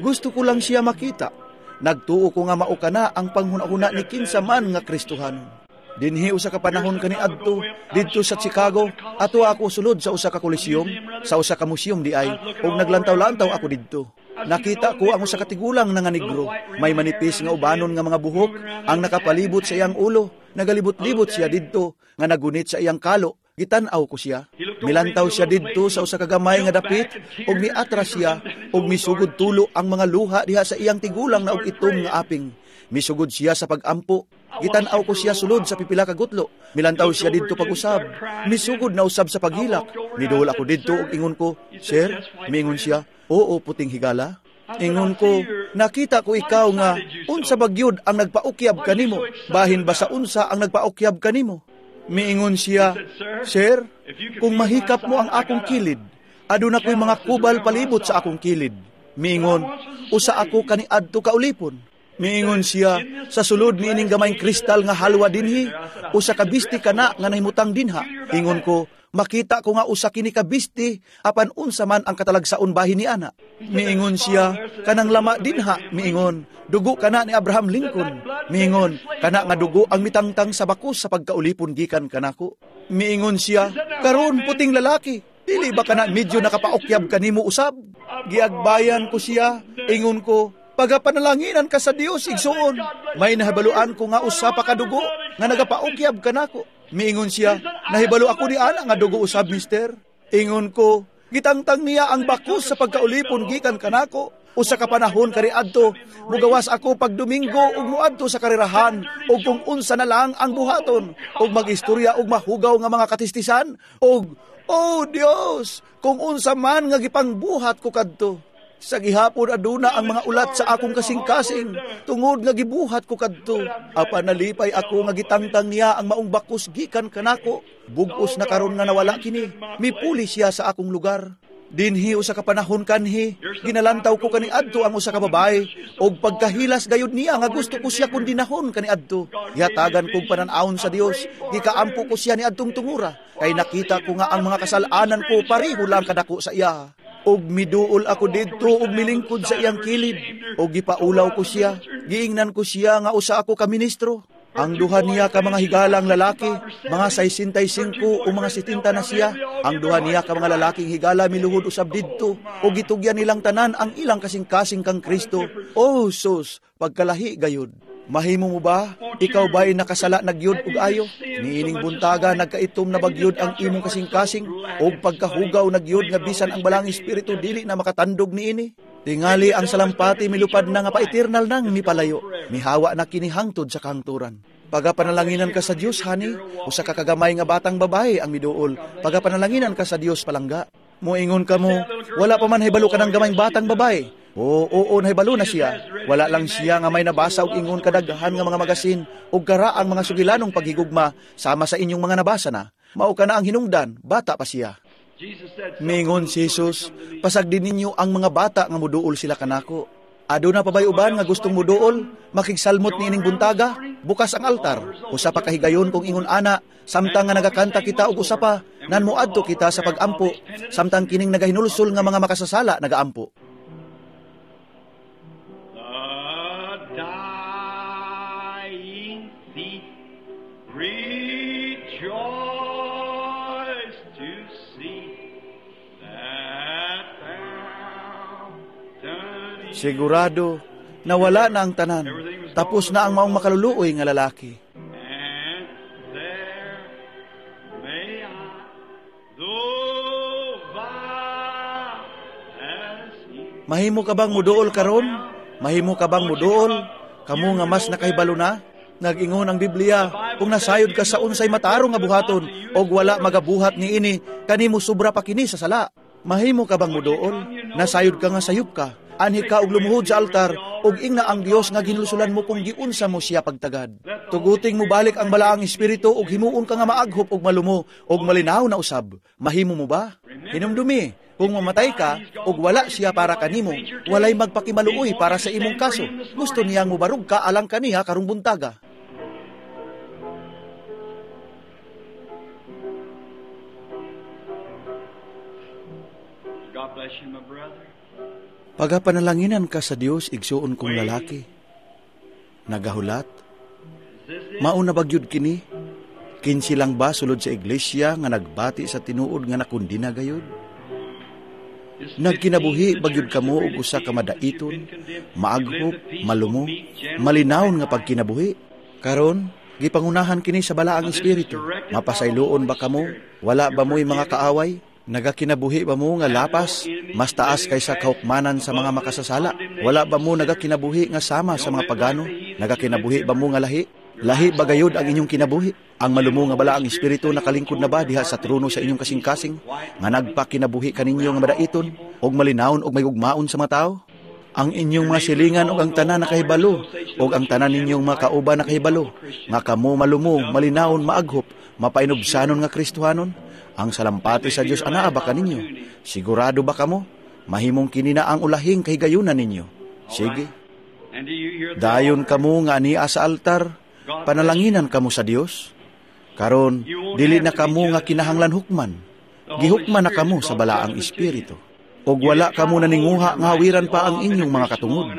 Gusto ko lang siya makita. Nagtuo ko nga mao kana ang panghuna-huna ni kinsa man nga Kristohanon. Dinhi usa ka panahon kaniadto didto sa Chicago, ato ako sulod sa usa ka coliseum, sa usa ka museum di ay, ug naglantaw-lantaw ako didto. Nakita ko ang usa ka tigulang na nga negro, may manipis nga ubanon nga mga buhok ang nakapalibot sa iyang ulo. Nagalibot-libot siya didto nga nagunit sa iyang kalo. Gitan-aw ko siya. Milantaw siya didto sa usa ka gamay nga dapit ug miatras siya ug misugod tulo ang mga luha diha sa iyang tigulang na og itom nga aping. Misugod siya sa pagampo. Gitan-aw ko siya sulod sa pipila ka gutlo. Milantaw siya didto pag-usab. Misugod na usab sa paghilak. Miduol ako didto ug ingon ko, "Sir," miingon siya, "Oo, puting higala." Ingon ko, "Nakita ko ikaw nga unsa bagyod ang nagpaukyab kanimo? Bahin ba sa unsa ang nagpaukyab kanimo?" Miingon siya, "Sir, kung mahikap mo ang akong kilid, aduna ko'y mga kubal palibot sa akong kilid." Miingon, "Usa ako kaniadto kaulipon." Miingon siya, "Sa sulod niining gamayng kristal nga halwa dinhi, usa ka bisti kana nga nahimutang dinha." Ingon ko, "Makita ko nga usa kini ka bisti, apan unsa man ang katalagsaon bahin ni ana." Miingon siya, "Kanang lama dinha," miingon, "dugo kana ni Abraham Lincoln." Miingon, "Kana nga dugo ang mitangtang sa bakos sa pagkaulipon gikan kanako." Miingon siya, "Karon puting lalaki, dili ba kana medyo nakapaukyab kanimo usab?" Giagbayan ko siya, ingon ko, "Pagapanalanginan ka sa Dios, igsuon. May nahibaluan ko nga usa pa ka dugo nga nagapaukyab kanako." Miingon siya, "Nahibalo ako ni ana nga dugo usab, mister." Ingon ko, "Gitangtang niya ang bakos sa pagkaulipon gikan kanako. Usa ka panahon kaniadto, mugawas ako pag Domingo ug muadto sa karerahan ug kung unsa na lang ang buhaton ug magistorya ug mahugaw nga mga katistisan ug oh Dios, kung unsa man nga gipangbuhat ko kadto. Sa gihapon aduna ang mga ulat sa akong kasing-kasing tungod nga gibuhat ko kadto. Apan nalipay ako nga gitangtang niya ang maong bakos gikan kanako. Bug-os na karon nga nawala kini. Mipuli siya sa akong lugar. Dinhi usa ka panahon kanhi, ginalantaw ko kaniadto ang usa ka babae og pagkahilas gayud niya nga gusto ko siya kundinahon kaniadto. Gihatagan kog panan-awon sa Dios, gikaampo ko siya niadtong tungura kay nakita ko nga ang mga kasal-anan ko pareho lang kadako sa iya. Og miduol ako didto og milingkod sa iyang kilid, og gipaulaw ko siya, giingnan ko siya nga usa ako ka ministro. Ang duha niya ka mga higalang lalaki, mga 65 o mga 70 na siya. Ang duha niya ka mga lalaking higala miluhod usab didto, og gitugyan nilang tanan ang ilang kasing-kasing kang Kristo. Oh sus, pagkalahi gayud. Mahimo mo ba? Ikaw ba'y nakasala nagyud og ayo? Niining buntaga nagkaitom na bagyod ang imong kasing-kasing, og pagkahugaw nagyud nga bisan ang balang espiritu dili na makatandog niini. Tingali ang salampati milupad na nga pa-eternal nang mipalayo. Mihawa na kini hangtod sa kahangturan. Pagapanalanginan ka sa Dios, honey, usa ka kagamay nga batang babae ang miduol. Pagapanalanginan ka sa Dios, palangga. Moingon ka mo, wala pa man hibalo ka ng gamayng batang babae. Oo, oo, nahibalo na siya. Wala lang siya nga may nabasa og ingon kadaghan nga mga magasin og karaang mga sugilanong paghigugma sama sa inyong mga nabasa na. Mao ka na ang hinungdan, bata pa siya. Mingon si Jesus, pasagdi ninyo ang mga bata nga muduol sila kanako. Aduna pa bay uban nga gustong muduol, makigsalmot niining buntaga, bukas ang altar. Usa pa kahigayon kung ingon ana, samtang nga nagakanta kita og usa pa, nan moadto kita sa pagampo, samtang kining nagahinulsol nga mga makasasala nagaampo. Dying thief rejoice to see that fountain. Sigurado, nawala na ang tanan. Tapos na ang maong makaluluoy nga lalaki. And there may I, though vile as he. Mahimo ka bang muduol karon? Mahimo ka bang muduol? Kamo nga mas nakahibalo na? Nag-ingon ang Biblia, kung nasayod ka sa unsay matarong nga buhaton, og wala magabuhat niini, kanimo sobra pa kini sa sala. Mahimo ka bang muduol? Nasayod ka nga sayop ka. Anhi ka og lumuhod sa altar, og ingna ang Dios nga ginlusulan mo kung giunsa mo siya pagtagad. Tuguting mo balik ang balaang espiritu og himuon ka nga maaghop og malumo og malinaw na usab. Mahimo mo ba? Hinumdumi, kung mamatay ka og wala siya para kanimo, walay magpakimaluoy para sa imong kaso. Gusto niyang mobarug ka alang kaniha karong buntaga. God bless you, my brother. Pagapanalanginan ka sa Dios, igsuon kong lalaki. Nagahulat, mauna bagyod kini? Kinsi lang ba sulod sa iglesia nga nagbati sa tinuod nga nakundina gayod? Nagkinabuhi ba gyud kamo og usa ka madaiton, maaghop, malumo, malinawon nga pagkinabuhi? Karon, gipangunahan kini sa Balaang Espiritu. Mapasayloon ba kamo? Wala ba mo'y mga kaaway? Nagakinabuhi ba mo nga lapas, mas taas kaysa kahukmanan sa mga makasasala? Wala ba mo nagakinabuhi nga sama sa mga pagano? Nagakinabuhi ba mo nga lahi? Lahi ba gayod ang inyong kinabuhi? Ang malumo nga Balaang Espiritu nakalingkod na ba diha sa trono sa inyong kasing-kasing? Nga nagpakinabuhi kaninyo nga madaiton, og malinawon og may gugmaon sa mga tao? Ang inyong mga silingan og ang tanan nakahibalo, og ang tanan ninyong mga kauban nakahibalo, nga kamo malumo, malinawon, maaghop, mapainubsanon nga Kristohanon? Ang salampati sa Dios anaa ba kaninyo? Sigurado ba kamo? Mahimong kini na ang ulahing kahigayunan ninyo. Sige. Dayon kamo nga ania sa altar, panalanginan kamo sa Dios. Karon, dili na kamo nga kinahanglan hukman. Gihukman na kamo sa Balaang Espiritu. Og wala kamo naninguha nga hawiran pa ang inyong mga katungod.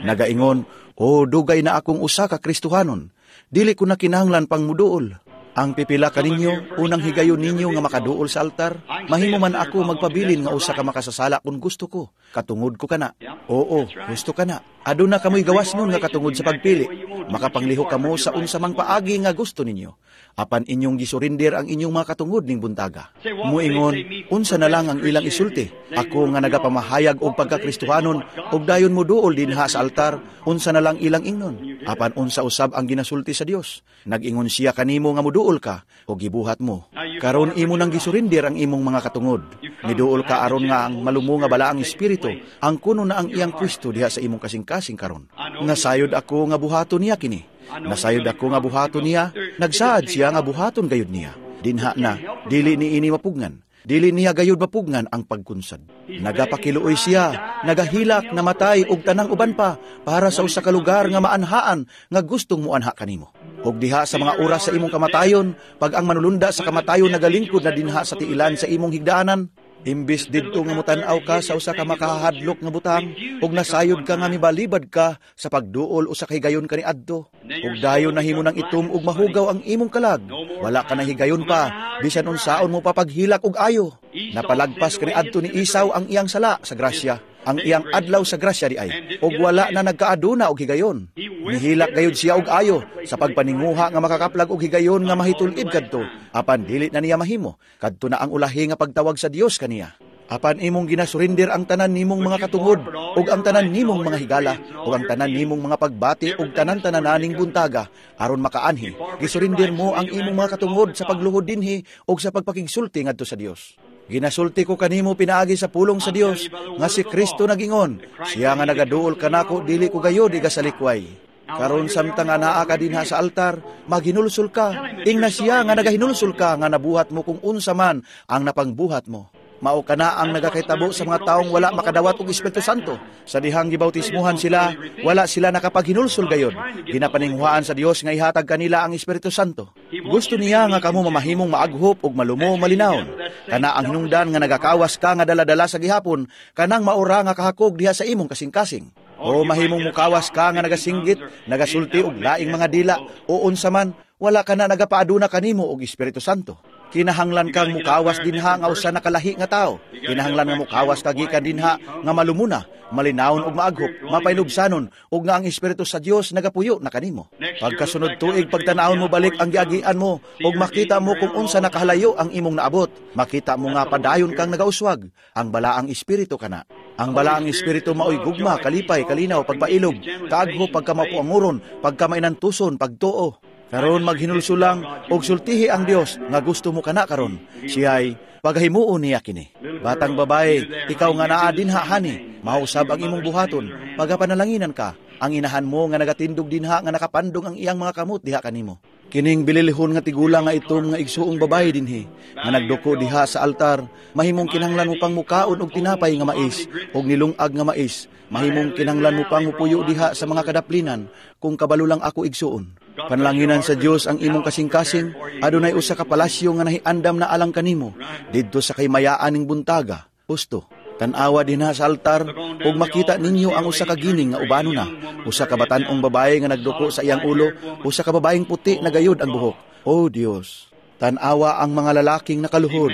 Nagaingon, "O, dugay na akong usa ka Kristohanon. Dili ko na kinahanglan pang muduol." Ang pipila kaninyo, unang higayon ninyo nga makaduol sa altar, mahimo man ako magpabilin nga usa ka makasasala kung gusto ko. Katungod ko kana. Oo, gusto ka na. Aduna kamoy gawas nun nga katungod sa pagpili. Makapanglihok kamo sa unsa mang paagi nga gusto ninyo. Apan inyong gisurinder ang inyong mga katungod ning buntaga. Muingon, "Unsa na lang ang ilang isulti? Ako nga nagapamahayag og pagkakristohanon og dayon moduol dinha sa altar, unsa na lang ilang ingnon?" Apan unsa usab ang ginasulti sa Dios? Nag-ingon siya kanimo nga moduol ka o gibuhat mo. Karon imo nang gisurinder ang imong mga katungod. Niduol ka aron nga ang malumo nga Balaang Espiritu ang kuno na ang iyang pwesto diha sa imong kasing-kasing karon. Nasayod ako nga buhaton niya kini. Nasayod ako nga buhaton niya, nagsaad siya nga buhaton gayud niya. Dinha na, dili ni ini mapugnan. Dili niya gayud mapugnan ang pagkunsad. Nagapakiluoy siya, nagahilak, namatay og tanang uban pa para sa usa ka lugar nga maanhaan nga gustong muanha kanimo. Og diha sa mga oras sa imong kamatayon, pag ang manulunda sa kamatayon nagalingkod na dinha sa tiilan sa imong higdaanan, imbis didto nga motan-aw ka sa usa ka makahadlok nga butang, ug nasayod ka nga mibalibad ka sa pagduol usa ka higayon kaniadto, ug dayon nahimo nang itom ug mahugaw ang imong kalag, wala ka na higayon pa, bisan unsaon mo pa paghilak og ayo. Napalagpas kaniadto ni Esau ang iyang sala sa grasya, ang iyang adlaw sa grasya di ay, ug wala na nagkaaduna og higayon. Nihilak gayud siya og ayo sa pagpaninguha nga makakaplag og higayon nga mahitul-id kadto, apan dili na niya mahimo, kadto na ang ulahi nga pagtawag sa Dios kaniya. Apan imong ginasurinder ang tanan nimong mga katungod, ug ang tanan nimong mga higala, ug ang tanan nimong mga pagbati, ug tanan-tanananing buntaga, aron makaanhi, gisurinder mo ang imong mga katungod sa pagluhod dinhi ug sa pagpakigsulti ngadto sa Dios. Ginasulti ko kanimo pinaagi sa pulong sa Dios nga si Kristo nagingon, siya nga nagaduol kanako dili ko gayod igasalikway. Karon samtang anaa ka dinha sa altar, maghinulsol ka, ingna siya nga nagahinulsol ka nga nabuhat mo kung unsa man ang napangbuhat mo. Mao kana ang nagakahitabo sa mga taong wala makadawat og Espiritu Santo. Sa dihang gibautismuhan sila, wala sila nakapaghinulsol gayod. Ginapaninguhaan sa Dios nga ihatag kanila ang Espiritu Santo. Gusto niya nga kamo mamahimong maaghop ug malumo malinawon. Kana ang hinungdan nga nagakawas ka nga dala-dala sa gihapon, kanang maura nga kahakog diha sa imong kasing-kasing. O mahimong mukawas ka nga nagasinggit, nagasulti og laing mga dila, o unsa man, wala ka na nagapaaduna kanimo og Espiritu Santo. Kinahanglan kang mukawas dinha nga usa nakalahi nga tao. Kinahanglan nga mukawas ka gikan dinha nga malumuna, malinawon ug maaghop, mapainubsanon ug nga ang Espiritu sa Dios nagapuyo na kanimo. Pagkasunod tuig pagtan-awon mo balik ang giagian mo ug makita mo kung unsa nakahalayo ang imong naabot. Makita mo nga padayon kang nagauswag. Ang Balaang Espiritu kana. Ang Balaang Espiritu maoy gugma, kalipay, kalinaw, pagpailog, kaaghop, pagkamapuanguron, pagkamainantuson, pagtuo. Karon maghinulsulang og sultihi ang Dios nga gusto mo kana karon. Siya'y pagahimuon niya kini. Batang babae, ikaw nga naa dinha hani, mausab ang imong buhaton, pagapanalanginan ka, ang inahan mo nga nagatindog dinha nga nakapandong ang iyang mga kamot diha kanimo. Kining bililihon nga tigulang nga itom nga igsuong babae dinhi, nga nagduko diha sa altar, mahimong kinahanglan mo pang mukaon og tinapay nga mais, og nilungag nga mais, mahimong kinahanglan mo pang mupuyo diha sa mga kadaplinan, kung kabalo lang ako igsuon. Panlanginan sa Dios ang imong kasing-kasing, adunay usa ka palasyo nga nahiandam na alang kanimo, didto sa kaymayaan ning buntaga, husto. Tan-awa dinha sa altar ug makita ninyo ang usa ka gining nga ubano na, usa ka batan-ong babae nga nagduko sa iyang ulo, usa ka babaeng puti na gayud ang buhok. O Dios, Tan-awa ang mga lalaking nakaluhod,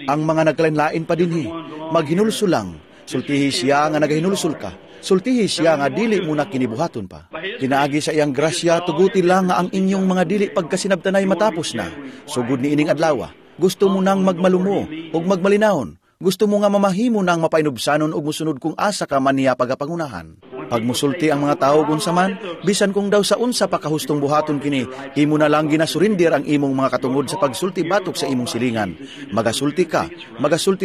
ang mga nagkalain-lain pa dinhi. Maghinulsol lang. Sultihi siya nga nagahinulsol ka. Sultihi siya nga dili mo na kinibuhaton pa. Kinaagi sa iyang grasya, tuguti lang nga ang inyong mga dili pagkasinabtanay matapos na. Sugod ni ining adlaw, gusto mo nang magmalumo ug magmalinawon. Gusto mo nga mamahimo nang mapainubsanon ug musunod kung asa ka man niya pagapangunahan. Pag musulti ang mga tawo kung saman, bisan kung daw sa unsa pa kahustong buhaton kini, imo na lang ginasurindir ang imong mga katungod sa pagsulti batok sa imong silingan. Magasulti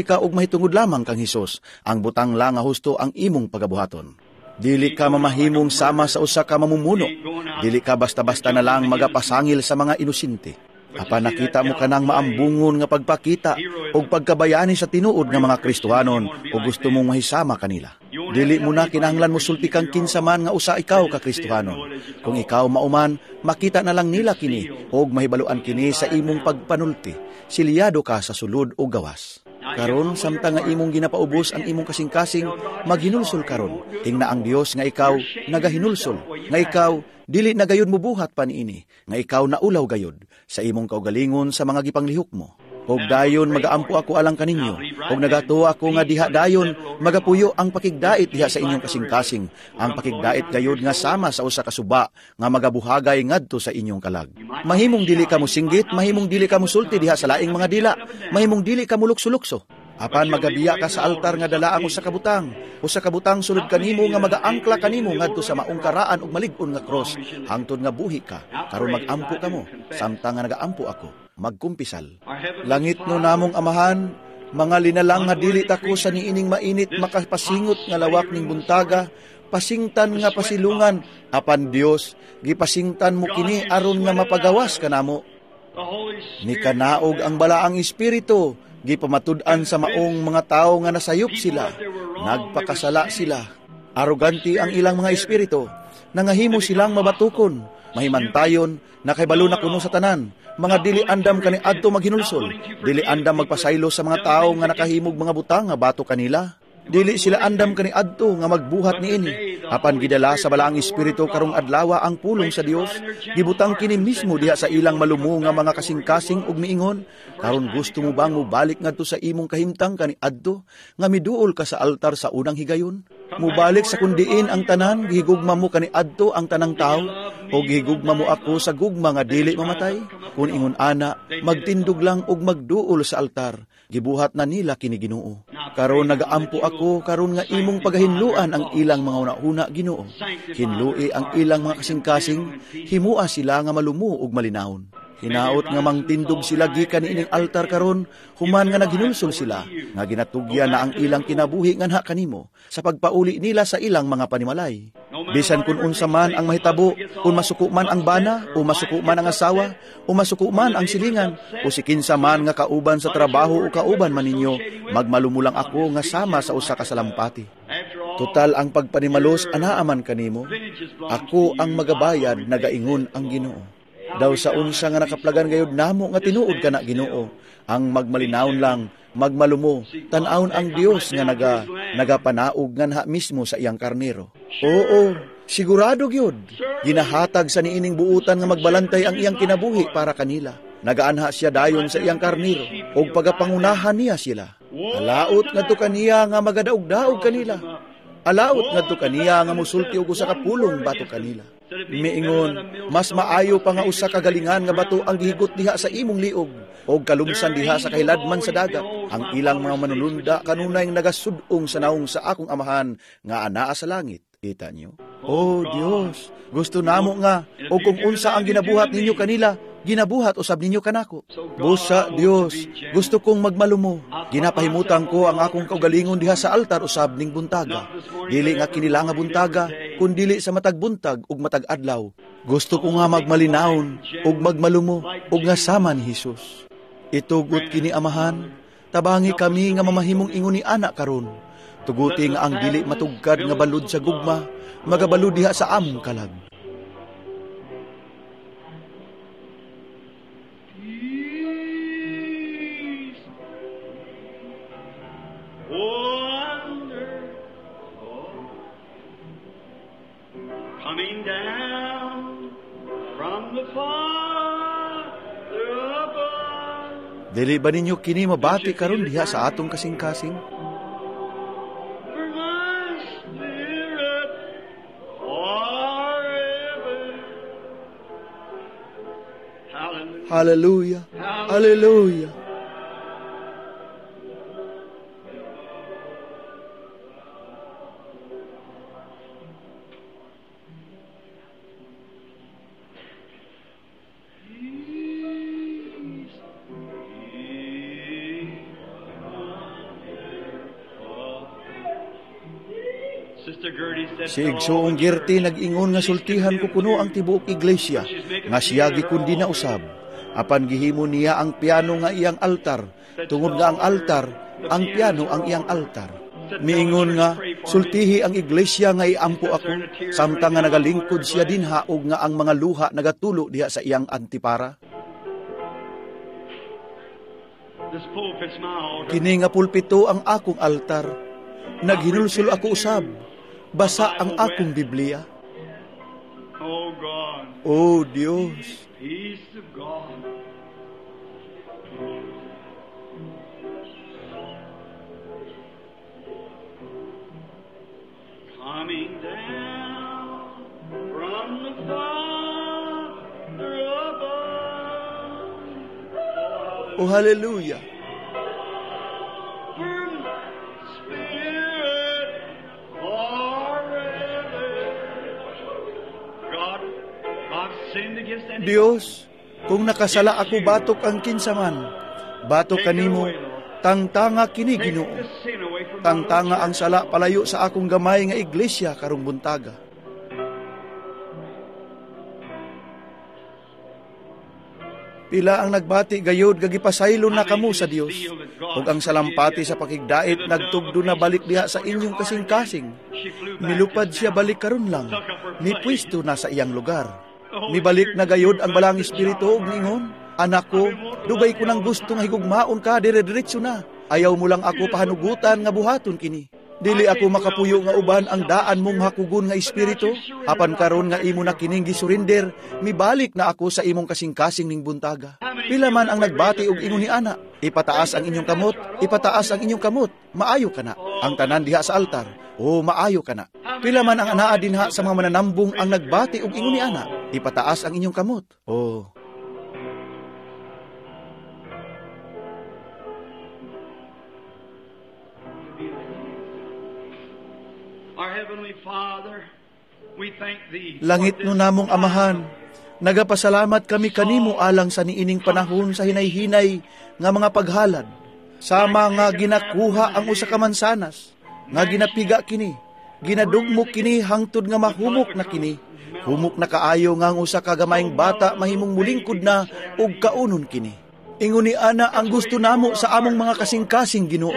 ka og mahitungod lamang kang Hesus. Ang butang lang nga husto ang imong pagabuhaton. Dili ka mamahimong sama sa usa ka mamumuno. Dili ka basta-basta na lang magapasangil sa mga inosente. Apan nakita mo kanang maambungon nga pagpakita og pagkabayani sa tinuod nga mga Kristohanon o gusto mong mahisama kanila. Dili mo na kinahanglan mosulti kang kinsa man nga usa ikaw ka Kristohanon. Kung ikaw mauman, makita na lang nila kini og mahibaluan kini sa imong pagpanulti. Silyado ka sa sulod o gawas. Karon samtang nga imong ginapaubos ang imong kasing-kasing, maghinulsol karon. Tingna ang Dios nga ikaw nagahinulsol, nga ikaw dili na gayud mobuhat pa niini, nga ikaw naulaw gayud sa imong kaugalingon sa mga gipanglihok mo. Og dayon magaampo ako alang kaninyo, og nagatuo ako nga diha dayon magapuyo ang pakigdait diha sa inyong kasing-kasing, ang pakigdait gayud nga sama sa usa ka suba nga magabuhagay ngadto sa inyong kalag. Mahimong dili ka mosinggit, mahimong dili ka mosulti diha sa laing mga dila, mahimong dili ka molukso-lukso. Apan magabiya ka sa altar nga dala ang usa ka butang, usa ka butang sulod kanimo nga magaangkla kanimo ngadto sa maong karaan ug malig-on nga cross, hangtod nga buhi ka. Karon magampo kamo, samtang nga nagaampo ako, magkumpisal. Langit no namong Amahan, mga linalang nga dili tako sa niining mainit makapasingot nga lawak ning buntaga, pasingtan nga pasilungan, apan Dios, gipasingtan mo kini aron nga mapagawas kanamo. Nikanaog ang balaang espiritu, gipamatud-an sa maong mga tao nga nasayop sila, nagpakasala sila. Arogante ang ilang mga espiritu, nangahimo silang mabatukon, mahimantayon, nakahibalo na kuno sa tanan, mga dili andam kaniadto maghinulsol, dili andam magpasaylo sa mga tao nga nakahimog mga butang nga bato kanila. Dili sila andam kaniadto nga magbuhat niini. Apan gidala sa balaang espiritu karong adlawa ang pulong sa Dios, gibutang kini mismo diha sa ilang malumo nga mga kasing-kasing ug miingon, karon gusto mo bang mobalik ngadto sa imong kahimtang kaniadto nga miduol ka sa altar sa unang higayon? Mubalik sa kundiin ang tanan, gihigugma mo kaniadto ang tanang tawo, o gihigugma mo ako sa gugma nga dili mamatay? Kun ingon ana, magtindog lang og magduol sa altar, gibuhat na nila kini Ginoo. Karon nagaampo ako karon nga imong pagahinluan ang ilang mga hunahuna, Ginoo. Hinlui ang ilang mga kasing-kasing, himua sila nga malumo ug malinawon. Hinaot nga mangtindog sila gikan niining altar karon, human nga naghinulsol sila, nga ginatugyan na ang ilang kinabuhi nganha kanimo, sa pagpauli nila sa ilang mga panimalay. Bisan kun unsa man ang mahitabo, kung masuko man ang bana, o masuko man ang asawa, o masuko man ang silingan, o si kinsa man nga kauban sa trabaho o kauban man ninyo, magmalumulang ako nga sama sa usa ka salampati. Total ang pagpanimalos anaaman kanimo, ako ang magabayad, nagaingon ang Ginoo. Daw sa unsa nga nakaplagan gayud namo nga tinuod kana Ginoo, ang magmalinawon lang, magmalumo, tan-awon ang Dios nga nagapanaog nganha mismo sa iyang karnero. Oo, sigurado gyud. Ginahatag sa niining buutan nga magbalantay ang iyang kinabuhi para kanila. Nagaanha siya dayon sa iyang karnero ug pagapangunahan niya sila. Alaot ngadto kaniya nga magadaog-daog kanila. Alaot ngadto kaniya nga musulti og usa ka pulong batok kanila. Miingon, mas maayo pa nga usa ka galingan nga bato ang gihigot diha sa imong liog og kalumsan diha sa kahiladman sa dagat. Ang ilang mga manulunda kanunay nagasud-ong sa naong sa akong amahan nga anaa sa langit. Kita niyo? Oh Dios, gusto namo nga og kung unsa ang ginabuhat ninyo kanila, ginabuhat usab ninyo kanako. Busa Dios, gusto kong magmalumo. Ginapahimutan ko ang akong kaugalingon diha sa altar usab ning buntaga. Dili nga kinila nga buntaga, kundili sa matag buntag ug matag adlaw. Gusto ko nga magmalinawon ug magmalumo ug nga sama ni Hesus. Itugot kini Amahan, tabangi kami nga mamahimong ingon ni anak karon. Tuguti nga ang dili matugkad nga balud sa gugma, magabalud diha sa among kalag. Coming down from the Father above. Dili ba ninyo kini mabati karon diha sa atong kasing-kasing? For my spirit forever. Hallelujah. Hallelujah. Hallelujah. Peace be wonderful. Sister Gertie said, Si Igsoong Gertie nag-ingon nga sultihan ko kuno ang tibuok iglesia, nga siya gikundi na usab. Apan gihimo niya ang piano nga iyang altar, tungod nga ang altar, ang piano ang iyang altar. Miingon nga, sultihi ang iglesia nga iampo ako, samtang nga nagalingkod siya dinha og nga ang mga luha nagatulo diha sa iyang antipara. This pulpit's my altar. Kini nga pulpito ang akong altar. Naghinulsol ako usab. Basa ang akong Biblia. Oh God, O Dios, peace of God. Coming down from the Father above. O hallelujah. For Spirit forever. God, I've sinned against any. Dios, kung nakasala ako batok ang kinsaman, batok kanimo, tangtanga kini Take Ginoo. the sin away from my Tangtanga little ang sala palayo sa akong gamay nga iglesia karong buntaga. Pila ang nagbati gayod gagipasaylo na kamo sa Dios. Ug ang salampati sa pakigdait nagtugdo na balik diha sa inyong kasing-kasing. Milupad siya balik karon lang. Mipwesto na sa iyang lugar. Mibalik na gayod ang balang espiritu ug niingon, anak ko, dugay ko nang gusto nga higugmaon ka dire-diretso na. Ayaw mo lang ako pahanugutan nga buhaton kini. Dili ako makapuyo nga uban ang daan mong hakugon nga espiritu. Apan karon nga imo na kining gisurrender, mibalik na ako sa imong kasing-kasing ning buntaga. Pila man ang nagbati og ingon ni ana, ipataas ang inyong kamot, ipataas ang inyong kamot, maayo kana. Ang tanan diha sa altar, o maayo kana. Pila man ang anaa dinha sa mga mananambong ang nagbati og ingon ni ana, ipataas ang inyong kamot. Oh. Our Heavenly Father, we thank Thee. Langit no namong amahan, nagapasalamat kami kanimo alang sa niining panahon sa hinay-hinay nga mga paghalad. Sama nga ginakuha ang usa ka mansanas, nga ginapiga kini, ginadugmok kini hangtod nga mahumok na kini. Humok na kaayo nga ang usa ka gamayng bata mahimong mulingkod na ug kaunon kini. Ingon ni ana ang gusto namo sa among mga kasing-kasing Ginoo.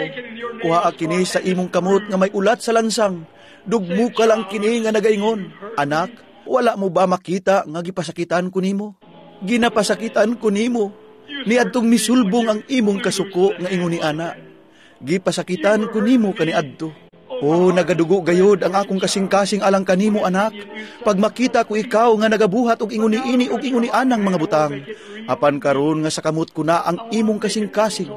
Kuhaa kini sa imong kamot nga may ulat sa lansang. Dugmuka lang kini nga nagaingon, anak, wala mo ba makita nga gipasakitan ko nimo? Ginapasakitan ko nimo. Niadtong misulbong ang imong kasuko nga ingon ni ana. Gipasakitan ko nimo kaniadto. O nagadugo gayod ang akong kasing-kasing alang kanimo anak. Pag makita ko ikaw nga nagabuhat og ingon ni ini og ingon ni anang mga butang. Apan karon nga sa kamot ko na ang imong kasing-kasing.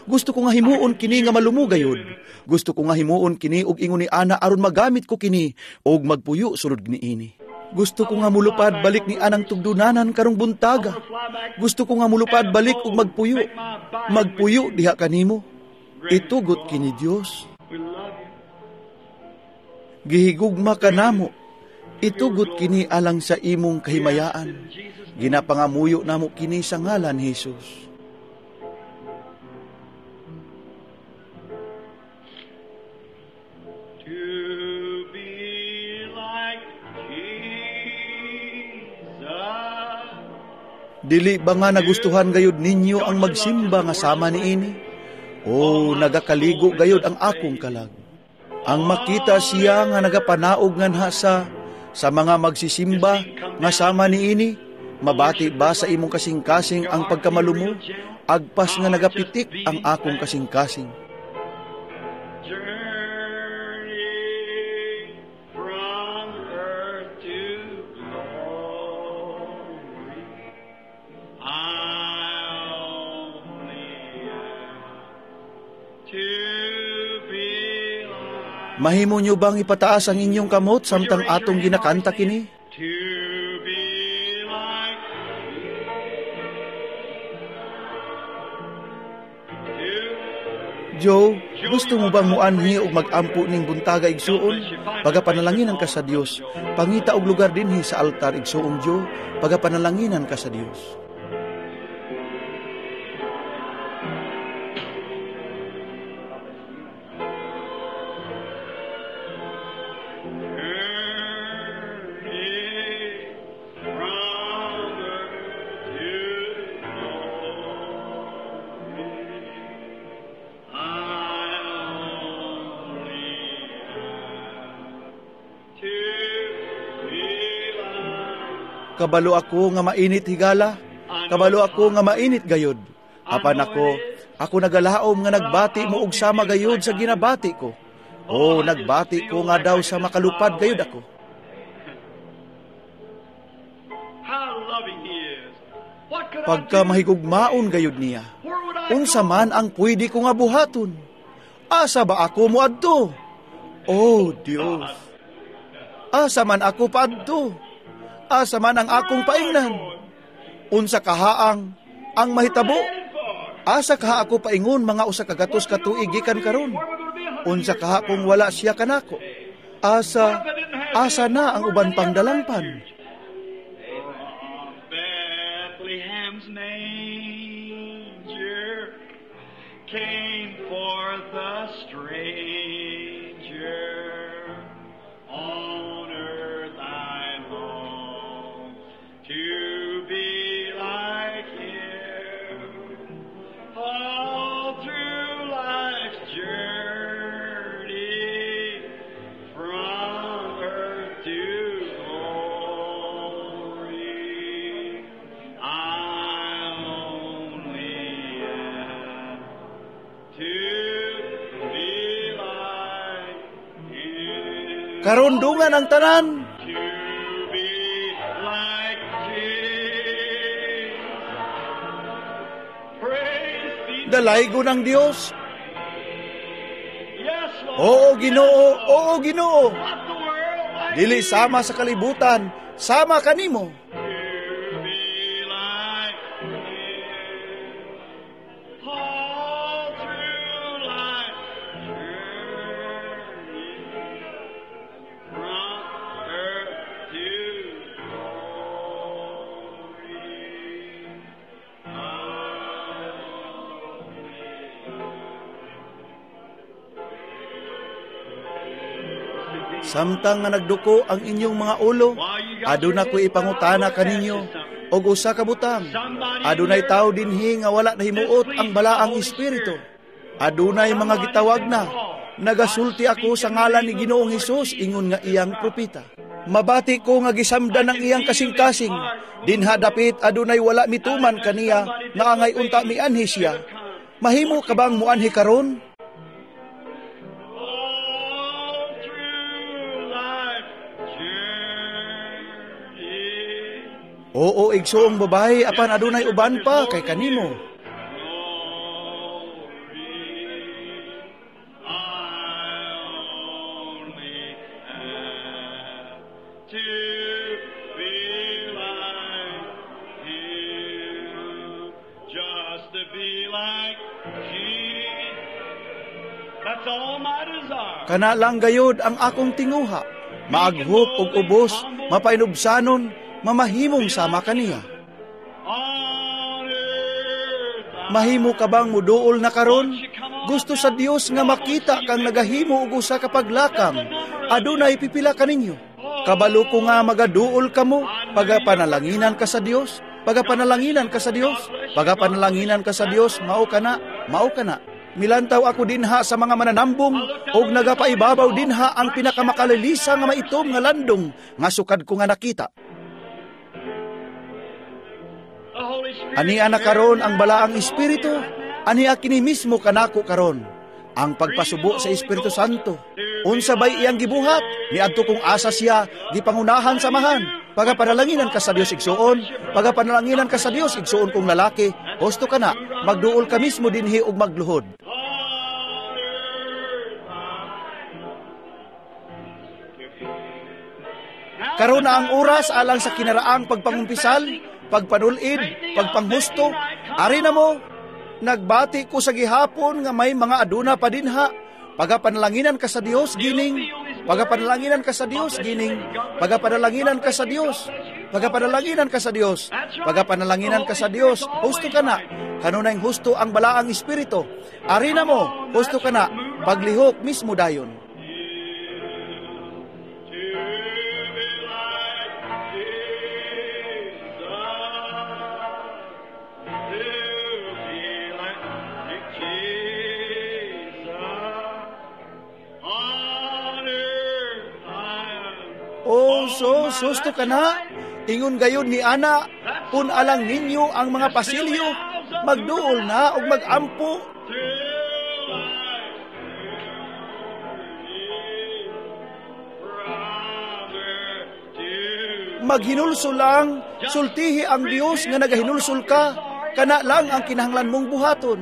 Gusto ko nga himuon kini nga malumo gayod. Gusto ko nga himuon kini og ingon ni ana aron magamit ko kini og magpuyo sulod niini. Gusto ko nga mulupad balik ni anang tugdunanan karong buntaga. Gusto ko nga mulupad balik og magpuyo. Magpuyo diha kanimo. Itugot kini Dios. We love you. Gihigugma ka namo. Itugot kini alang sa imong kahimayaan. Ginapangamuyo namo kini sa ngalan ni Jesus. To be like Jesus. Dili ba nga nagustuhan gayud ninyo ang magsimba nga sama niini? O nagakaligo gayud ang akong kalag. Ang makita siya nga nagapanaog nganha sa mga magsisimba nga sama niini, mabati ba sa imong kasing-kasing ang pagkamalumo? Agpas nga nagapitik ang akong kasing-kasing. Journey from earth to glory. I only Mahimo nyo bang ipataas ang inyong kamot samtang atong ginakanta kini? To be like to Joe, gusto mo bang muanhi og magampo ning buntaga, igsuon? Pagapanalanginan ka sa Dios. Pangita og lugar dinhi sa altar, igsuong Joe. Pagapanalanginan ka sa Dios. journey from earth to glory. I only have to be like. Kabalo ako nga mainit, higala. Kabalo ako nga mainit gayod. Apan ako nagalaom nga nagbati mo og sama gayod sa ginabati ko. O, nagbati ko nga daw sa makalupad gayod ako. How loving He is. What could I Pagka do? mahigugmaon gayod niya. Where would I Unsa go? man ang pwede ko nga buhaton? Asa ba ako moadto? Oh, Dios. Asa man ako paadto? Asa man ang akong paingnan? Unsa kahaang ang mahitabo? Asa kaha ako paingon mga 100 ka tuig gikan karon? Unsa kaha kung wala siya kanako? Asa na ang uban pang dalangpan? From Bethlehem's manger came forth a stranger. On earth I long to be like him. All through life's journey from earth to glory, I only ask to be like him. Karon dungan ang tanan. To be like Jesus. Praise be to Dalaygon ang Dios. Yes, Lord. Oo, Ginoo, oo, Ginoo. Not the world like Dili you. sama sa kalibutan, sama kanimo. To be like him. All through life's journey, from earth to glory, I Samtang nga nagduko ang inyong mga ulo, aduna ko ipangutana kaninyo og usa ka butang. Adunay tawo dinhi nga wala nahimuot ang balaang espiritu. Adunay mga gitawag na. Nagasulti ako sa ngalan ni Ginoong Hesus ingon nga iyang propeta. Mabati ko nga gisamdan ang iyang kasing-kasing. Dinha dapit adunay wala mituman kaniya nga angay unta mianhi siya. Mahimo ka bang muanhi karon? All through life's journey, Oo, igsuong babae, apan adunay uban pa kay kanimo. glory, I only have to be like him, just to be like Jesus. That's all my desire. Kana lang gayod ang akong tinguha. Maaghop og ubos, mapainubsanon, mamahimong sama kaniya. On earth I Mahimo ka bang muduol na karon? Gusto sa Dios nga makita kang nagahimo og usa ka paglakam. Adunay pipila kaninyo. Kabalo ko nga magaduol kamo pagapanalanginan ka sa Dios, pagapanalanginan ka sa Dios, pagapanalanginan ka sa Dios, mao kana, mao kana. Milantaw ako dinha sa mga mananambong og nagapaibabaw dinha ang pinakamakalilisa nga maitom nga landong nga sukad ko nga nakita. The Holy Spirit Ania na karon ang balaang espiritu, ania kini mismo kanako karon. Ang pagpasubo sa Espiritu Santo. Unsa bay iyang gibuhat? Niadto kung asa siya gipangunahan samahan. Pagapanalanginan ka sa Dios igsuon, pagapanalanginan ka sa Dios igsuon kong lalaki, husto ka na, magduol ka mismo dinhi og magluhod. On earth I Karon na ang oras alang sa kinaraang pagpangumpisal, pagpanulid, pagpanghusto. Ari na mo, nagbati ko sa gihapon nga may mga aduna pa dinha. Pagapanalanginan ka sa Dios, gining. Pagapanalanginan ka sa Dios, gining. Pagapanalanginan ka sa Dios. Pagapanalanginan ka sa Dios. Pagapanalanginan ka sa Dios. Husto ka na. Kanunay husto ang balaang espiritu. Ari na mo, husto ka na. Paglihok mismo dayon. Oh, so, susto ka na. Ingon gayon ni Ana, kun alang ninyo ang mga pasilyo, magduol na og magampo. Maghinulsol lang, sultihi ang Dios nga nagahinulsol ka, kana lang ang kinahanglan mong buhaton.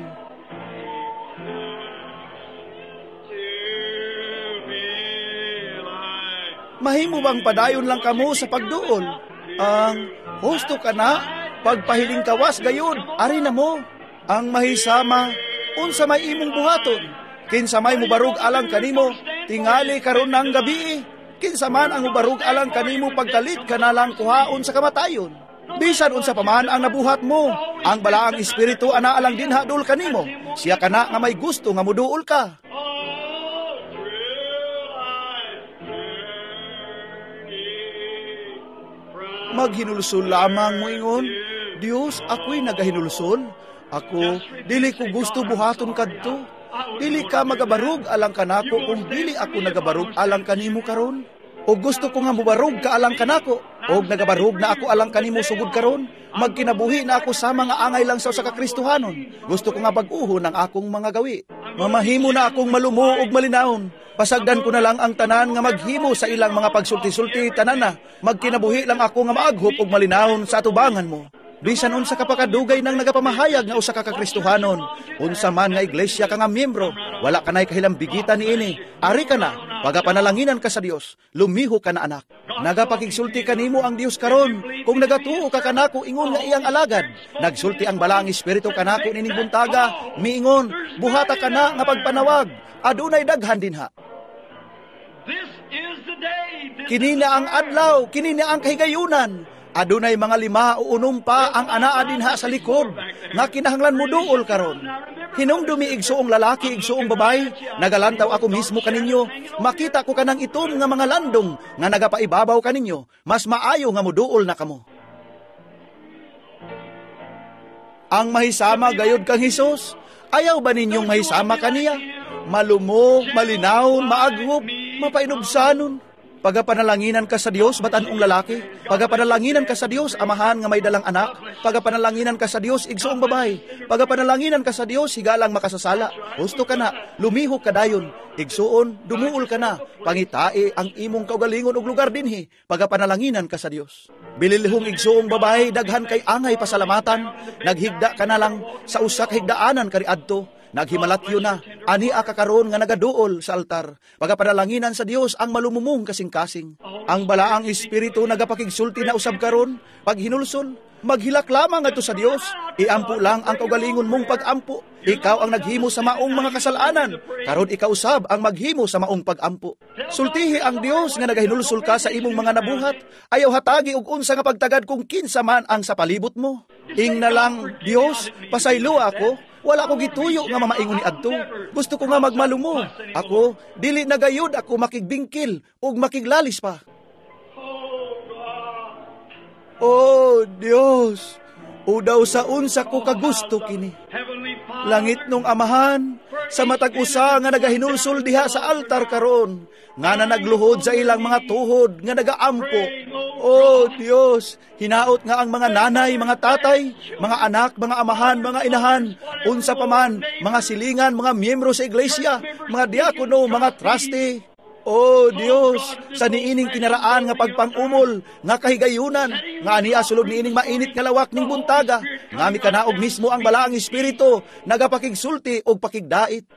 Mahimo bang padayon lang kamo sa pagduol? Ang husto ka na, pagpahiling kawas gayud, ari na mo. Ang mahisama, unsa may imong buhaton? Kinsa may mubarug alang kanimo, tingali karon ng gabi. Kinsa man ang mubarug alang kanimo pagkalit ka na lang kuhaon sa kamatayon. Bisan unsa pa man ang nabuhat mo, ang balaang espiritu ana alang dinha dul kanimo. Siya kana nga may gusto nga muduol ka. Maghinulsol lamang mo ingon, Dios, ako'y nagahinulsol. Ako, dili ko gusto buhaton kadto. Dili ka magabarug alang kanako kung dili ako nagabarug alang kanimo karon. O gusto ko nga mubarug ka alang kanako, og nagabarug na ako alang kanimo sugod karon. Magkinabuhi na ako sa mga angay lang sa usa ka Kristohanon. Gusto ko nga bag-uhon ang akong mga gawi. Mamahimo na akong malumo ug malinawon. Pasagdan ko na lang ang tanan nga maghimo sa ilang mga pagsulti-sulti tanan na. Magkinabuhi lang ako nga maaghop og malinawon sa atubangan mo. Bisan unsa ka pakadugay nang nagapamahayag nga usa ka Kristohanon, unsa man nga iglesia ka nga miyembro, wala kanay kahilambigitan niini. Ari ka na, pagapanalanginan ka sa Dios, lumiho ka na anak. Nagapakigsulti kanimo ang Dios karon, kung nagatuo ka kanako ingon nga iyang alagad. Nagsulti ang balaang espiritu kanako nining buntaga, miingon, buhata ka na nga pagpanawag, adunay daghan dinha. Kini na ang adlaw, kini na ang kahigayunan. Adunay mga 5 o 6 pa ang anaa dinha sa likod nga kinahanglan mo duol karon. Hinumdumi igsuong lalaki, igsuong babay, nagalantaw ako mismo kaninyo. Makita ko kanang itom nga mga landong nga nagapaibabaw kaninyo. Mas maayo nga moduol na kamo. Ang mahisama gayod kang Hesus, ayaw ba ninyong mahisama kaniya? Malumo, malinaw, maaghop, mapainubsanon. Pagapanalanginan ka sa Dios, batan-ong lalaki. Pagapanalanginan ka sa Dios, amahan nga may dalang anak. Pagapanalanginan ka sa Dios, igsuong babay. Pagapanalanginan ka sa Dios, higalang makasasala. Husto ka na, lumihok ka dayon. Igsuon, dumuol ka na. Pangitai ang imong kaugalingon og lugar dinhi. Pagapanalanginan ka sa Dios. Bililihong igsuong babay, daghan kay angay pasalamatan. Naghigda ka na lang sa usa ka higdaanan kaniadto. Naghimalatyo na, ani ka karon nga nagaduol sa altar. Pagapanalanginan sa Dios ang malumumong kasing-kasing. Ang balaang espiritu nagapakigsulti na usab karon, paghinulsol, maghilak lamang adto sa Dios. Iampo lang ang kaugalingon mong pagampo. Ikaw ang naghimo sa maong mga kasalanan. Karon ikaw usab ang maghimo sa maong pagampo. Sultihi ang Dios nga nagahinulsol ka sa imong mga nabuhat. Ayaw hatagi og unsa nga pagtagad kung kinsa man ang sa palibot mo. Ingna lang, Dios, pasaylo ako. Wala ko gituyo nga mamaingon ni adto. Gusto ko nga magmalumo. Ako, dili na gayud ako makigbingkil ug makiglalis pa. Oh, Dios, udaw sa unsa ko kagusto kini. Langit nung amahan, sa matag usa nga nagahinulsol diha sa altar karon, nga na nagluhod sa ilang mga tuhod nga nagaampo. Oh Dios, hinaot nga ang mga nanay, mga tatay, mga anak, mga amahan, mga inahan, unsa pa man, mga silingan, mga miyembro sa iglesia, mga diakono, mga trustee. Oh Dios, sa niining kinaraan nga pagpangumol, nga kahigayunan, nga aniya sulod niining mainit nga lawak ning buntaga, nga mikanaog mismo ang balaang espiritu, nagapakigsulti og pakigdait.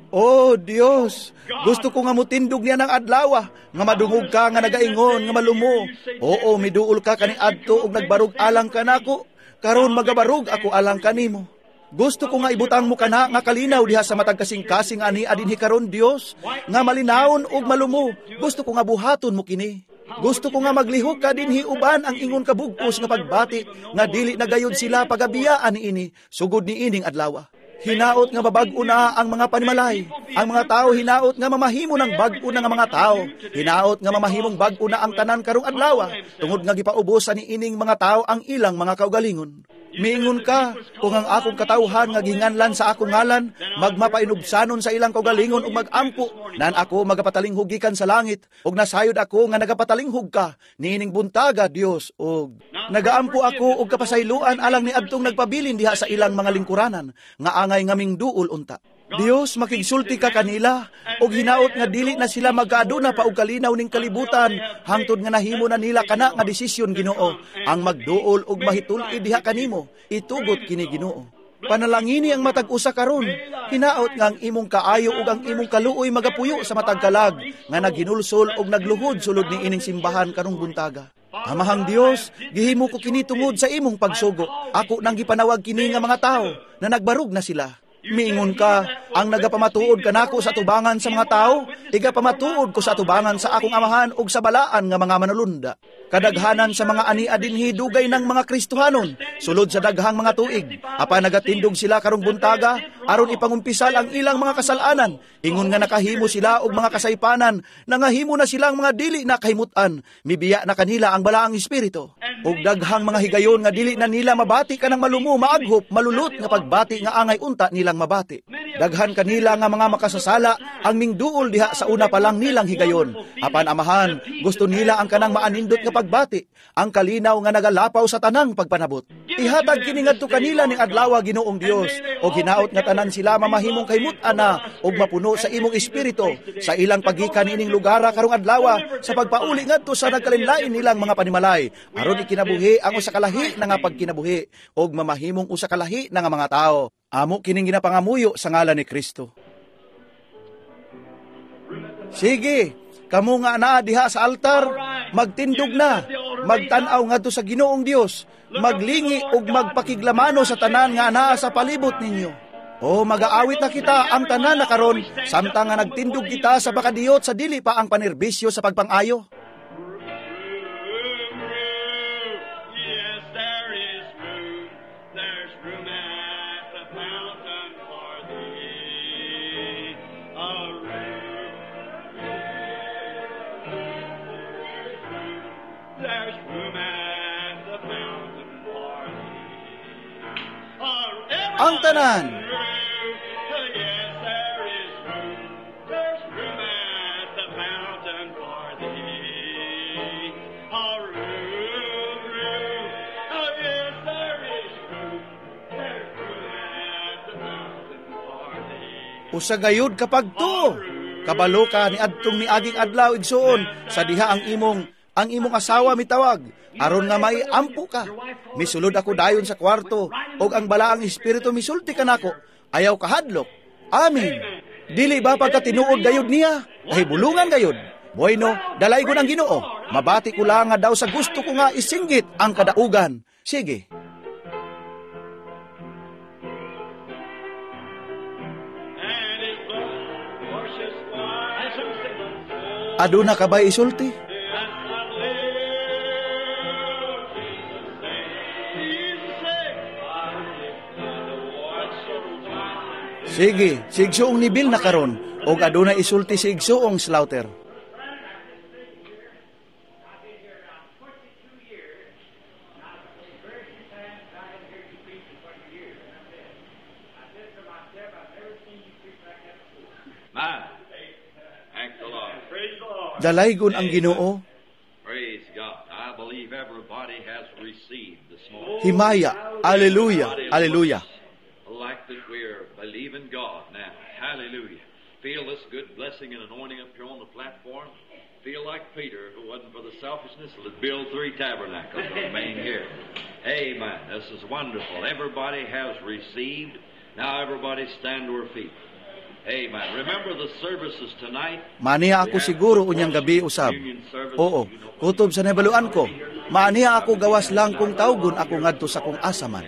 Oh Dios, gusto ko nga mutindog niya ng adlaw, nga madungog ka nga nagaingon nga malumo. Oo, miduol ka kaniadto ug nagbarug alang kanako. Karon magabarug ako alang kanimo. Gusto ko nga ibutang mo kana nga kalinaw diha sa matag kasing-kasing ani adinhi karon, Dios, nga malinawon ug malumo. Gusto ko nga buhaton mo kini. Gusto ko nga maglihok ka dinhi uban ang ingon kabugpos nga pagbati nga dili na gayud sila pagabiyaan niini sugod niining adlaw. Hinaot nga mabag-o na ang mga panimalay. Ang mga tao hinaot nga mamahimo ng bag-o na nga mga tao. Hinaot nga mamahimong bag-o na ang tanan karong adlaw tungod nga gipaubosan niining mga tao ang ilang mga kaugalingon. Miingon ka, kung ang akong katawhan nga gihinganlan sa akong ngalan, magmapainubsanon sa ilang kaugalingon ug magampo, nan ako magapatalinghog gikan sa langit, ug nasayod ako nga nagapatalinghog ka niining buntaga, Dios, ug nagaampo ako og kapasayloan alang niadtong nagpabilin diha sa ilang mga lingkuranan, nga angay ngaming duol unta. Dios, makigsulti ka kanila, ug hinaot nga dili na sila magkaaduna pa og kalinaw ning kalibutan, hangtod nga nahimo na nila kana nga desisyon, Ginoo, ang magduol ug mahitul-id diha kanimo, itugot kini, Ginoo. Panalangini ang matag usa karon, hinaot nga ang imong kaayo ug ang imong kaluoy magapuyo sa matag kalag nga naghinulsol ug nagluhod sulod ni ining simbahan karong buntaga. Amahang Dios, gihimo ko kini tungod sa imong pagsugo. Ako nang gipanawag kini nga mga tawo na nagbarug na sila. Miingon ka, ang nagapamatuod kanako sa tubangan sa mga tao, igapamatuod ko sa tubangan sa akong amahan ug sa balaan nga mga manulunda. Kadaghanan sa mga ania dinhi dugay ng mga Kristohanon, sulod sa daghang mga tuig. Apan nagatindog sila karong buntaga, aron ipangumpisal ang ilang mga kasalanan. Ingon nga nakahimo sila og mga kasaypanan, nangahimo na silang mga dili na kahimutan. Mibiya na kanila ang balaang espiritu. Ug daghang mga higayon nga dili na nila mabati kanang malumo, maaghop, malulot nga pagbati nga angay unta nilang mabati. Daghan kanila nga mga makasasala ang mingduol diha sa una pa lang nilang higayon. Apan amahan, gusto nila ang kanang maanindot nga pagbati, ang kalinaw nga nagalapaw sa tanang pagpanabot. Ihatag kini ngadto kanila ning adlaw, Ginoong Dios, og hinaot nga tanan sila mamahimong kahimut-an na og mapuno sa imong espiritu sa ilang paggikan niining lugara karong adlaw sa pagpauli ngadto sa nagkalinlain nilang mga panimalay, aron ikinabuhi ang usa ka lahi na nga pagkinabuhi og mamahimong usa ka lahi na nga mga tawo. Amo kining ginapangamuyo sa ngalan ni Kristo. Sige, kamo nga anaa diha sa altar, magtindog na, magtan-aw ngadto sa Ginoong Dios, maglingi ug magpakiglamano sa tanan nga anaa sa palibot ninyo. O magaawit na kita ang tanan na karon, samtang nga nagtindog kita sa bakadiyot sa dili pa ang panerbisyo sa pagpangayo. Yes, there is room. There's room at the fountain for thee. A room. There's room at the fountain for thee. Ang tanan. Yes, there is room. There's room at the fountain for thee. A room, room. Oh, yes, there is room. There's room at the fountain for thee. Usa gayud kapag tuo, kabalo ka ni adtong niaging adlaw igsuon sa diha ang imong asawa mitawag aron nga maiampo ka. Misulod ako dayon sa kwarto og ang balaang espiritu misulti kanako. Ayaw kahadlok. Amen. Dili ba pagkatinuod gayud niya? Kahibulungan gayud. Bueno, dalaygon ang Ginoo. Mabati ko lang nga daw sa gusto ko nga isinggit ang kadaugan. Sige. And his blood washes white as snow. Aduna ka ba isulti? As I live, Jesus saves. Jesus saves. I live the white. Sige, si Igsuong Nibil na karon og aduna isulti si Igsuong Slaughter. My. Thank the Lord. Praise the Lord. Dalaygon ang Ginoo. Praise God. I believe everybody has received this morning. Himaya. Alleluia. Everybody Alleluia. looks like that we're believing God now. Hallelujah. Feel this good blessing and anointing up here on the platform. Feel like Peter, if it wasn't for the selfishness, would build three tabernacles and remain here. Amen. This is wonderful. Everybody has received. Now everybody stand to her feet. Amen. Remember the services tonight. Maaniha ako siguro unyang gabi usab. Oo, kutob sa nahibaluan ko. Maaniha ako gawas lang kung tawgon ako ngadto sa kung asa man.